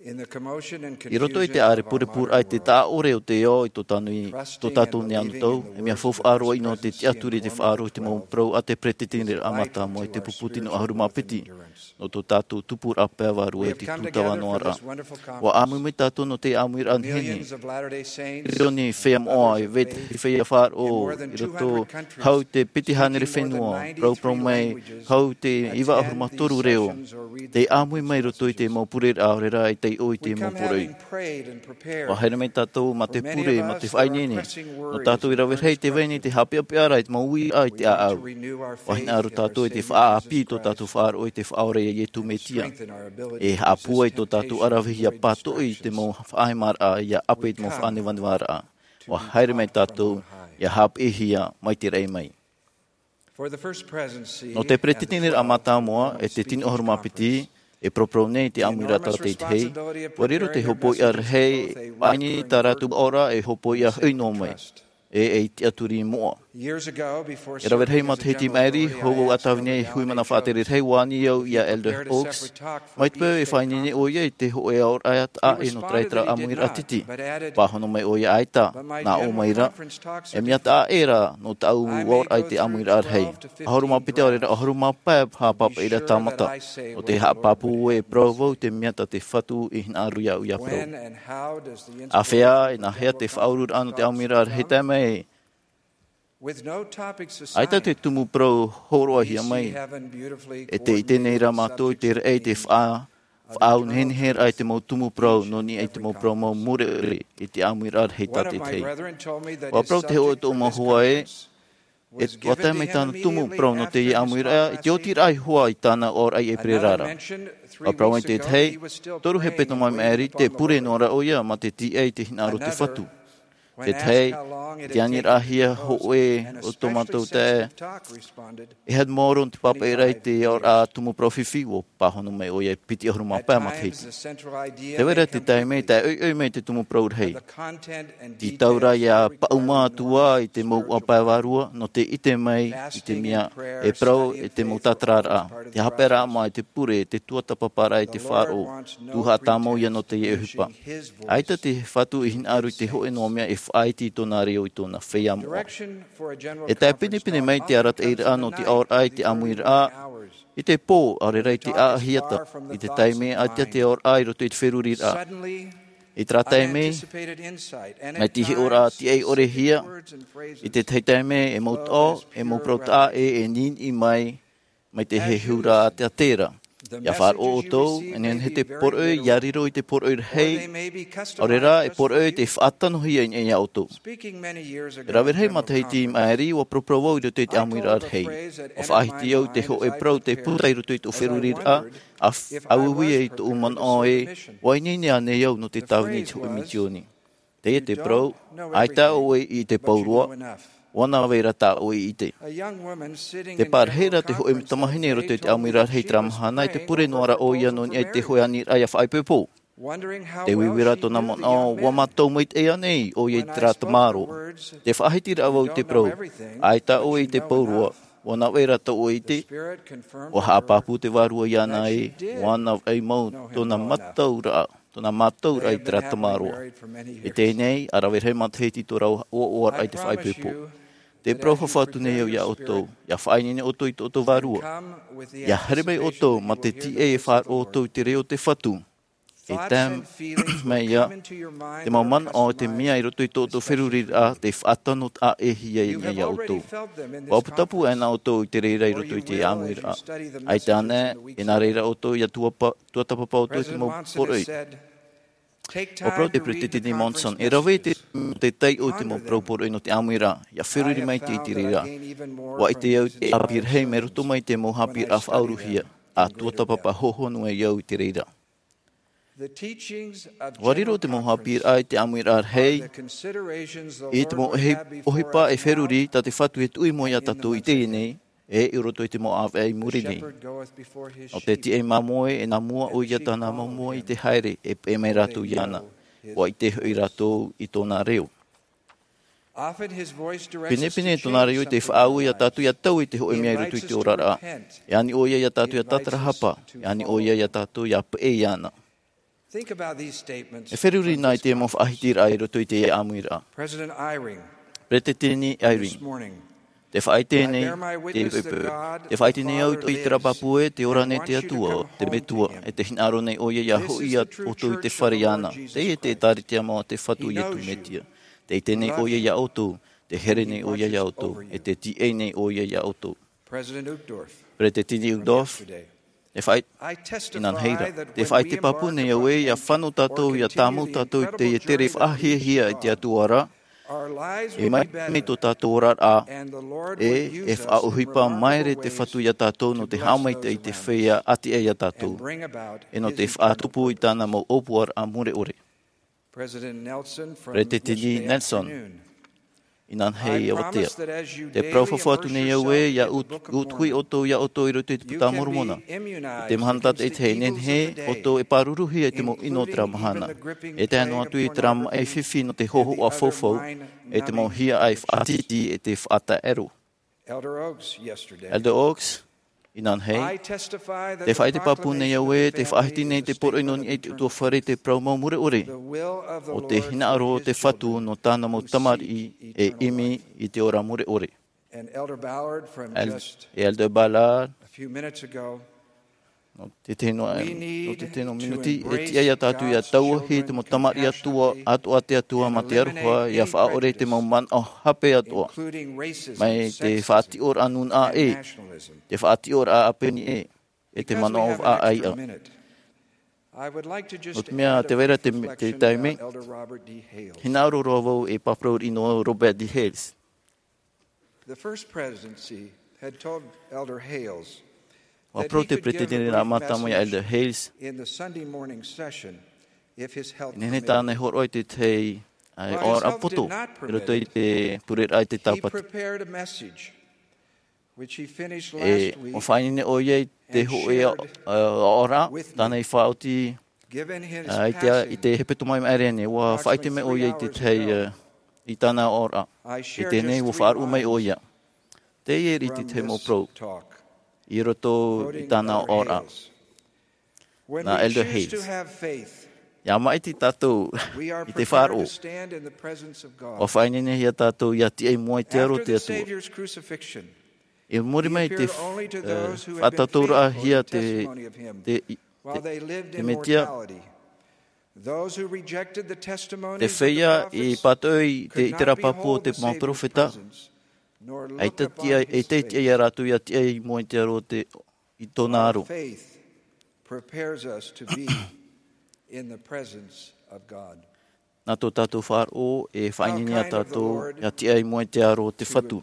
I roto i te ʻārepurepuraʻa i te taʻaʻore o te ao i tō tātou nei anotau, e mea faufaʻa roa ʻino te tiʻaturi i te faʻaroʻo i te mau parau a te Peretiteniraʻa Mātāmua i te pupu tino ʻahuru mā piti. Nō tō tātou tupuraʻa pae vārua i te tūtava noa ra. ʻUa ʻāmui mai tātou nō te ʻāmuiraʻa nehenehe. Riro nei feiā moʻa e vetahi feiā faʻaroʻo i roto hau i te piti hānere fenua, parauparau mai hau i te iva ʻahuru mā toru reo. Tē ʻāmui mai roto i te mau pureraʻa, ʻaore rā e taiʻo i te mau poroʻi. ʻUa haere mai tātou mā te pure, mā te faʻaineine. Nō tātou i rave rahi tē vai nei te haʻapeʻapeʻa ra i te mau uiraʻa i te ʻāʻau. ʻUa hinaʻaro tātou i te faʻaʻāpī tō tātou faʻaroʻo i te Faʻaora ia Ietu Mesia. E haʻapūai tō tātou ʻaravihi ʻia pātoʻi i te mau faʻahemaraʻa, ʻia ʻape i te mau faʻanevanevaraʻa. ʻUa haere mai tātou, ʻia haʻapiʻihia mai te raʻi mai. Nō te Peretiteniraʻa Mātāmua, e te tino ʻahuru mā piti, e parauparau nei te ʻāmuiraʻa tātaʻitahi, ʻua riro te hopoiʻa rahi, ʻaita tā rātou ʻaore e hopoiʻa hoʻi noa mai, e, ei tiʻaturi moʻa. E rave rahi matahiti maʻiri, hou au ʻa tāvini ai e hui mana faʻatere rahi, ʻua ani au ia Elder Oaks, mai te peu e faʻaineine ʻoia i te hōʻē aʻoraʻa taʻa ʻē nō terā ʻāmuiraʻa titi. Pāhono mai ʻoia ʻaita, nā ʻō mai ra, e mea taʻa ʻē ra nō tāʻu aʻoraʻa i te ʻāmuiraʻa rahi. ʻAhuru mā piti ʻaore rā, ʻahuru mā pae haʻapāpaʻiraʻa tāmata. Nō te haʻapāpū e parau vau te mea tā te Fatu i hinaʻaro iāʻu ʻia parau. ʻĀfea, e nāhea te faʻaururaʻa nō te ʻāmuiraʻa rahi tae mai? ʻAita te tumu parau hōroʻahia mai. E tē ʻite nei rā mātou i te raʻi te faʻa-, Faʻaau nehenehe raʻa i te mau tumu parau nō niʻa i te mau parau mau mure ʻore i te ʻāmuiraʻa rahi tā te tahi. ʻUa parau te hōʻē o tōʻu mau hoa ē, e, ʻua tae mai tāna tumu parau nō teie ʻāmuiraʻa, i te oti raʻa i hoa i tāna ʻōraʻa i ʻēperēra ra. ʻUa parau mai te tahi, toru hepetoma i maʻiri, tē pure noa ra ʻoia mā te tīaʻi i te hinaʻaro o te Fatu. Te tahi, te aniraʻahia hōʻē o tō mātou taeaʻe, e haere maoro nō te pāpaʻiraʻa i te ʻōraʻa tumu parau fifi, ʻua pāhono mai ʻoia e piti ʻahuru mā pae matahiti. Tē vai ra te taime, tae ʻoiʻoi mai te tumu parau rahi. Tītau ra ʻia paʻuma atu ā i te mau ʻuapae vārua, nō te ʻite mai i te mea e parau e te mau tātararaʻa, te haʻapaeraʻa mā i te pure, te tuatāpaparaʻa i te faʻaroʻo, tuhaʻa tāmau ïa nō teie ʻohipa. ʻAita te Fatu i hinaʻaro i te hōʻē noa mea e faʻaiti i tōna reo i tōna feiā moʻa. E tae pinepine mai te arataʻiraʻa nō te ʻaoraʻa i te ʻāmuiraʻa, i te pō, ʻaore rā i te ʻāʻahiata, i te taime ʻaita te ʻaoraʻa i roto i te feruriraʻa. I terā taime, mai te hiʻoraʻa tīaʻi ʻore hia, i te tahi taime e mau taʻo, e mau parau taʻa ʻē e niniʻi mai, mai te hehuraʻa a te atera. ʻIa faʻaroʻo ʻoutou, e nehenehe te poroʻi, ʻia riro i te poroʻi rahi, ʻaore rā, e poroʻi tē faʻatanohia i niʻa iā ʻoutou. E rave rahi matahiti i maʻiri, ʻua paraparau vau i roto i te ʻāmuiraʻa rahi. ʻUa faʻahiti au i te hōʻē parau tē puta i roto i tōʻu feruriraʻa, a f-, a uiui ai tōʻu manaʻo ē, ʻua ineine ānei au nō te tāvini i te hōʻē misiōni. Teie te parau, ʻaita ʻoe i ʻite pauroa, ʻua nā vai ra tā ʻoe i ʻite. Tē pārahi ra te hōʻē tamahine i roto i te ʻāmuiraʻa rahi i terā mahana, e tē pure noa ra ʻoia nō niʻa i te hōʻē aniraʻa ʻia faʻaipoipo. Tē uiui ra tōna manaʻo, ʻua mātau maitaʻi ānei ʻoia i terā tamaroa. Te faʻahiti ra vau i te parau, ʻaita ʻoe i ʻite pauroa, ʻua nā vai ra tā ʻoe i ʻite. ʻUa haʻapāpū te Vārua iāna ē, ʻua nā vai mau tōna mātauraʻa, tōna mātauraʻa i terā tamaroa. I teie nei, ʻa rave rahi matahiti tō rāua ʻoaʻoaraʻa i te faʻaipoipo. Tē parau fafau atu nei au iā ʻoutou, ʻia faʻaineine ʻoutou i tō ʻoutou Vārua. ʻIa haere mai ʻoutou, mā te tīaʻi e faʻaroʻo ʻoutou i te reo o te Fatu. E tae mai ïa te mau manaʻo, te mea i roto i tō ʻoutou feruriraʻa, tē faʻatano taʻa ʻē hia i niʻa iā ʻoutou. ʻUa putapū ʻānei ʻoutou i te reira i roto i te ʻāmuiraʻa. ʻAita ānei, e nā reira ʻoutou ʻia tuapa-, tuatāpapa ʻoutou i te mau poroʻi. ʻUa parau te Peresideni Monson, e rave te, te taiʻo i te mau parau poroʻi nō te ʻāmuiraʻa, ʻia feruri maitaʻi i te reira. ʻUa ʻite au te ʻāpī rahi mai roto mai i te mau haʻapiʻiraʻa faʻauruhia, ʻa tuatāpapa hōhonu ai au i te reira. ʻUa riro te mau haʻapiʻiraʻa i te ʻāmuiraʻa rahi, i te mau ʻohi-, ʻohipa e feruri tā te Fatu e tuʻu i mua iā tātou i teie nei, e i roto i te mau ʻāvaʻe i muri nei. Nō te tīaʻi māmoe, e nā mua ʻoia tāna māmoe i te haere, e peʻe mai rātou iāna. ʻUa ʻite hoʻi rātou i tōna reo. Pinepine tōna reo i te faʻaue iā tātou ʻia taui i te hōʻē mea i roto i te oraraʻa. E ani ʻoia iā tātou ʻia tātarahapa, e ani ʻoia iā tātou ʻia peʻe iāna. E feruri na i te mau faʻahitiraʻa i roto i te ʻāmuiraʻa. Peresideni Eyring, tē faʻaʻite nei te peu. Tē faʻaʻite nei au i terā pāpū ē, tē ora nei te Atua, te Metua, e tē hinaʻaro nei ʻoia ʻia hoʻi iā ʻoutou i te fare iāna. Teie te ʻĒkālesia mau a te Fatu o Iesu Mesia. Tē ʻite nei ʻoia iā ʻoutou, tē here nei ʻoia iā ʻoutou, e tē tīaʻi nei ʻoia iā ʻoutou. Peresideni Uchtdorf, e faʻaʻi-, inanahi ra. Tē faʻaʻite pāpū nei au ē, ʻia fano tātou, ʻia tāmau tātou i teie tere faʻahiahia e te Atua ra, e mai, mai tō tātou oraraʻa, e, e faʻaʻohipa maere te Fatu iā tātou nō te haʻamaitaʻi i te feiā ʻātiʻa iā tātou, e nō te faʻatupu i tāna mau ʻōpuaraʻa mure ʻore. Peresideni Nelson, inanahi avatea. Tē parau fafau atu nei au ē, ʻia ut-, utuhi ʻoutou iā ʻoutou i roto i te Puta a Moromona. I te mahana tātaʻitahi e nehenehe ʻoutou e pāruruhia i te mau ʻino o terā mahana. E tae noa atu i terā maʻi fifi nō te hōhoʻa faufaʻa, e te mau hiaʻai faʻatītī, e te faʻataʻero. Elder Oaks, inanahi. Tē faʻaʻite pāpū nei au ē, tē faʻahiti nei te poroʻi nō niʻa i te ʻutuāfare i te parau mau mure ʻore. ʻO te hinaʻaro o te Fatu nō tāna mau tamariʻi e ʻimi i te ora mure ʻore. El-, e Elder Ballard, nō te tino, nō te tino minuti, e tiʻa iā tātou ʻia tauahi te mau tamariʻi atoʻa, atoʻa a te Atua mā te aroha, ʻia faʻaʻore i te mau manaʻo hape atoʻa. Mai te faʻatiʻoraʻa nūnaʻa ʻē, te faʻatiʻoraʻa ʻāpeni ʻē, e te manaʻo vaʻa ʻāiʻa. ʻO te mea te vaira te taime, hinaʻaro roa vau e pāparau riʻi nō Robert D. Hales. The first presidency had told Elder Hales ʻUa parau te peretiteni rā mātāmua iā Elder Hales, in the Sunday morning session, if his health nehenehe tāna e hōroʻa i te tahi aʻoraʻa poto i roto i te pureraʻa i te Tāpati. He prepared a message which he finished last week. ʻUa faʻaineine ʻoia i te hoʻi aʻoraʻa tāna i faʻaoti i te hepetoma i maʻiri nei. ʻUa faʻaʻite mai ʻoia i te tahi i tāna aʻoraʻa. I teie nei ʻua faʻaroʻo mai ʻoia. Teie riʻi te tahi mau parau i roto i tāna aʻoraʻa. Nā Elder Hales. ʻIa māʻiti tātou i te faʻaroʻo, ʻua faʻaineinehia tātou ʻia tiʻa i mua i te aro o te Atua. I muri mai i te faʻatātaurahia te Mesia, te feiā i pātoʻi i te ʻiteraʻa pāpū o te mau peropheta, ʻaita tiʻa, ʻaita tiʻa iā rātou ʻia tiʻa i mua i te aro o te, i tōna aro. Nā tō tātou faʻaroʻo e faʻaineine iā tātou ʻia tiʻa i mua i te aro o te Fatu.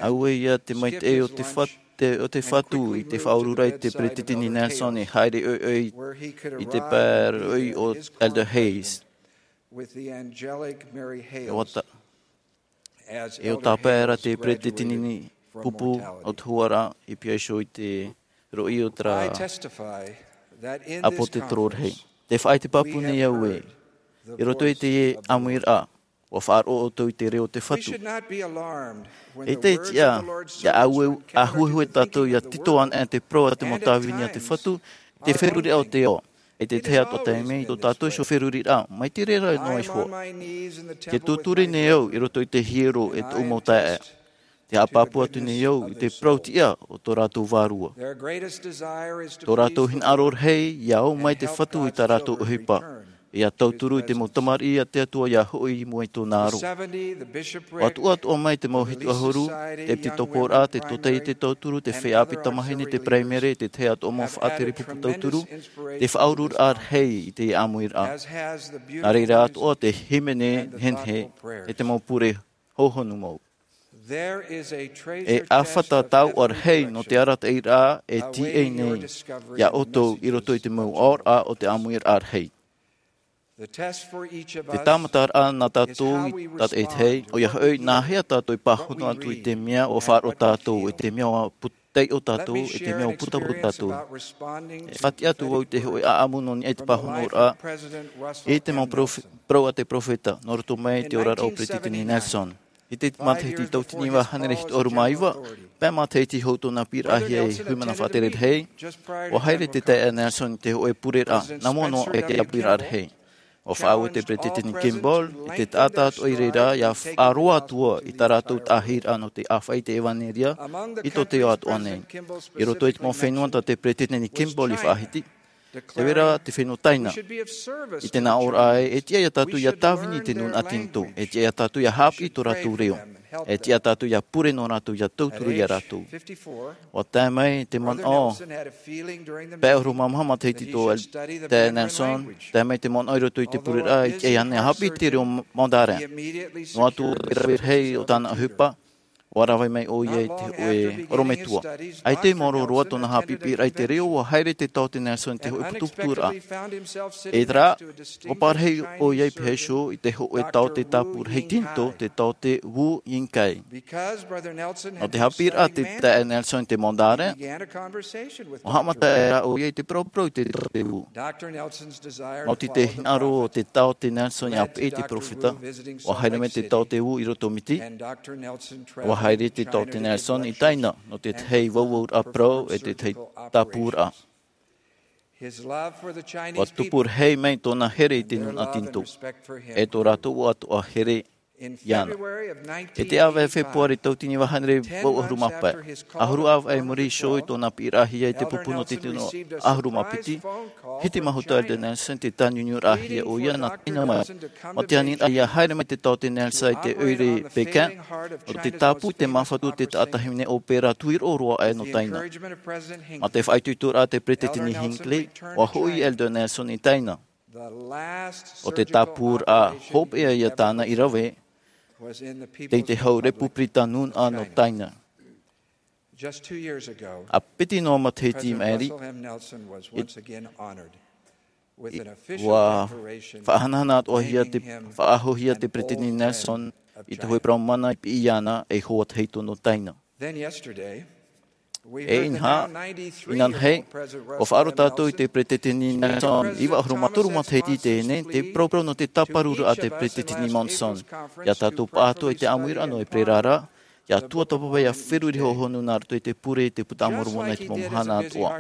Auē ia te maitaʻi o te Fatu i te faʻaururaʻa i te peretiteni Nelson e haere ʻoiʻoi i te pae roʻi o Elder Hales. ʻE ʻo tāpae ra te peretiteni pupu o te huaraʻa i pīhaʻi iho i te roʻi o te rā ʻāpōsetolo rahi. Te faʻaʻite pāpū nei au ē, i roto i te ʻāmuiraʻa ʻua faʻaroʻo ʻoutou i te reo o te Fatu. ʻAita e tiʻa ʻia ʻāueue tātou ʻia tito anaʻe te parau a te mau tāvini a te Fatu i te feruriraʻa o te ao. ʻE te tahi atu taime i tō tātou iho feruriraʻa mai te reira noa iho. Te tūturi nei au i roto i te hiero e tōʻu mau taeaʻe. Te haʻapāpū atu nei au i te parau tiʻa o tō rātou vārua. Tō rātou hinaʻaro rahi ʻia ō mai te Fatu i tā rātou ʻohipa, ʻia tauturu i te mau tamariʻi a te Atua ʻia hoʻi i mua i tōna aro. ʻUa tuʻatoʻa mai te mau hitu ʻahuru, te ʻepitekoporaʻa, te tōtaiete tauturu, te feiā ʻāpī tamāhine, te paraimere, te tahi atoʻa mau faʻatere pupu tauturu, te faʻaururaʻa rahi i te ʻāmuiraʻa. Nā reira atoʻa te hīmene nehenehe, e te mau pure hōhonu mau. E ʻāfata taoʻa rahi nō te arataʻiraʻa e tīaʻi nei iā ʻoutou i roto i te mau aoraʻa o te ʻāmuiraʻa rahi. Te tāmataraʻa nā tātou i tātaʻitahi, ʻoia hoʻi, nā hea tātou e pāhono atu i te mea ʻua faʻaroʻo tātou, i te mea ʻua put-, taiʻo tātou, i te mea ʻua putapū tātou. E faʻatiʻa atu vau i te hoʻi ʻāʻamu nō niʻa i te pāhonoraʻa i te mau perof-, parau a te peropheta, nō roto mai i te oraraʻa o Peretiteni Nelson. I te matahiti tauatini iva hānere hitu ʻahuru mā iva, pae matahiti hou tōna piʻiraʻahia e Huimana Faʻatere Rahi, ʻua haere te taeaʻe Nelson i te hōʻē pureraʻa, nā mua noa i te ʻāmuiraʻa rahi. ʻUa faʻaue te Peretiteni Kimball, i te taʻata atoʻa i reira, ʻia faʻaroa atu ā i tā rātou taʻahiraʻa nō te ʻāfaʻi i te ʻevanelia, i tō te ao atoʻa nei. I roto i te mau fenua tā te Peretiteni Kimball i faʻahiti, tē vai ra te fenua Taina. I tēnā ʻōraʻa ē, e tiʻa iā tātou ʻia tāvini i te nūnaʻa Tinitō, e tiʻa iā tātou ʻia haʻapiʻi tō rātou reo, e tiʻa iā tātou ʻia pure nō rātou, ʻia tauturu iā rātou. ʻUa tae mai te manaʻo, pae ʻahuru mā maha matahiti tō El-, taeaʻe Nelson, tae mai te manaʻo i roto i te pureraʻa, i tiʻa iāna ʻia haʻapiʻi te reo Mandarin. Noa atu ʻoia i te rave rahi o tāna ʻohipa, ʻua rave mai ʻoia i te hōʻē ʻorometua. ʻAita i maoro roa tōna haʻapiʻiraʻa i te reo, ʻua haere te taote Nelson i te hōʻē putuputuraʻa. E terā, ʻua parahi ʻoia i pīhaʻi iho i te hōʻē taote tāpū rahi Tinitō, te taote Wu Yingkai. Nō te haʻapiʻiraʻa a te taeaʻe Nelson i te Mandarin, ʻua haʻamata aʻera ʻoia i te paraparau i te taote Wu. Maoti te hinaʻaro o te taote Nelson ʻia peʻe i te peropheta, ʻua haere mai te taote Wu i Rotomiti, ʻua haere te taote Nelson i Taina, nō te tahi vauvauraʻa parau ʻe te tahi tāpūraʻa. ʻUa tupu rahi mai tōna here i te nūnaʻa Tinitō, ʻe tō rātou atoʻa here iāna. I te ʻāvaʻe Fepuare tauatini vaʻu hānere vaʻu ʻahuru mā pae, ʻahuru ʻāvaʻe i muri iho i tōna piʻiraʻahia i te pupu nō te tino ʻahuru mā piti, hiti mahuta Elder Nelson, tē tāniuniuraʻahia ʻoia nā taina mai. Mā te aniraʻa ʻia haere mai te taote Nelson i te ʻoire Pekin, ʻo te tāpū i te māfatu o te taʻata hīmene ʻōpera tuiroʻo roa aʻe nō taina. Mā te faʻaitoitoraʻa a te Peresideni Hinckley, ʻua hoʻi Elder Nelson i taina. ʻO te tāpūraʻa hopeʻa ia tāna i rave, tei te hau Repupirita Nūnaʻa nō taina. ʻA piti noa matahiti i maʻiri, ʻua faʻahanahana atoʻahia te, faʻaʻahohia te Peresideni Nelson i te hōʻē parau mana i piʻi iāna ei hoa tahito nō taina. E inaha, inanahi, ʻua faʻaroʻo tātou i te Peresideni Nelson, iva ʻahuru mā toru matahiti i teie nei, te parauparau nō te tāparuraʻa a te Peresideni Monson. ʻIa tātou pāʻatoʻa i te ʻāmuiraʻa nō ʻEperēra ra, ʻia tuatāpapa ʻia feruri hōhonu nā roto i te pure i te Buka a Moromona i te mau mahana atoʻa.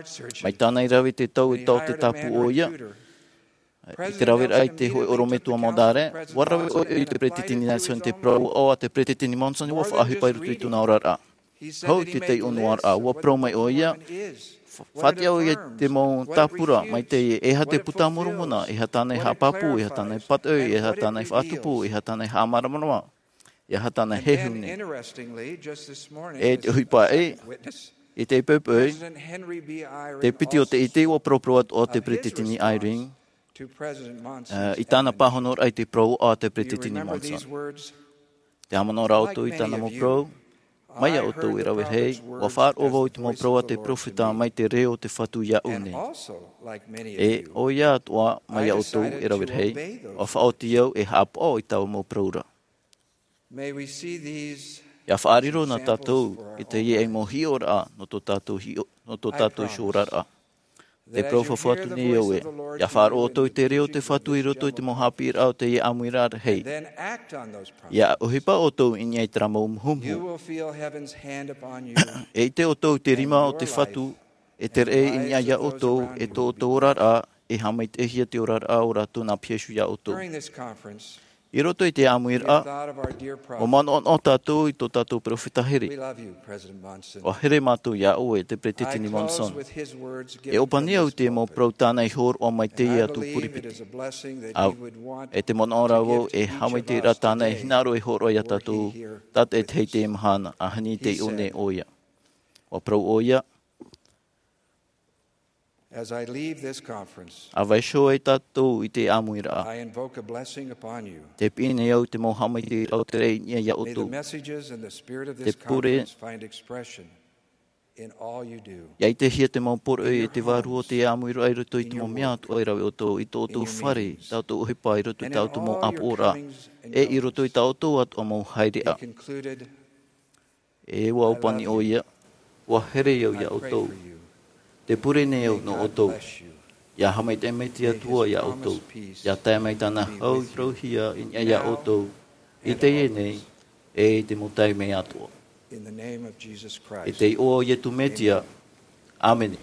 Mai tāna i rave i te tau e taote tāpū ʻoia, i te raveraʻa i te hōʻē ʻorometua modare, ʻua rave ʻoia i te Peresideni Nelson i te parau ʻo te Peresideni Monson ʻua faʻaʻohipa i roto i tōna oraraʻa. Hou i te taiʻonoaraʻa, ʻua parau mai ʻoia, fa-, faʻatiʻa ʻoia i te mau tāpura, mai te, e aha te Buka a Moromona, e aha tāna e haʻapāpū, e aha tāna e pātoʻi, e aha tāna e faʻatupu, e aha tāna e haʻamāramarama, e aha tāna e heheu nei. E te ʻohipa ē, i teie poʻipoʻi, te piti o te ʻite ʻua paraparau atoʻa te Peresideni Eyring, ā, i tāna pāhonoraʻa i te parau a te Peresideni Monson. Tē haʻamanaʻo ra ʻoutou i tāna mau parau, mai iā ʻoutou e rave rahi, ʻua faʻaroʻo vau i te mau parau a te peropheta mai te reo o te Fatu iāʻu nei. E ʻoia atoʻa mai iā ʻoutou e rave rahi, ʻua faʻaoti au e haʻapaʻo i taua mau parau ra. ʻIa faʻariro na tātou i teie mau hiʻoraʻa nō tō tātou hiʻo-, nō tō tātou hiʻoraʻa. Te parau fafau atu nei au ē, ʻia faʻaroʻo ʻoutou i te reo o te Fatu i roto i te mau haʻapiʻiraʻa o teie ʻāmuiraʻa rahi. ʻIa ʻohipa ʻoutou i niʻa i terā mau muhumuhu. E ʻite ʻoutou i te rima o te Fatu, e te reʻe i niʻa iā ʻoutou, e tō ʻoutou oraraʻa, e haʻamaitaʻihia te oraraʻa o rātou nā Iesu iā ʻoutou. I roto i te ʻāmuiraʻa, ʻua manaʻonaʻo tātou i tō tātou peropheta here. ʻUa here mātou iā ʻoe, te Peresideni Monson. E ʻōpani au i te mau parau tāna i hōroʻa mai teie atu puripiti. ʻĀ, e te manaʻo ra vau e haʻamaitaʻi ra tāna e hinaʻaro e hōroʻa iā tātou, tātaʻitahi i teie mahana, ʻa hānere i teie nei ʻoia. ʻUa parau ʻoia, ʻa vaiiho ai tātou i te ʻāmuiraʻa, te piʻi nei au i te mau haʻamaitaʻiraʻa o te reʻe i niʻa iā ʻoutou. Te pure, ʻia ʻitehia te mau poroʻi e te Vārua o te ʻāmuiraʻa i roto i te mau mea atoʻa e rave ʻoutou, i tō ʻoutou fare, tā ʻoutou ʻohipa, i roto i tā ʻoutou mau ʻāpoʻoraʻa, e i roto i tā ʻoutou atoʻa mau haereʻa. E ʻua ʻōpani ʻoia, ʻua here au iā ʻoutou. Te pure nei au nō ʻoutou. ʻIa haʻamaitaʻi mai te Atua iā ʻoutou. ʻIa tae mai tāna hau i parauhia i niʻa iā ʻoutou. I teie nei, e i te mau taime atoʻa. I te iʻoa o Iesu Mesia. ʻĀmene.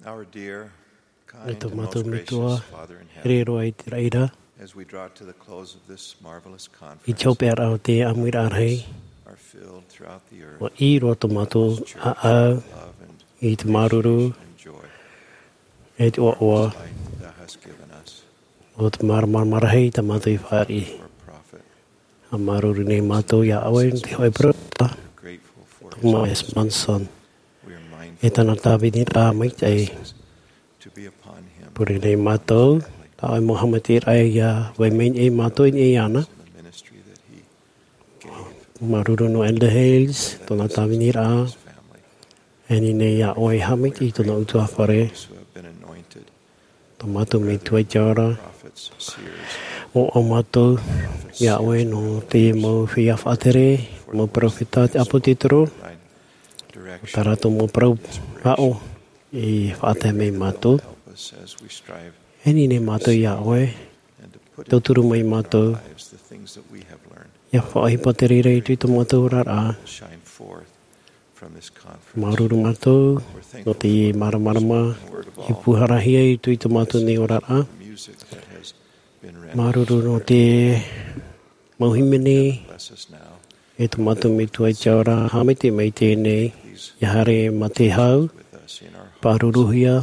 Our dear, kind, e tō and mātou most metua, gracious Father in here heaven, roa i te raʻi ra, as we draw to the close of this marvelous conference, i te hopeʻaraʻa o te ʻāmuiraʻa rahi, our field throughout the earth, ʻua ʻī roa tō mātou ʻāʻau, love and i te māuruuru, and joy, e te ʻoaʻoa, life thou hast given us, o te māramarama rahi tā mātou i fāriʻi. For a prophet. ʻA māuruuru nei mātou iā ʻoe, te hōʻē peropheta, Thomas S. Monson, e tāna tāviniraʻa maitaʻi. Pure nei mātou, tā ʻoe mau haʻamaitaʻiraʻa ia vai mai nei mātou i niʻa iāna. Māuruuru nō Elder Hales, tōna tāviniraʻa, e ani nei iā ʻoe haʻamaitaʻi i tōna ʻutuāfare. Tō mātou Metua i te ao ra, ʻoaʻoa mātou iā ʻoe nō te mau feiā faʻatere, mau peropheta, te ʻāpōsetolo, tā rātou mau parau rāʻau i faʻatae mai mātou. E ani nei mātou iā ʻoe, tauturu mai mātou, ʻia faʻaʻohipa te reira i tō mātou oraraʻa. Māuruuru mātou nō te māramarama i pūharahia i tō mātou nei oraraʻa. Māuruuru nō te mau hīmene, e tō mātou Metua i te ao ra, haʻamaitaʻi mai teie nei, ʻia haere mā te hau, pāruruhia,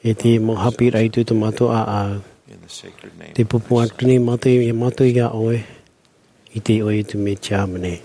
e te mau haʻapiʻiraʻa i tō mātou ʻāʻau. Tē pūpū atu nei mātou, iā mātou iā ʻoe, i te iʻoa o Iesu Mesia, āmene.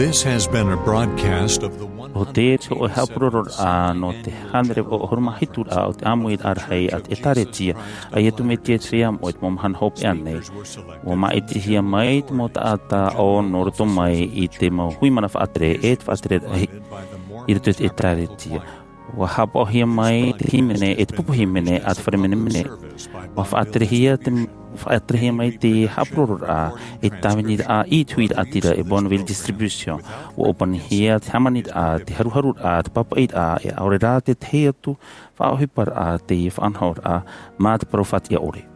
This has been a broadcast of the ʻo te hōʻē haʻapurororaʻa nō te hānere vaʻu ʻahuru mā hitu raʻa o te ʻāmuiraʻa rahi a te ʻĒtārētia a Iesu Mesia i te Feiā Moʻa i te mau mahana hopeʻa nei. ʻUa māʻitihia mai te mau taʻata ʻo nō roto mai i te mau hui mana faʻatere e te faʻatereraʻa i roto i te ʻĒtārētia. ʻUa haʻapaʻohia mai te hīmene e te pupu hīmene a te fare menemene. ʻUa faʻaterehia te, faʻaterehia mai te haʻapurororaʻa e te tāviniraʻa i te huiraʻatira e Bonneville Distribution. ʻUa ʻōpanihia te hāmaniraʻa, te haruharuraʻa, te pāpaʻiraʻa, e ʻaore rā te tahi atu faʻaʻohiparaʻa, te faʻanahoraʻa mā te parau faʻatiʻa ʻore.